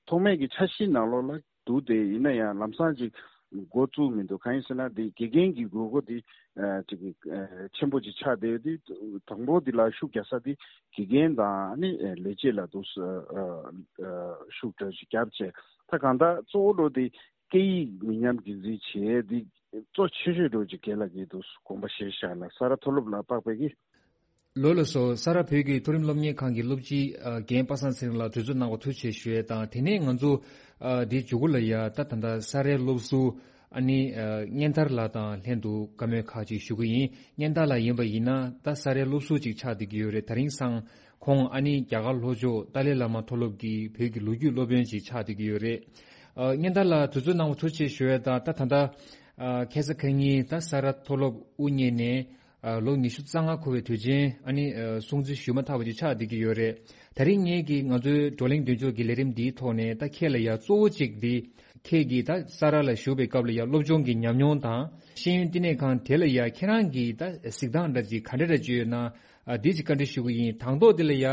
ཐོག་མའི་གི་འཆར་གཞི་ནང་ལོགས་ལ་འདུག་སྟེ། ཡིན་ན་ཡང་ལམ་སང་ཅིག་འགོ་བཙུགས་མི་འདུག་གང་ཡིན་ཟེར་ན་འདི་དགེ་རྒན་གྱི་དགོས་མཁོ་འདི་ཨ་ཅིག་གི་ཨ་ཆེན་པོ་ཅིག་ཆགས་བསྡད་ཡོད་དུས། དང་པོ་འདི་ལ་ཤུགས་རྒྱག་ས་འདི་དགེ་རྒན་དང་ཨ་ནི་ལས་བྱེད་ལ་འདུག་སེ་ཨ་ཨ་ཤུགས་འདྲ་ཅིག་བརྒྱབ་བྱས། ད་གང་ལྟར་གཙོ་བོ་འགྲོ་འདི་སྐད་ཡིག་མི་ཉམས་རྒྱུན་འཛིན་བྱེད་འདི་གཙོ་ཆེ་ཤོས་འགྲོ་ཅིག་རྒན་ལགས་ཀྱིས་འདུག་དགོངས་པ་བཞེས་ཤག་ལ། ས་རཱ་མཐོ་སློབ་ལ་དཔག་པའི་གི་ལོ་ལ་སོགས་ས་རཱ་བོད་ཀྱི་མཐོ་རིམ་སློབ་གཉེར་ཁང་གི་སློབ་སྤྱི་ཨ་རྒན་པ་སངས་ཚེ་རིང་ལགས་དུས་ཚོད་གནང་བ་ཐུགས་རྗེ་ཆེ་ཞུ་ཡས་དང་། དེ་ནས་ང་ཚོ་ཨ་འདིའི་མཇུག་གུ་ལ་ཡ་ད་ད་ལྟ་ས་རཱའི་སློབ་ཟུར་ཨ་ནི་ཨ་སྙན་དར་ལགས་དང་ལྷན་དུ་བཀའ་མོལ་ཁག་ཅིག་ཞུ་གི་ཡིན། སྙན་དར་ལགས་ཡིན་པ་ཡིན་ན་ད་ས་རཱའི་སློབ་ཟུར་ཅིག་ཆགས་བསྡད་ཀྱི་ཡོད་རེད། དེ་རིང་སང་ཁོང་ཨ་ནི་རྒྱ་གར་ལྷོ་ཕྱོགས་ཏཱ་ལའི་བླ་མ་མཐོ་སློབ་ཀྱི་བོད་ཀྱི་ལོ་རྒྱུས་སློབ་དཔོན་ཅིག་ཆགས་བསྡད་ཀྱི་ཡོད་རེད། ཨ་སྙན་དར་ལགས་དུས་ཚོད་གནང་བ་ཐུགས་རྗེ་ཆེ་ཞུ་ཡས་དང་། ད་ད་ལྟ་ཨ་ཁ་སང་ཁ་ཉིན་ད་ས་རཱ་མཐོ་སློབ་དབུ་བརྙེས་ནས་ཨ་ལོ་ཉི་ཤུ་རྩ་ལྔ་འཁོར་བའི་དུས་ཆེན་ཨ་ནི་ཨ་སྲུང་བརྩི་ཞུས་མ་ཐག་པ་ཅིག་ཆགས་བསྡད་ཀྱི་ཡོད་རེད། དེ་རིང་ངེད་ཀྱིས་ང་ཚོའི་བགྲོ་གླེང་མདུན་ལྕོག་གི་ལས་རིམ་འདིའི་ཐོག་ནས་ད་ཁྱེད་ལ་ཡ་གཙོ་བོ་གཅིག་འདི་ཁྱེད་ཀྱིས་ད་ས་རཱ་ལ་བཞུགས་པའི་སྐབས་ལ་ཡ་སློབ་སྦྱོང་གི་ཉམས་མྱོང་དང་། ཤེས་ཡོན་བསྟི་གནས་ཁང་དེ་ལ་ཡ་ཁྱེད་རང་གིས་ད་གཟིགས་སྟངས་འདྲ་ཅིག་ག་འདྲ་འདྲ་ཅིག་ཡོད་ན་ཨ་འདི་ཅིག་བཀའ་འདྲི་ཞུ་གི་ཡིན། དང་ཐོག་དེ་ལ་ཡ་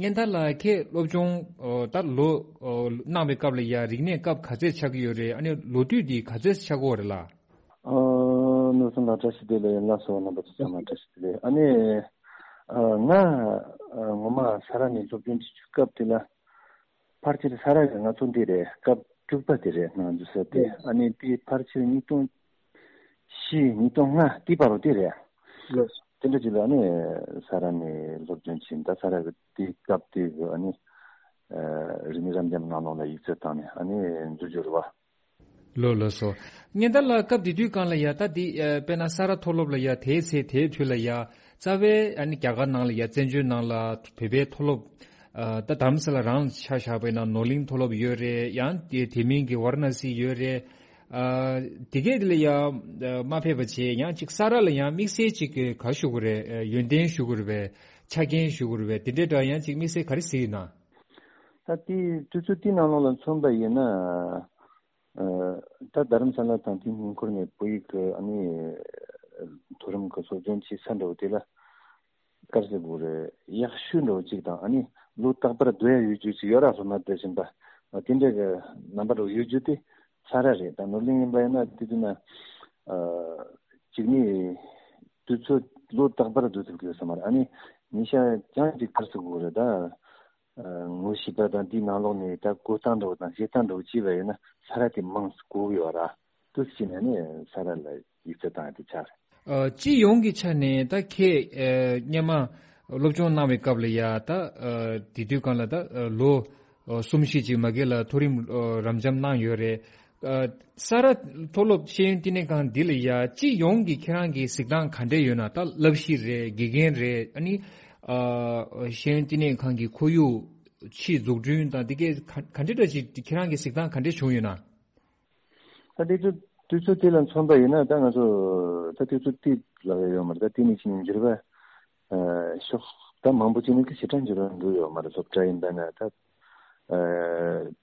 སྙན་དར་ལགས་ཁྱེད་སློབ་སྦྱོང་ཨོ་ད་ལོ་ཨོ་གནང་བའི་སྐབས་ལ་ཡ་རིག་གནས་སྐབས་ག་ཚད་ཆགས་ཀྱི་ཡོད་རེད། ཨ་ནི་ལོ་དུས་འདི་ག་ཚད་ཆགས་ཀྱི་ཡོད་རེད་ལགས། ཨ་ནོར་སྲུང་ལགས་བཀྲ་ཤིས་བདེ་ལེགས། ལགས་སོ་རྣམ་པ་ཚོ་ཚང་མ་བཀྲ་ཤིས་བདེ་ལེགས། ཨ་ནི་ཨ་ང་ཨ་ངོ་མ་ས་རཱ་ནས་སློབ་སྦྱོང་བྱེད་རྒྱུའི་སྐབས་དེ་ལ་ཕལ་ཆེར་ས་རཱ་གི་ང་ཚོ་འདི་རེད། སྐབས་དྲུག་པ་དེ་རེད་ང་ཚོ་ས་དེ། ཨ་ནི་དེ་ཕལ་ཆེར་ཉིས་སྟོང་བཞི་ཉིས་སྟོང་ལྔ་དེ་བར་དུ་དེ་རེད། ལགས་སོ། དེ་འདྲ་ཅིག་ལ་ཨ་ནི་ས་རཱ་ནས་སློབ་སྦྱོང་བྱས། ད་ས་རཱ་གི་དེ་སྐབས་དེ་གི་ཨ་ནི་ཨ་རིག་གནས་རབ་འབྱམས་ནང་ལོགས་ལ་ཡིག་ཚད་བཏང་ནས་ཨ་ནི་འཛུལ་རྒྱུ་རེད་བ། ལོ་ལོ་སོ། སྙན་དར་ལགས་སྐབས་དེ་དུས་སྒང་ལ་ཡ་ད་འདི་ཨ་དཔེར་ན་ས་རཱ་མཐོ་སློབ་ལ་ཡ་དེའི་ཚེ་དེའི་དུས་ལ་ཡ་རྩ་བའི་ཨ་ནི་རྒྱ་གར་ནང་ལ་ཡ་བཙན་བྱོལ་ནང་ལ་བོད་པའི་མཐོ་སློབ་ཨ་ད་དྷ་རམ་ས་ལ་རང་ཆ་བཞག་པ་ཡིན་ན་ནོར་གླིང་མཐོ་སློབ་ཡོད་རེད། ཡང་དེ་དེ་མིན་གྱི་ཝཱ་ར་ཎ་སི་ཡོད་རེད། ཨ་དེ་གས་དེ་ལ་ཡ་ཨ་མ་ཕེབས་པ་བྱས། ཡང་ཅིག་ས་རཱ་ལ་ཡང་དམིགས་བསལ་ཅིག་ག་ཞུ་དགོས་རེད། ཨ་ཡོན་ཏན་ཞུ་དགོས་རེད་པས། ཆ་རྐྱེན་ཞུ་དགོས་རེད་པས། དེ་འདྲའི་འདྲ་ཡང་ཅིག་དམིགས་བསལ་ག་རེ་གཟིགས་ཡོད་ན། ད་དེ་དུས་ཚོད་དེའི་ནང་ལོགས་ལ་མཚོན་པ་ཡིན་ན། ཨ་ད་རྡ་རམ་ས་ལ་དང་དེའི་ཉེ་འཁོར་ནས་བོད་ཡིག་གི་ཨ་ནི་མཐོ་རིམ་གི་སློབ་སྦྱོང་བྱེད་ས་འདྲ་བོ་དེ་ལ་དཀར་ཟེར་དགོས་རེད། ཡག་ཤོས་འདྲ་བོ་གཅིག་དང་། ཨ་ནི་ལོ་རྟག་པར་སྡོད་ཡ་ཡོད་རྒྱུ་ཅིག་ཡོད་ར། སློབ་མ་དེ་བཞིན་པ་དེ་འདྲ་གི་རྣམ་པ་འདྲ་བོ་ཡོད་རྒྱུ་དེ་ས་རཱ་རེད། ད་ནོར་གླིང་ཡིན་པ་ཡིན་ན་དེ་དུས་ན་ཨ་གཅིག་ནི་དུས་ཚོད་ལོ་རྟག་པར་སྡོད་ཐུབ་ཀྱི་ཡོད་ས་མ་རེད། ཨ་ནི་ཉིན་ཤས་ཀྱང་ཅིག་དཀར་ཟེར་དགོས་རེད། ད་ཨ་ངོ་ཤེས་པ་དང་དེའི་ནང་ལོགས་ནས་ད་བགོ་སྟངས་འདྲ་བོ་དང་བཞེས་སྟངས་འདྲ་བོ་བྱས་པ་ཡིན་ན་ས་རཱ་དེ་མང་ཙམ་གོ་གི་ཡོད་ར། དུས་ཕྱིན་ནས་ནི་ས་རཱ་ལ་ཡིག་ཚད་བཏང་ཡ་དེ་ཆགས་རེད། ཨ་སྤྱི་ཡོངས་ཀྱི་ཆ་ནས་ད་ཁྱེད་ཨ་སྔོན་མ་སློབ་སྦྱོང་གནང་བའི་སྐབས་ལ་ཡ་ད་ཨ་དེ་དུས་སྒང་ལ་ད་ཨ་ལོ་ཨ་གསུམ་བཞི་ཅིག་མ་གི་ལ་མཐོ་རིམ་ཨ་རབ་འབྱམས་གནང་ཡོད་རེད། ཨ་ས་རཱ་མཐོ་སློབ་ཤེས་ཡོན་བསྟི་གནས་ཁང་འདི་ལ་ཡ་སྤྱི་ཡོངས་ཀྱི་ཁྱེད་རང་གི་གཟིགས་སྟངས་ག་འདྲས་ཡོད་ན། ད་བསླབ་གཞི་རེད། དགེ་རྒན་རེད། ཨ་ནི་ཨ་ཤེས་ཡོན་བསྟི་གནས་ཁང་གི་ཁོར་ཡུག་ཕྱིའི་འཛུགས་སྐྲུན་དང་འདི་གས་ག་ག་འདྲས་འདྲ་ཅིག་ཁྱེད་རང་གི་གཟིགས་སྟངས་ག་འདྲས་བྱུང་ཡོད་ན། ད་དུས་ཚོད་དུས་ཚོད་དེ་ལ་མཚོན་པ་ཡིན་ན་ད་ང་ཚོ་ད་དུས་ཚོད་དེ་ལ་ཡོད་མ་རེད། ད་དེ་ནས་ཕྱིན་འགྱུར་བ་ཨ་ཤོག་ད་མང་པོ་ཅིག་ནས་ད་ཞེ་དྲག་འགྱུར་བ་འགྲོ་ཡོད་མ་རེད། སློབ་གྲྭ་ཡིན་པ་ན་ད་ཨ་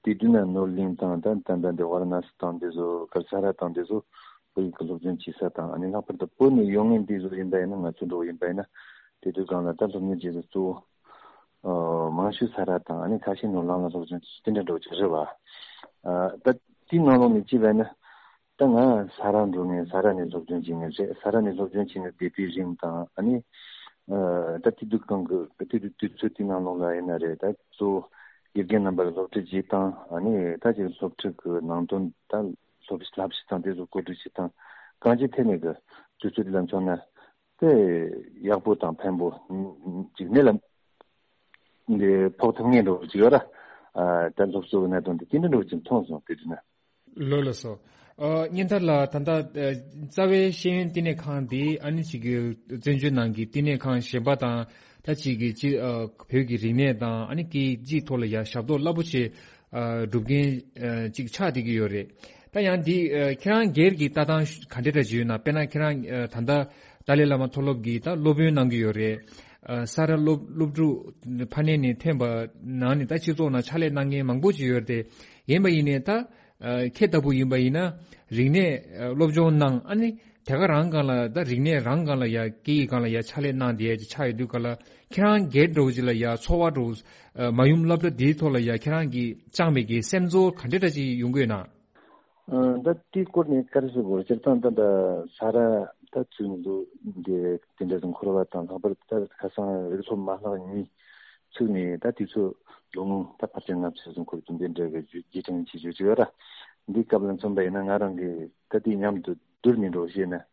དེ་དུས་ན་ནོར་གླིང་དང་ད་ད་ད་འདི་ཝཱ་ར་ཎ་སི་དང་འདི་ཚོ་ག་རེ་ས་རཱ་དང་འདི་ཚོ་ བོད་ཡིག་གི་སློབ་སྦྱོང་བྱེད་ས་དང་། ཨ་ནི་ལྷག་པར་དུ་བོད་ནས་ཡོང་མཁན་འདི་ཚོ་ཡིན་པ་ཡིན་ན། ང་ཚོ་འདྲ་བོ་ཡིན་པ་ཡིན་ན། དེ་དུས་སྒང་ལ་ད་སློབ་གཉེར་བྱེད་ས་གཙོ་བོ་ཨ་མང་ཤོས་ས་ར་དང་། ཨ་ནི་ཁ་ཤས་ནོར་ལམ་ལ་སློབ་སྦྱོང་བྱེད་ས་དེ་འདྲ་འདྲ་བོ་ཅིག་རེད་བ། ཨ་ད་དེའི་ནང་ལོགས་ནས་བྱས་པ་ཡིན་ན། ད་ང་ས་ར་འགྲོ་མཁན། ས་ར་ནས་སློབ་སྦྱོང་བྱེད་མཁན་རེད། ས་ར་ནས་སློབ་སྦྱོང་བྱེད་མཁན་བསྡད་པའི་རིང་དང་། ཨ་ནི་ཨ་ད་དེ་དུས་སྒང་གི་དེ་དུས་དུས་ཚོད་དེའི་ནང་ལོགས་ལ་ཡིན་ན་རེད། ད་གཙོ་བོ་དགེ་རྒན་རྣམ་པ་ལ་སློབ་ཁྲིད་བྱེད་སྟངས། ཨ་ནི་ད་ཅིག་སློབ་ཁྲིད་ཀྱི་ནང་དོན། ད་སློབ་བསླབ་བྱ་དང་དེ་ཚོ་གོ་སྒྲིག་བྱེད་སྟངས། གང་ཅིའི་ཐད་ནས་ཀྱི་དུས་ཚོད་དེ་ལ་མཚོན་ན་དེ་ཡག་པོ་དང་ཕན་པོ་ཅིག་གནད་ལ་འདི་ཕོག་ཐུབ་ངེས་འགྲོ་གི་ཡོད་ར། ཨ་ད་སློབ་གསོ་གི་གནད་དོན་དེ་དེ་འདྲ་འདྲ་བོ་ཅིག་མཐོང་སོང་། དེ་དུས་ན། ལགས་ལགས་སོ། ཨ་སྙན་ཐར་ལགས། ད་ལྟ་ཨ་རྩ་བའི་ཤེས་ཡོན་བསྟི་གནས་ཁང་འདི་ཨ་ནི་ཅིག་གི་བཙན་བྱོལ་ནང་གི་བསྟི་གནས་ཁང་གཞན་པ་དང་། ད་ཅིག་གི་ཅི་ཨ་བོད་ཀྱི་རིག་གནས་དང་། ཨ་ནི་སྐད་ཡིག་ཅིག་ཐོག་ལ་ཡ་ཞབས་ཏོག་རླབས་པོ་ཆེ་ཨ་སྒྲུབ་མཁན་ཨ་ཅིག་ཆགས་བསྡད་ཀྱི་ཡོད་རེད། ད་ཡང་འདི་ཨ་ཁྱེད་རང་སྒེར་གྱི་ལྟ་སྟངས་ག་འདྲ་འདྲ་ཅིག་ཡོད་ན། དཔེར་ན་ཁྱེད་རང་ཨ་ད་ལྟ་ཏཱ་ལའི་བླ་མ་མཐོ་སློབ་ཀྱི་ད་སློབ་དཔོན་གནང་གི་ཡོད་རེད། ཨ་ས་ར་སློབ་སློབ་ཕྲུག་ཕ་ནས་ནས་ཐོན་པ་ནང་ནས་ད་སྤྱི་ཚོགས་ནང་ཕྱག་ལས་གནང་མཁན་མང་པོ་ཅིག་ཡོད་རེད་དེ། ཡིན་པ་ཡིན་ནའི་ད་ཨ་ཁྱེད་ལྟ་བུ་ཡིན་པ་ཡིན་ན་རིག་གནས་ཨ་སློབ་སྦྱོང་གནང་། ཨ་ནི་དེ་ག་རང་སྒང་ལ་ད་རིག་གནས་རང་སྒང་ལ་ཡ་སྐད་ཡིག་སྒང་ལ་ཡ་ཕྱག་ལས་གནང་བསྡད་ཡ་ཅིག་ཆགས་ཡོད་དུས་ག་ལ། ཁྱེད་རང་སྒེར་འདྲ་བོ་ཅིག་ལ་ཡ་ཚོར་བ་འདྲ་བོ་ཨ་མ་ཡུམ་སློབ་གྲྭ་འདིའི་ཐོག་ལ་ཡ་ཁྱེད་རང་གིས་བཅངས་པའི་གི་སེམས་ཚོར་ག་འདྲ་འདྲ་ཅིག་ཡོང་གི་ཡོད་ན། ཨ་ད་དེའི་སྐོར་ནས་ག་རེ་ཟེར་དགོས་རེད། སྤྱིར་བཏང་ད་ད་ས་ར་ད་ཚུགས་ནས་འདུག་འདི་དེ་འདྲ་ཟིག་འཁོར་བ་དང་། ལྷག་པར་ད་ཁ་སང་རིག་སློབ་མ་ལག་གཉིས་ཚུགས་ནས་ད་དུས་ཚོད་ལོ་ངོ་ད་ཕལ་ཆེར་ལྔ་བཅུ་ཟིག་འཁོར་གྱི་འདི་འདྲ་གི་རྒྱུ་རྒྱུ་རྐྱེན་ཆེ་ཤོས་ཅིག་ཡོད་ར། འདིའི་སྐབས་ལ་མཚོན་པ་ཡིན་ན། ང་རང་གིས་ད་དེ་མཉམ་དུ་བསྡུར་ནས་འགྲོ་ཤེས་ན། ཨ་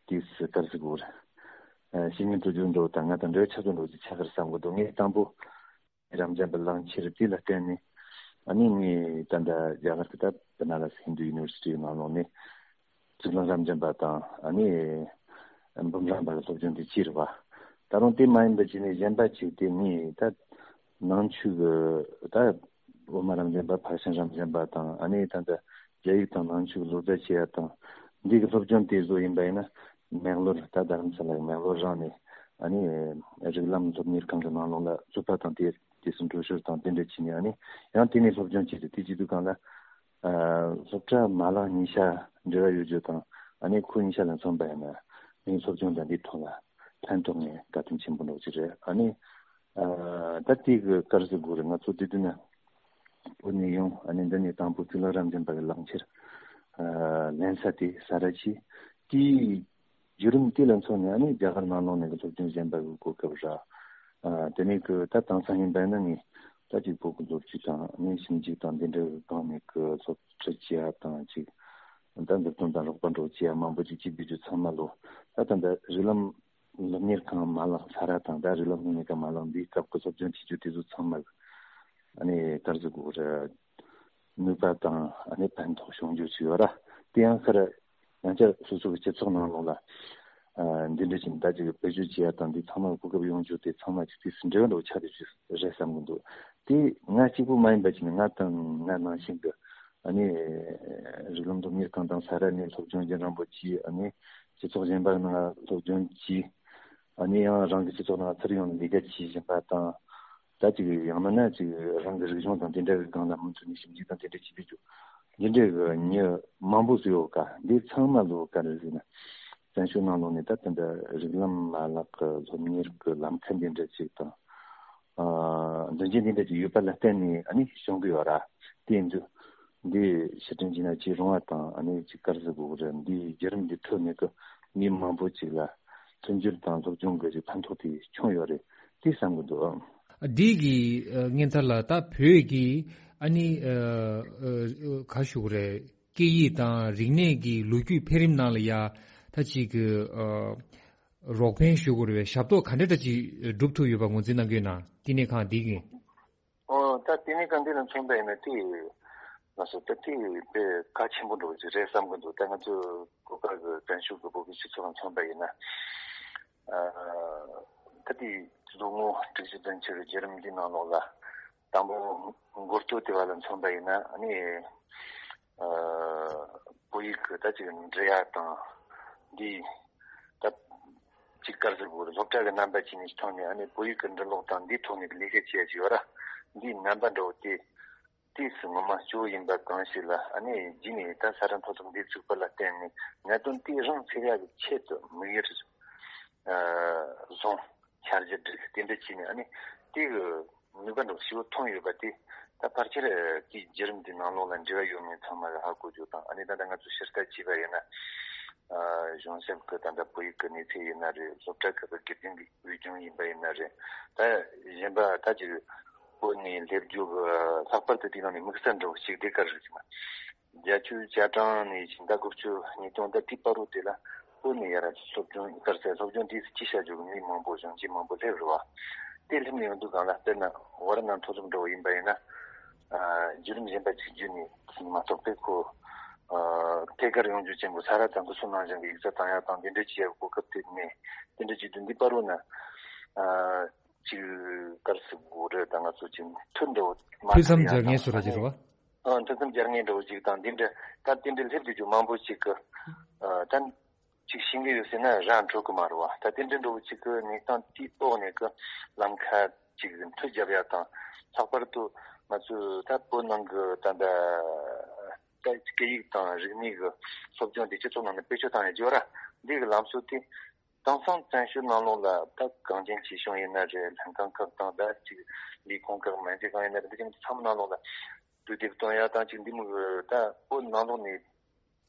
དེས་ག་རེ་ཟེར་དགོས་རེད། ཨ་བཤེས་གཉེན་དུ་རྒྱུ་འགྲོ་དང་ང་དང་འབྲེལ་བ་ཆགས་ཚུལ་འགྲོ་ཅིག་ཆགས་ཀྱི་རེད་བསམ་གི་འདུག་ངས་དང་པོ་རབ་འབྱམས་པ་གླང་ཆེན་དེ་ལ་བརྟེན་ནས། ཨ་ནི་ངས་ད་ལྟ་རྒྱ་གར་གྱི་ད་བ་ན་ར་སི་ཧིན་དུ་ཡུ་ནི་ཝར་སི་ཊི་ནང་ལོགས་ནས་གཙུག་ལག་རབ་འབྱམས་པ་དང་། ཨ་ནི་འབུམ་རམས་པ་ལ་སློབ་སྦྱོང་དེ་བྱས་རེད་བ། ད་རུང་དེ་མ་ཡིན་པ་བྱས་ནས་གཞན་པ་ཅིག་དེ་ངས་ད་ནང་ཆོས་ཀྱི་ད་དབུ་མ་རབ་འབྱམས་པ། ཕར་ཕྱིན་རབ་འབྱམས་པ་དང་། ཨ་ནི་ད་ལྟ་རྒྱ་ཡིག་དང་ནང་ཆོས་ཀྱི་ལོ་ཙཱ་བྱེད་ཡ་དང་། འདི་གི་སློབ་སྦྱོང་དེ་བཟོ་ཡིན་པ་ཡིན་ན། མེག་ལོར་ད་རྡ་རམ་ས་ལ་གི་མེག་ལོར་རང་ནས། ཨ་ནི་རིགས་ལམ་སློབ་གཉེར་ཁང་གི་ནང་ལོགས་ལ་རྩོད་པ་དང་དེ་དེ་ཚོ་འགྲོ་ཞོར་དང་དེ་འདྲ་བྱས་ནས། ཨ་ནི་ཡང་དེ་ནས་སློབ་སྦྱོང་བྱས་ཏེ། དེ་བྱེད་དུས་སྒང་ལ་ཨ་སློབ་གྲྭ་མ་ལག་གཉིས་ཆ་འབྲེལ་བ་ཡོད་རྒྱུ་དང་། ཨ་ནི་ཁོ་གཉིས་ཆ་ལ་མཚོན་པ་ཡིན་ན་ངའི་སློབ་སྦྱོང་དང་འདིའི་ཐོག་ལ་ཕན་ཐོགས་ནས་དགའ་སྟོན་ཆེན་པོ་འདྲ་བོ་ཅིག་རེད། ཨ་ནི་ཨ་ད་དེ་གི་ག་རེ་ཟེར་དགོས་རེད། ང་ཚོ་དེ་དུས་ན་བོད་ནས་ཡོང་། ཨ་ནི་འདི་ནས་དང་པོ་གཙུག་ལག་རབ་འབྱམས་པ་གི་གླང་ཆེན་ཨ་ལེན་ས་དེ་ས་ར་བྱས། དེའི་བརྒྱུད་རིམ་དེ་ལ་མཚོན་ནས། ཨ་ནི་རྒྱ་གར་ནང་ལོགས་ནས་ཀྱི་སློབ་སྦྱོང་གཞན་པ་གི་གོ་སྐབས་རག་ཨ་དེ་ནས་ཀྱི་ད་དེང་སང་ཡིན་པ་ན་ངས་ད་ཅིག་བོད་ཀྱི་ལོ་རྒྱུས་དང་། ཨ་ནི་ཞིབ་འཇུག་དང་འདི་འདྲ་གི་སྒང་ནས་ཀྱི་སློབ་ཁྲིད་བྱེད་ཡ་དང་། ཅིག་ད་མཛུབ་སྟོན་དང་རོགས་པ་འདྲ་བོ་བྱེད་ཡ་མང་པོ་ཅིག་བྱེད་བསྡད་རྒྱུ་ཚང་མ་ལོ། ད་ད་ལྟ་རིགས་ལམ་སློབ་གཉེར་ཁང་མ་ལག་ས་ར་དང་། ད་རིགས་ལམ་སློབ་གཉེར་ཁང་མ་ལག་འདིའི་སྐབས་ཀྱི་སློབ་སྦྱོང་བྱེད་རྒྱུ་དེ་ཚོ་ཚང་མ་ཨ་ནི་ག་རེ་ཟེར་དགོས་རེད། ནུས་པ་དང་། ཨ་ནི་ཕན་ཐོགས་བྱུང་རྒྱུ་ཅིག་ཡོད་ར། དེ་ཡང་ཁ་ར་ཡང་བསྐྱར་སོ་སོ་གི་སྤྱི་ཚོགས་ནང་ལོགས་ལ་ཨ་འདི་འདྲ་ཞིག་ད་ཅིག་བེད་སྤྱོད་བྱེད་ཡ་དང་། འདི་ཚང་མ་གོ་སྐབས་ཡོང་རྒྱུ་དེ་ཚང་མ་ཅིག་དེ་འབྲེལ་བ་འདྲ་བོ་ཆགས་བསྡད་རྒྱུ་རེད་བསམ་གི་འདུག་དེ་ང་གཅིག་པུ་མ་ཡིན་པ་བྱས་ནས་ང་དང་ང་ནང་བཞིན་གྱི་ཨ་ནི་རིགས་ལམ་སློབ་གཉེར་ཁང་དང་ས་ར་ནས་སློབ་སྦྱོང་རྒྱུན་རིང་པོ་བྱས། ཨ་ནི་སྤྱི་ཚོགས་གཞན་པ་ནང་སློབ་སྦྱོང་བྱས། ཨ་ནི་ཡང་རང་གི་སྤྱི་ཚོགས་ནང་ཚུར་ཡོང་ནས་ལས་ཀ་བྱེད་བཞིན་པ་དང་། ད་ཅིག་ཡང་མིན་ན་ཅིག་རང་གི་རིག་གཞུང་དང་དེ་འདྲ་གི་སྒང་ལ་མུ་མཐུད་ནས་ཞིབ་འཇུག་དང་དེ་འདྲ་བྱེད་དུས་ཀྱི་འདི་འདྲ་གི་མྱི་མང་པོ་ཟིག་ཡོད་ཀ་འདི་ཚང་མ་ལོ་ག་རེ་ཟེར་ན། བཙན་བྱོལ་ནང་ལོགས་ནས་ད་དེ་འདྲ་རིགས་ལམ་མ་ལག་གི་སློབ་གཉེར་གི་ལམ་ཁ་འདི་འདྲ་ཅིག་དང་། ཨ་མདུན་སྐྱོད་འདི་འདྲ་ཅིག་ཡོད་པ་ལ་བརྟེན་ནས་ཨ་ནི་བྱུང་གི་ཡོད་ར། དེ་ཡིན་དུས་འདི་ཕྱིར་དྲན་བྱས་ན་ཅིག་རུང་བ་དང་། ཨ་ནི་ཅིག་ག་རེ་ཟེར་དགོས་རེད། འདིའི་བརྒྱུད་རིམ་འདི་ཁྲོད་ནས་གི་མི་མང་པོ་ཅིག་ལ་མཐུན་འགྱུར་དང་སློབ་སྦྱོང་གི་ཅིག་ཕན་ཐོགས་དེ་བྱུང་ཡོད་རེད། དེ་བསམ་གི་འདུག་འདི་གི་ཨ་སྙན་ཐར་ལགས། ད་བོད་ཀྱི་ཨ་ནི་ཨ་ཨ་ག་ཞུ་དགོས་རེད། སྐད་ཡིག་དང་རིག་གནས་ཀྱི་ལོ་རྒྱུས་འཕེལ་རིམ་ནང་ལ་ཡ་ད་ཅིག་གི་ཨ་རོགས་ཕན་ཞུ་དགོས་རེད་པས། ཞབས་ཏོག་ག་འདྲ་འདྲ་ཅིག་སྒྲུབ་ཐུབ་ཡོད་པ་ངོས་འཛིན་གནང་གི་ཡོད་ན། བསྟི་གནས་ཁང་འདི་གི་ཨོ་ད་བསྟི་གནས་ཁང་འདི་ལ་མཚོན་པ་ཡིན་ན་དེ་ང་ཚོ་ད་དེ་དཔེ་གལ་ཆེན་པོ་འདྲ་བོ་ཅིག་རེད་བསམ་གི་འདུག་ད་ང་ཚོ་གོ་སྐབས་ཀྱི་བཙན་བྱོལ་གྱི་བོད་ཀྱི་སྤྱི་ཚོགས་ལ་མཚོན་པ་ཡིན་ན། ཨ་ད་དེ་ལོ་ངོ་དྲུག་ཅུ་བདུན་ཅུ་གི་བརྒྱུད་རིམ་འདི་ནང་ལོགས་ལ་དང་པོ་འགོ་སྟོད་དེ་བ་ལ་མཚོན་པ་ཡིན་ན། ཨ་ནི་ཨ་བོད་ཡིག་གི་ད་ཅིག་འབྲི་ཡ་དང་འདི་ད་ཅིག་ག་རེ་ཟེར་དགོས་རེད། སློབ་གྲྭ་གི་རྣམ་པ་ཅིག་ནས་ཐོག་ནས་ཨ་ནི་བོད་ཡིག་གི་འབྲི་ཀློག་དང་འདིའི་ཐོག་ནས་ལས་ཀ་བྱེད་ཡ་ཅིག་ཡོད་ར། འདིའི་རྣམ་པ་འདྲ་བོ་དེ་ དུས་སུ་ངོ་མ་སྐྱོ་བོ་ཡིན་པ་གང་ཞིག་ལ། ཨ་ནི་རྗེས་ནས་ད་ས་རཱ་མཐོ་སློབ་འདི་བཙུགས་པ་ལ་བརྟེན་ནས་གནད་དོན་དེ་རང་སེལ་ཡག་གི་ཆེད་དུ་དམིགས་ཡུལ་བཟུང་འཆར་གཞི་བསྒྲིགས། དེ་འདྲ་བྱས་ནས་ཨ་ནི་དེ་གི་ནུས་པ་འདྲ་ཞིག་ཐོན་ཡོད་པ་དེ་ད་ཕལ་ཆེར་དེའི་བརྒྱུད་རིམ་དེའི་ནང་ལོགས་ལ་འབྲེལ་བ་ཡོད་མེད་ཚང་མ་གིས་ཧ་གོ་རྒྱུ་དང་། ཨ་ནི་ད་ལྟ་ང་ཚོ་ཕྱིར་ལྟ་བྱས་པ་ཡིན་ན། གཞུང་ཞབས་ཀྱི་ད་ལྟ་བོད་ཡིག་གི་གནས་ཚད་ཡིན་ན་རེད། སློབ་གྲྭ་ཁག་གི་དགེ་རྒན་གྱི་འོས་སྦྱོང་ཡིན་པ་ཡིན་ན་རེད། ད་གཞན་པ་ད་ཅིག་བོད་ནས་སླེབས་རྒྱུ་གི་ལྷག་པར་དུ་དེའི་ནང་ནས་དམིགས་བསལ་འདྲ་བོ་ཞིག་དེ་ག་རེ་རེད་ཟེར་ན། བརྒྱད་ཅུ་གྱ་གྲངས་ནས་ཕྱིན་ད་དགུ་བཅུ་ཉིས་སྟོང་ད་དེའི་བར་དུ་དེ་ལ་བོད་ནས་ཡར་སློབ་སྦྱོང་ག་རེ་ཟེར། སློབ་སྦྱོང་དེ་སུ་གཅིག་བྱ་རྒྱུ་གི་མི་མང་པོ་གཞོན་སྐྱེས་མང་པོ་སླེབས་རེད་བ། དེ་སླེབས་ནས་ཡོང་དུས་སྒང་ལ་དཔེར་ན་ཝཱ་ར་ཎ་མཐོ་སློབ་འདྲ་བོ་ཡིན་པ་ཡིན་ན། བརྒྱུད་རིམ་གཞན་པ་ཅིག་བརྒྱུད་ནས་མ་གཏོགས་པའི་ཁོ་ཐད་ཀར་ཡོང་རྒྱུ་ཅན་པོ་ས་རཱ་དང་དུ་སོ་ནང་བཞིན་གྱི་ཡིག་ཚད་བཏང་ཡག་དང་དེ་འདྲ་བྱེད་ཡག་གོ་སྐབས་དེ་མེད། དེ་འདྲ་བྱེད་དུས་འདི་བར་དུ་ན་ཅིག་ག་རེ་ཟེར་དགོས་རེད། ད་ང་ཚོ་ཅིག་མཐུན་འདྲ་བོ་མ་ཐུག་ཡག་དང་། ཐུགས་མཚམས་སྦྱར་མཁན་སུ་ར་ཅིག་རེད་བ། ཨ་མཐུན་མཚམས་སྦྱར་མཁན་འདྲ་བོ་ཅིག་དང་དེ་འདྲ་ད་དེ་འདྲ་སླེབས་བསྡད་རྒྱུ་མང་པོ་ཅིག་གི་ད། ཅིག་ཤེས་ཀྱི་ཡོད་ཟེར་ན་ར་འཕྲོད་ཀྱི་མ་རེད་བ། ད་དེ་འདྲ་འདྲ་བོ་ཅིག་གི་གནས་སྟངས་དེའི་འོག་ནས་ཀྱི་ལམ་ཁ་ཅིག་མཐུད་རྒྱབ་ཡག་དང་། ལྷག་པར་དུ་ང་ཚོས་ད་བོད་ནང་གི་ད་ལྟ་ད་སྐད་ཡིག་དང་རིག་གནས་ཀྱི་སློབ་སྦྱོང་དེ་སྤྱི་ཚོགས་ནང་ནས་བེད་སྤྱོད་བཏང་ཡག་རྒྱུ་ར། འདི་གི་ལམ་སྲོལ་དེ་དེང་སང་བཙན་བྱོལ་ནང་ལོགས་ལ་ད་གངས་ཅན་སྐྱིད་གཤོངས་ཡིན་ན་རེད། ལྷན་ཁང་ཁག་དང་ད་ཅིག་ལས་ཁུངས་ཁག་མ་འདྲ་གང་ཡིན་ན་རེད། འདི་ཅན་ཚང་མ་ནང་ལོགས་ལ་དུས་དེབ་སྟོན་ཡག་དང་ཅིག་འདི་མོ་གི་ད་བོད་ནང་ལོགས་ནས་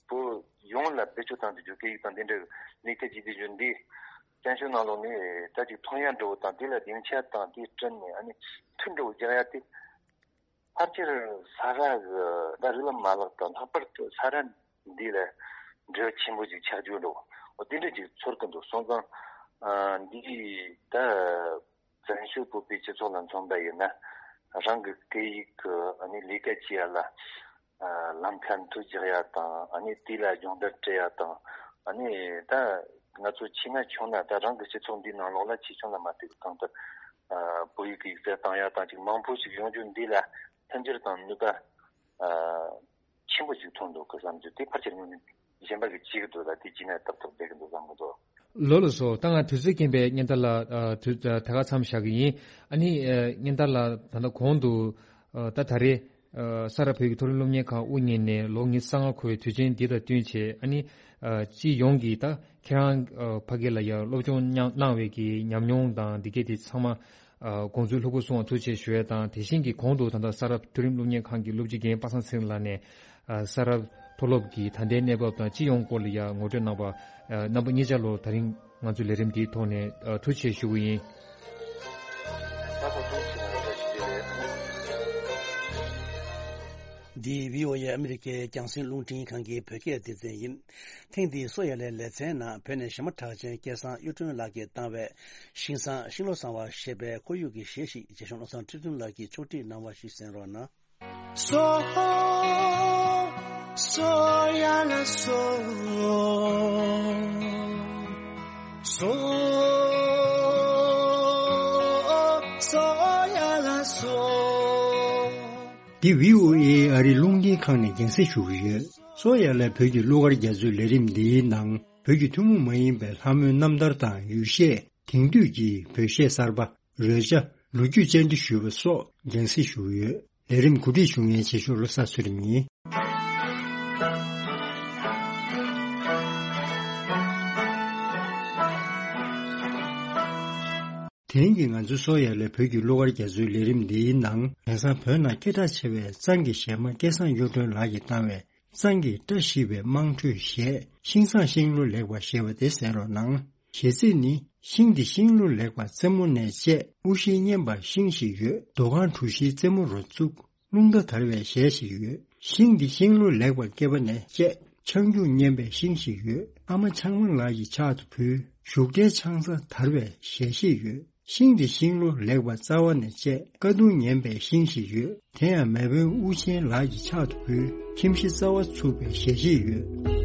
བོད་ཡོངས་ལ་བེད་སྤྱོད་བཏང་དུས་རྒྱུ་སྐད་ཡིག་དང་དེ་འདྲ་ལས་ཀ་བྱེད་དུས་རྒྱུ་འདི་བཙན་བྱོལ་ནང་ལོགས་ནས་ད་ཅིག་ཐོན་ཡག་འདྲ་བོ་དང་། དེ་ལ་སྡིངས་ཆ་དང་དེ་བསྐྲུན་ནས་ཨ་ནི་མཐུན་འགྲོ་རྒྱག་ཡག་དེ་ཕལ་ཆེར་ས་རཱ་གི་ད་རིགས་ལམ་མ་ལག་དང་། ལྷག་པར་དུ་ས་རཱ་འདི་ལ་འབྲེལ་བ་ཆེན་པོ་ཅིག་ཆགས་རྒྱུ་འདྲ་བོ་འོ་དེ་འདྲ་ཅིག་ཚོར་གི་འདུག་སོང་ཙང་འདི་ད། བཙན་བྱོལ་བོད་པའི་སྤྱི་ཚོགས་ལ་མཚོན་པ་ཡིན་ན། རང་གི་སྐད་ཡིག་གི་ཨ་ནི་ལས་ཀ་བྱེད་ཡག་ལ་ལམ་ཁ་མཐུད་རྒྱག་ཡག་དང་། ཨ་ནི་དེ་ལ་སྦྱོང་བརྡར་སྤྲད་ཡག་དང་། ཨ་ནི་ད་ང་ཚོ་ཆེ་ན་ཆུང་ན་ད་རང་གི་སྤྱི་ཚོགས་འདིའི་ནང་ལོགས་ལ་ཆེ་ཆུང་ལ་མ་ལྟོས་པའི་གང་ལྟར་བོད་ཡིག་གི་ཡིག་ཚད་བཏང་ཡག་དང་ཅིག་མང་པོ་ཞིག་ཡོང་རྒྱུ་འདི་ལ་མཐུན་འགྱུར་དང་ནུས་པ། ཆེན་པོ་ཞིག་ཐོན་འདུག་གི་བསམ་རྒྱུ་དེ་ཕལ་ཆེར་ངོས་ནས་གཞན་པ་གིས་བྱེད་ཀྱི་འདུག་ལ། དེ་བྱས་ན་ཏག་ཏག་བསྡད་ཀྱི་འདུག་བསམ་གྱི་འདུག་ལགས་ལགས་སོ། ད་ང་དུས་ཚོད་རྐྱེན་པས་སྙན་ཐར་ལགས་དུས་ད་ག་མཚམས་བཞག་གི་ཡིན། ཨ་ནི་སྙན་ཐར་ལགས་ད་ལྟ་གོང་དུ་ད་ད་རེས་ས་རཱ་བོད་ཀྱི་མཐོ་རིམ་སློབ་གཉེར་ཁང་དབུ་བརྙེས་ནས་ལོ་ཉི་ཤུ་རྩ་ལྔ་འཁོར་བའི་དུས་ཆེན་འདི་དང་བསྟུན་བྱས། ཨ་ནི་སྤྱི་ཡོངས་ཀྱི་ད་ཁྱེད་རང་ཕ་གི་ལ་ཡང་སློབ་སྦྱོང་གནང་བའི་གི་ཉམས་མྱོང་དང་འདི་གས་དེ་ཚང་མ། དགོངས་ཚུལ་ལྷུག་པོ་གསུང་བ་ཐུགས་རྗེ་ཆེ་ཞུ་ཡ་དང་། དེ་བཞིན་གྱི་གོང་དུ་ད་ལྟ་ས་རཱ་མཐོ་རིམ་སློབ་གཉེར་ཁང་གི་སློབ་སྤྱི་རྒན་པ་སངས་ཚེ་རིང་ལགས་ནས་ས་རཱ་མཐོ་སློབ་ཀྱི་ད་ལྟའི་གནས་བབ་དང་སྤྱི་ཡོངས་སྐོར་ལ་ཡང་ངོ་སྤྲོད་གནང་བ། རྣམ་པ་གཉིས་ཆ་ལོ་ད་རིང་ང་ཚོའི་ལས་རིམ་འདིའི་ཐོག་ནས་ཐུགས་རྗེ་ཆེ་ཞུ་གི་ཡིན། འདི་བྷི་ཨོ་ཨེ་ཨ་མི་རི་ཀའི་རྒྱང་སྲིང་རླུང་འཕྲིན་ཁང་གི་བོད་སྐད་སྡེ་ཚན་ཡིན། ཐེངས་འདིའི་སོ་ཡ་ལའི་ལེ་ཚན་ནང་བོད་ནས་གཞས་མ་གྲགས་ཅན་སྐལ་བཟང་གཡུ་སྒྲོན་ལགས་ཀྱིས་བཏང་བའི་ཤིང་བཟང་ཤིང་ལོ་བཟང་བ་ཞེས་པའི་ཁོར་ཡུག་གི་གཞས་ཤིག་རྗེ་གཞུང་བློ་བཟང་ཁྲི་སྟོན་ལགས་ཀྱིས་ཕྱོགས་སྒྲིག་གནང་བ་ཞིག་གསན་རོགས་གནང་། སོ། སོ་ཡ་ལ་སོ། སོ། སོ་ཡ་ལ་སོ། འདི་བྷི་ཨོ་ཨེ་ཨ་རིའི་རླུང་འཕྲིན་ཁང་ནས་རྒྱང་སྲིང་ཞུ་གི་ཡོད། སོ་ཡ་ལ་བོད་ཀྱི་གླུ་གར་རྒྱ་མཚོའི་ལས་རིམ་འདིའི་ནང་བོད་ཀྱི་ཐུན་མོང་མ་ཡིན་པའི་ལྷ་མོའི་རྣམ་ཐར་དང་ཡུལ་གཞས། དེང་དུས་ཀྱི་བོད་གཞས་གསར་པ། རོལ་ཆ། ལོ་རྒྱུས་བཅར་འདྲི་ཞུས་པ་སོགས་རྒྱང་སྲིང་ཞུ་གི་ཡོད། ལས་རིམ་གོ་སྒྲིག་ཞུ་མཁན་རྗེ་ཤོད་བློ་བཟང་ཚུལ་ཁྲིམས་ཡིན། དེང་གི་ང་ཚོའི་སོ་ཡ་ལའི་བོད་ཀྱི་གླུ་གར་རྒྱ་མཚོའི་ལས་རིམ་འདིའི་ནང་དེང་སང་བོད་ནང་སྐད་གྲགས་ཆེ་བའི་གཙང་གི་གཞས་མ་སྐལ་བཟང་གཡུ་སྒྲོན་ལགས་ཀྱིས་བཏང་བའི། གཙང་གི་བཀྲ་ཤིས་པའི་དམངས་ཁྲོད་གཞས་ཤིང་བཟང་ཤིང་ལོ་ལེགས་པ་ཞེས་པ་དེ་གསན་རོགས་གནང་། གཞས་ཚིག་ནི། ཤིང་འདི་ཤིང་ལོ་ལེགས་པ་རྩེ་མོ་ནས་བཅད། དབུ་ཞྭ་སྙན་པ་ཤིང་ཞིག་ཡོད། རྡོ་ཁང་གྲུ་བཞིའི་རྩེ་མོ་རུ་བཙུགས། རླུང་རྟ་དར་བའི་གཞས་ཤིག་ཡོད། ཤིང་འདི་ཤིང་ལོ་ལེགས་པ་སྐེད་པ་ནས་བཅད། ཆང་རྒྱུག་སྙན་པའི་ཤིང་ཞིག་ཡོད། ཨ་མ་ཆང་མ་ལགས་ཀྱི་ཕྱག་ཏུ་ཕུལ། བཞུགས་གྲལ་ཆང་ས་དར་བའི་གཞས་ཤིག་ཡོད། ཤིང་འདི་ཤིང་ལོ་ལེགས་པ་རྩ་བ་ནས་བཅད། ཀ་གདུང་ངན་པའི་ཤིང་ཞིག་ཡོད། དེ་ཡང་མེ་དཔོན་དབུ་ཆེན་ལགས་ཀྱི་ཕྱག་ཏུ་ཕུལ། ཁྱིམ་གཞི་རྩ་བ་ཚུགས་པའི་གཞས་ཤིག་ཡོད།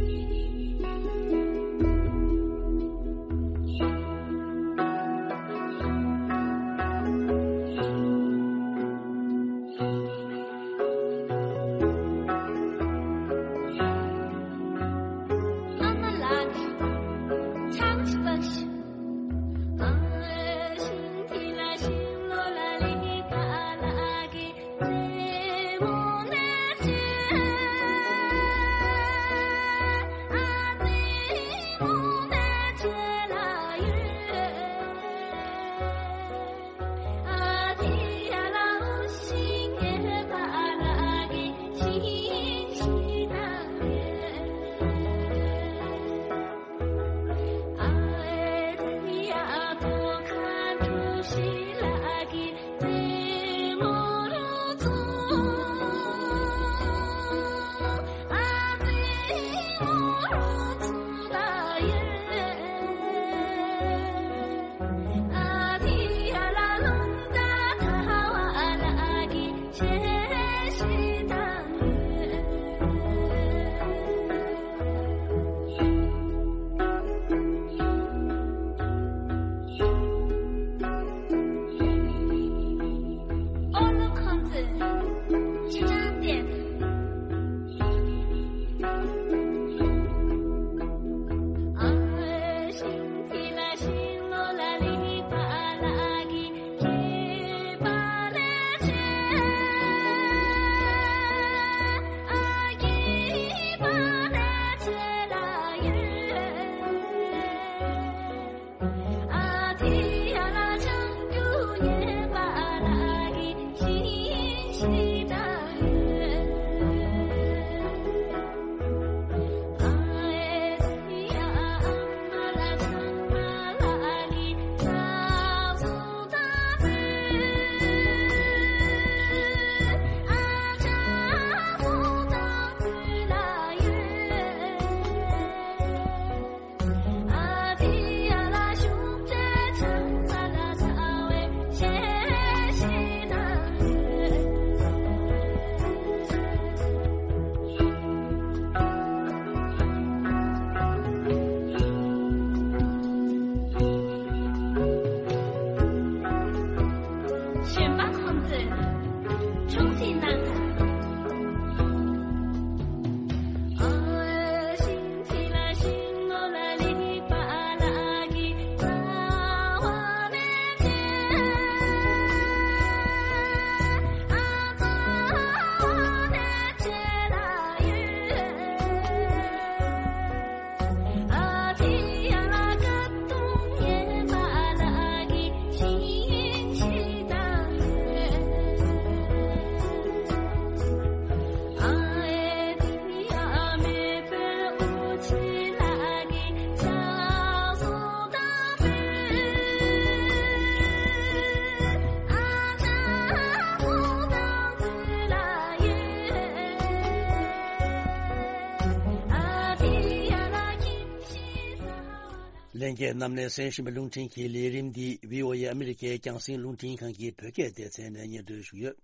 ལྷན་རྒྱས་རྣམས་ནས་གསན་བཞིན་པའི་རླུང་འཕྲིན་གྱི་ལས་རིམ་འདི་བྷི་ཨོ་ཨེ་ཨ་མི་རི་ཀའི་རྒྱང་སྲིང་རླུང་འཕྲིན་ཁང་གི་བོད་སྐད་སྡེ་ཚན་ནས་སྙན་སྒྲོན་ཞུ་གི་ཡོད།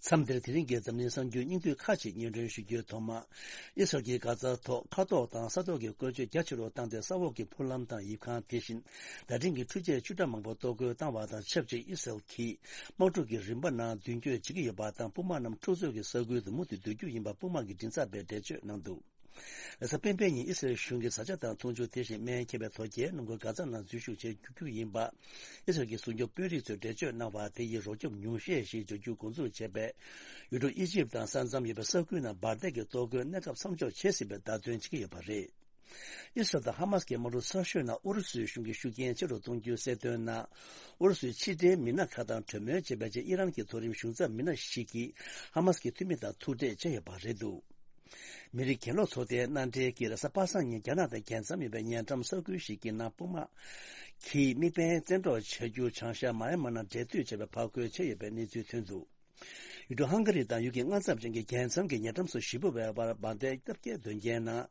མཚམས་འདིར་དེ་རིང་གི་འཛམ་གླིང་གསར་འགྱུར་སྙིང་བསྡུས་ཁག་ཅིག་སྙན་སྒྲོན་ཞུ་རྒྱུའི་ཐོག་མ། ཨི་སི་རལ་གྱིས་གྷ་ཛ་ཐོག་མཁའ་ཐོག་དང་ས་ཐོག་གི་བཀོལ་སྤྱོད་རྒྱ་ཆེ་རུ་བཏང་སྟེ་ས་འོག་གི་ཕུག་ལམ་དང་ཡིབ་ཁང་དེ་བཞིན་བརྡ་འཕྲིན་གྱི་འཕྲུལ་ཆས་བཅུ་ཕྲག་མང་པོ་གཏོར་རྒོལ་བཏང་བ་དང་ཆབས་ཅིག་ཨི་སི་རལ་གྱིས་དམག་འཁྲུག་གི་རིམ་པ་ནང་མདུན་སྐྱོད་བྱེད་ཀྱི་ཡོད་པ་དང་དཔུང་དམག་རྣམས་འཁྲུག་རྩོད་ཀྱི་ས་ཁུལ་དུ་མུ་མཐུད་སྡོད་རྒྱུ་ཡིན་པ་དཔུང་དམག་གི་མགྲིན་ཚབ་པས་འགྲེལ་བརྗོད་གནང་འདུག་ལ་ས་སྤེན་པའི་ཉིན་ཨི་སི་རལ་གཞུང་གིས་བཟའ་བཅའ་དང་འཐུང་ཆུ་དེ་བཞིན་སྨན་ཁེ་པའི་དོ་སྐྱེལ་གནང་སྒོས་གྷ་ཛ་ནང་འཛུལ་ཞུགས་བྱེད་རྒྱུ་ཡིན་པ། ཨི་སི་རལ་གྱི་སྲུང་སྐྱོབ་དཔོན་རིགས་ཚོས་འགྲེལ་བརྗོད་གནང་བ་དེ་ཡིས་རོགས་སྐྱོབ་ཉུང་ཤས་ཤིག་འབྱོར་རྒྱུ་འགོ་འཛུགས་བྱས་པས། ཡུལ་གྲུ་ཨི་ཇིབ་དང་ས་མཚམས་ཡོད་པའི་ས་ཁུལ་ནང་འབར་མདེལ་གྱི་གཏོར་རྒོལ་གནས་སྐབས་མཚམས་འཇོག་བྱེད་སྲིད་པའི་བརྡ་སྟོན་བྱེད་ཀྱི་ཡོད་པ་རེད། ཨི་སི་རལ་དང་ཧ་མ་སི་ཀྱི་དམག་འཁྲུག་ཚ་ཤོས་ནང་ཨུ་རུ་སུའི་གཞུང་གིས་ཤུགས་རྐྱེན་ཆེ་རུ་གཏོང་རྒྱུའི་གསལ་སྟོན་ནང་། ཨུ་རུ་སུའི་ཕྱི་འབྲེལ་མི་སྣ་ཁག་དང་གྲོས་མོལ་བྱེད་པའི་ཆེད་ཨི་རན་གྱི་མཐོ་རིམ་གཞུང་ཚབ་མི་སྣ་ཞིག་གིས་ཧ་མ་སི་ཀྱི་འཐུས་མི་དང་ཐུག་འཕྲད་བྱས་ཡོད་པ་རེད་འདུག་མི་རིགས་གྱེན་ལོག་ཚོགས་སྡེའི་མནའ་འབྲེལ་གྱིས་རེས་གཟའ་པ་སངས་ཉིན་རྒྱ་ནག་དང་རྒྱལ་མཚམས་ཡོད་པའི་ཉེ་འགྲམ་ས་ཁུལ་ཞིག་གི་ནང་དཔུང་དམག་གིས་དམིགས་འབེན་བཙན་འཕྲོག་བྱ་རྒྱུ་བྱང་ཤར་མཱ་ཡན་མ་ནང་འབྲེལ་མཐུད་བྱས་པའི་ཕར་རྒོལ་བྱས་ཡོད་པའི་གནས་ཚུལ་ཐོན་འདུག་ཡུལ་གྲུ་ཧང་ག་རི་དང་ཡུལ་གྱི་མངའ་མཚམས་ཅན་གྱི་རྒྱལ་མཚམས་ཀྱི་ཉེ་འགྲམ་སུ་ཞེ་པོ་བའི་བར་འབར་མདེལ་བརྒྱ་བརྒྱད་འདོན་མཁན་ནང་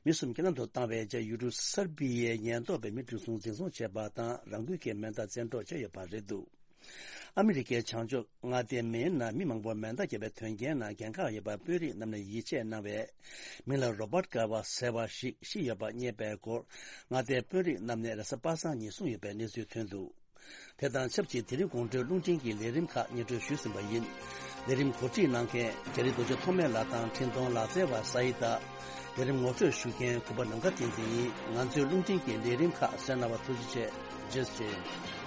མི་གསུམ་རྐྱེན་ལམ་དུ་བཏང་བའི་རྗེས་ཡུལ་གྲུ་སར་བི་ཡའི་ཉེན་རྟོག་པས་མི་གྲུ་གསུམ་འཛིན་བཟུང་བྱས་པ་དང་རང་འགུལ་གྱིས་མེ་མདའ་བཙན་འཕྲོག་བྱས་ཡོད་པ་རེད་འདུག་ཨ་མི་རི་ཀའི་བྱང་ཕྱོགས་མངའ་སྡེ་མེན་ནང་མི་མང་པོར་མེ་མདའ་བརྒྱབ་པའི་དོན་རྐྱེན་ནང་འགན་ཁག་ཡོད་པ་དཔོན་རིགས་རྣམས་ནས་ཡིད་ཆེས་གནང་བའི་མིང་ལ་རོ་བར་ཀ་བ་ཟེར་བ་ཞིག་ཤི་ཡོད་པ་རྙེད་པའི་སྐོར་མངའ་སྡེའི་དཔོན་རིགས་རྣམས་ནས་རེས་གཟའ་པ་སངས་ཉིན་གསུངས་ཡོད་པའི་གནས་ཚུལ་ཐོན་འདུག་དེ་དང་ཆབས་ཅིག་དེ་རིང་དགོང་དྲོའི་རླུང་འཕྲིན་གྱི་ལས་རིམ་ཁག་སྙན་སྒྲོན་ཞུས་ཟིན་པ་ཡིན། ལས་རིམ་གོ་སྒྲིག་གནང་མཁན་རྒྱ་རི་རྡོ་རྗེ་ཐོགས་མེད་ལགས་དང་འཕྲིན་གཏོང་ལག་རྩལ་བ་ས་ཡི་དང་། ལས་རིམ་ངོ་སྤྲོད་ཞུ་མཁན་གུས་པ་ནམ་མཁའ་བསྟན་འཛིན་ཡིན། ང་ཚོའི་རླུང་འཕྲིན་གྱི་ལས་རིམ་ཁག་གསན་གནང་བར་ཐུགས་རྗེ་ཆེ། རྗེས་སུ་མཇལ།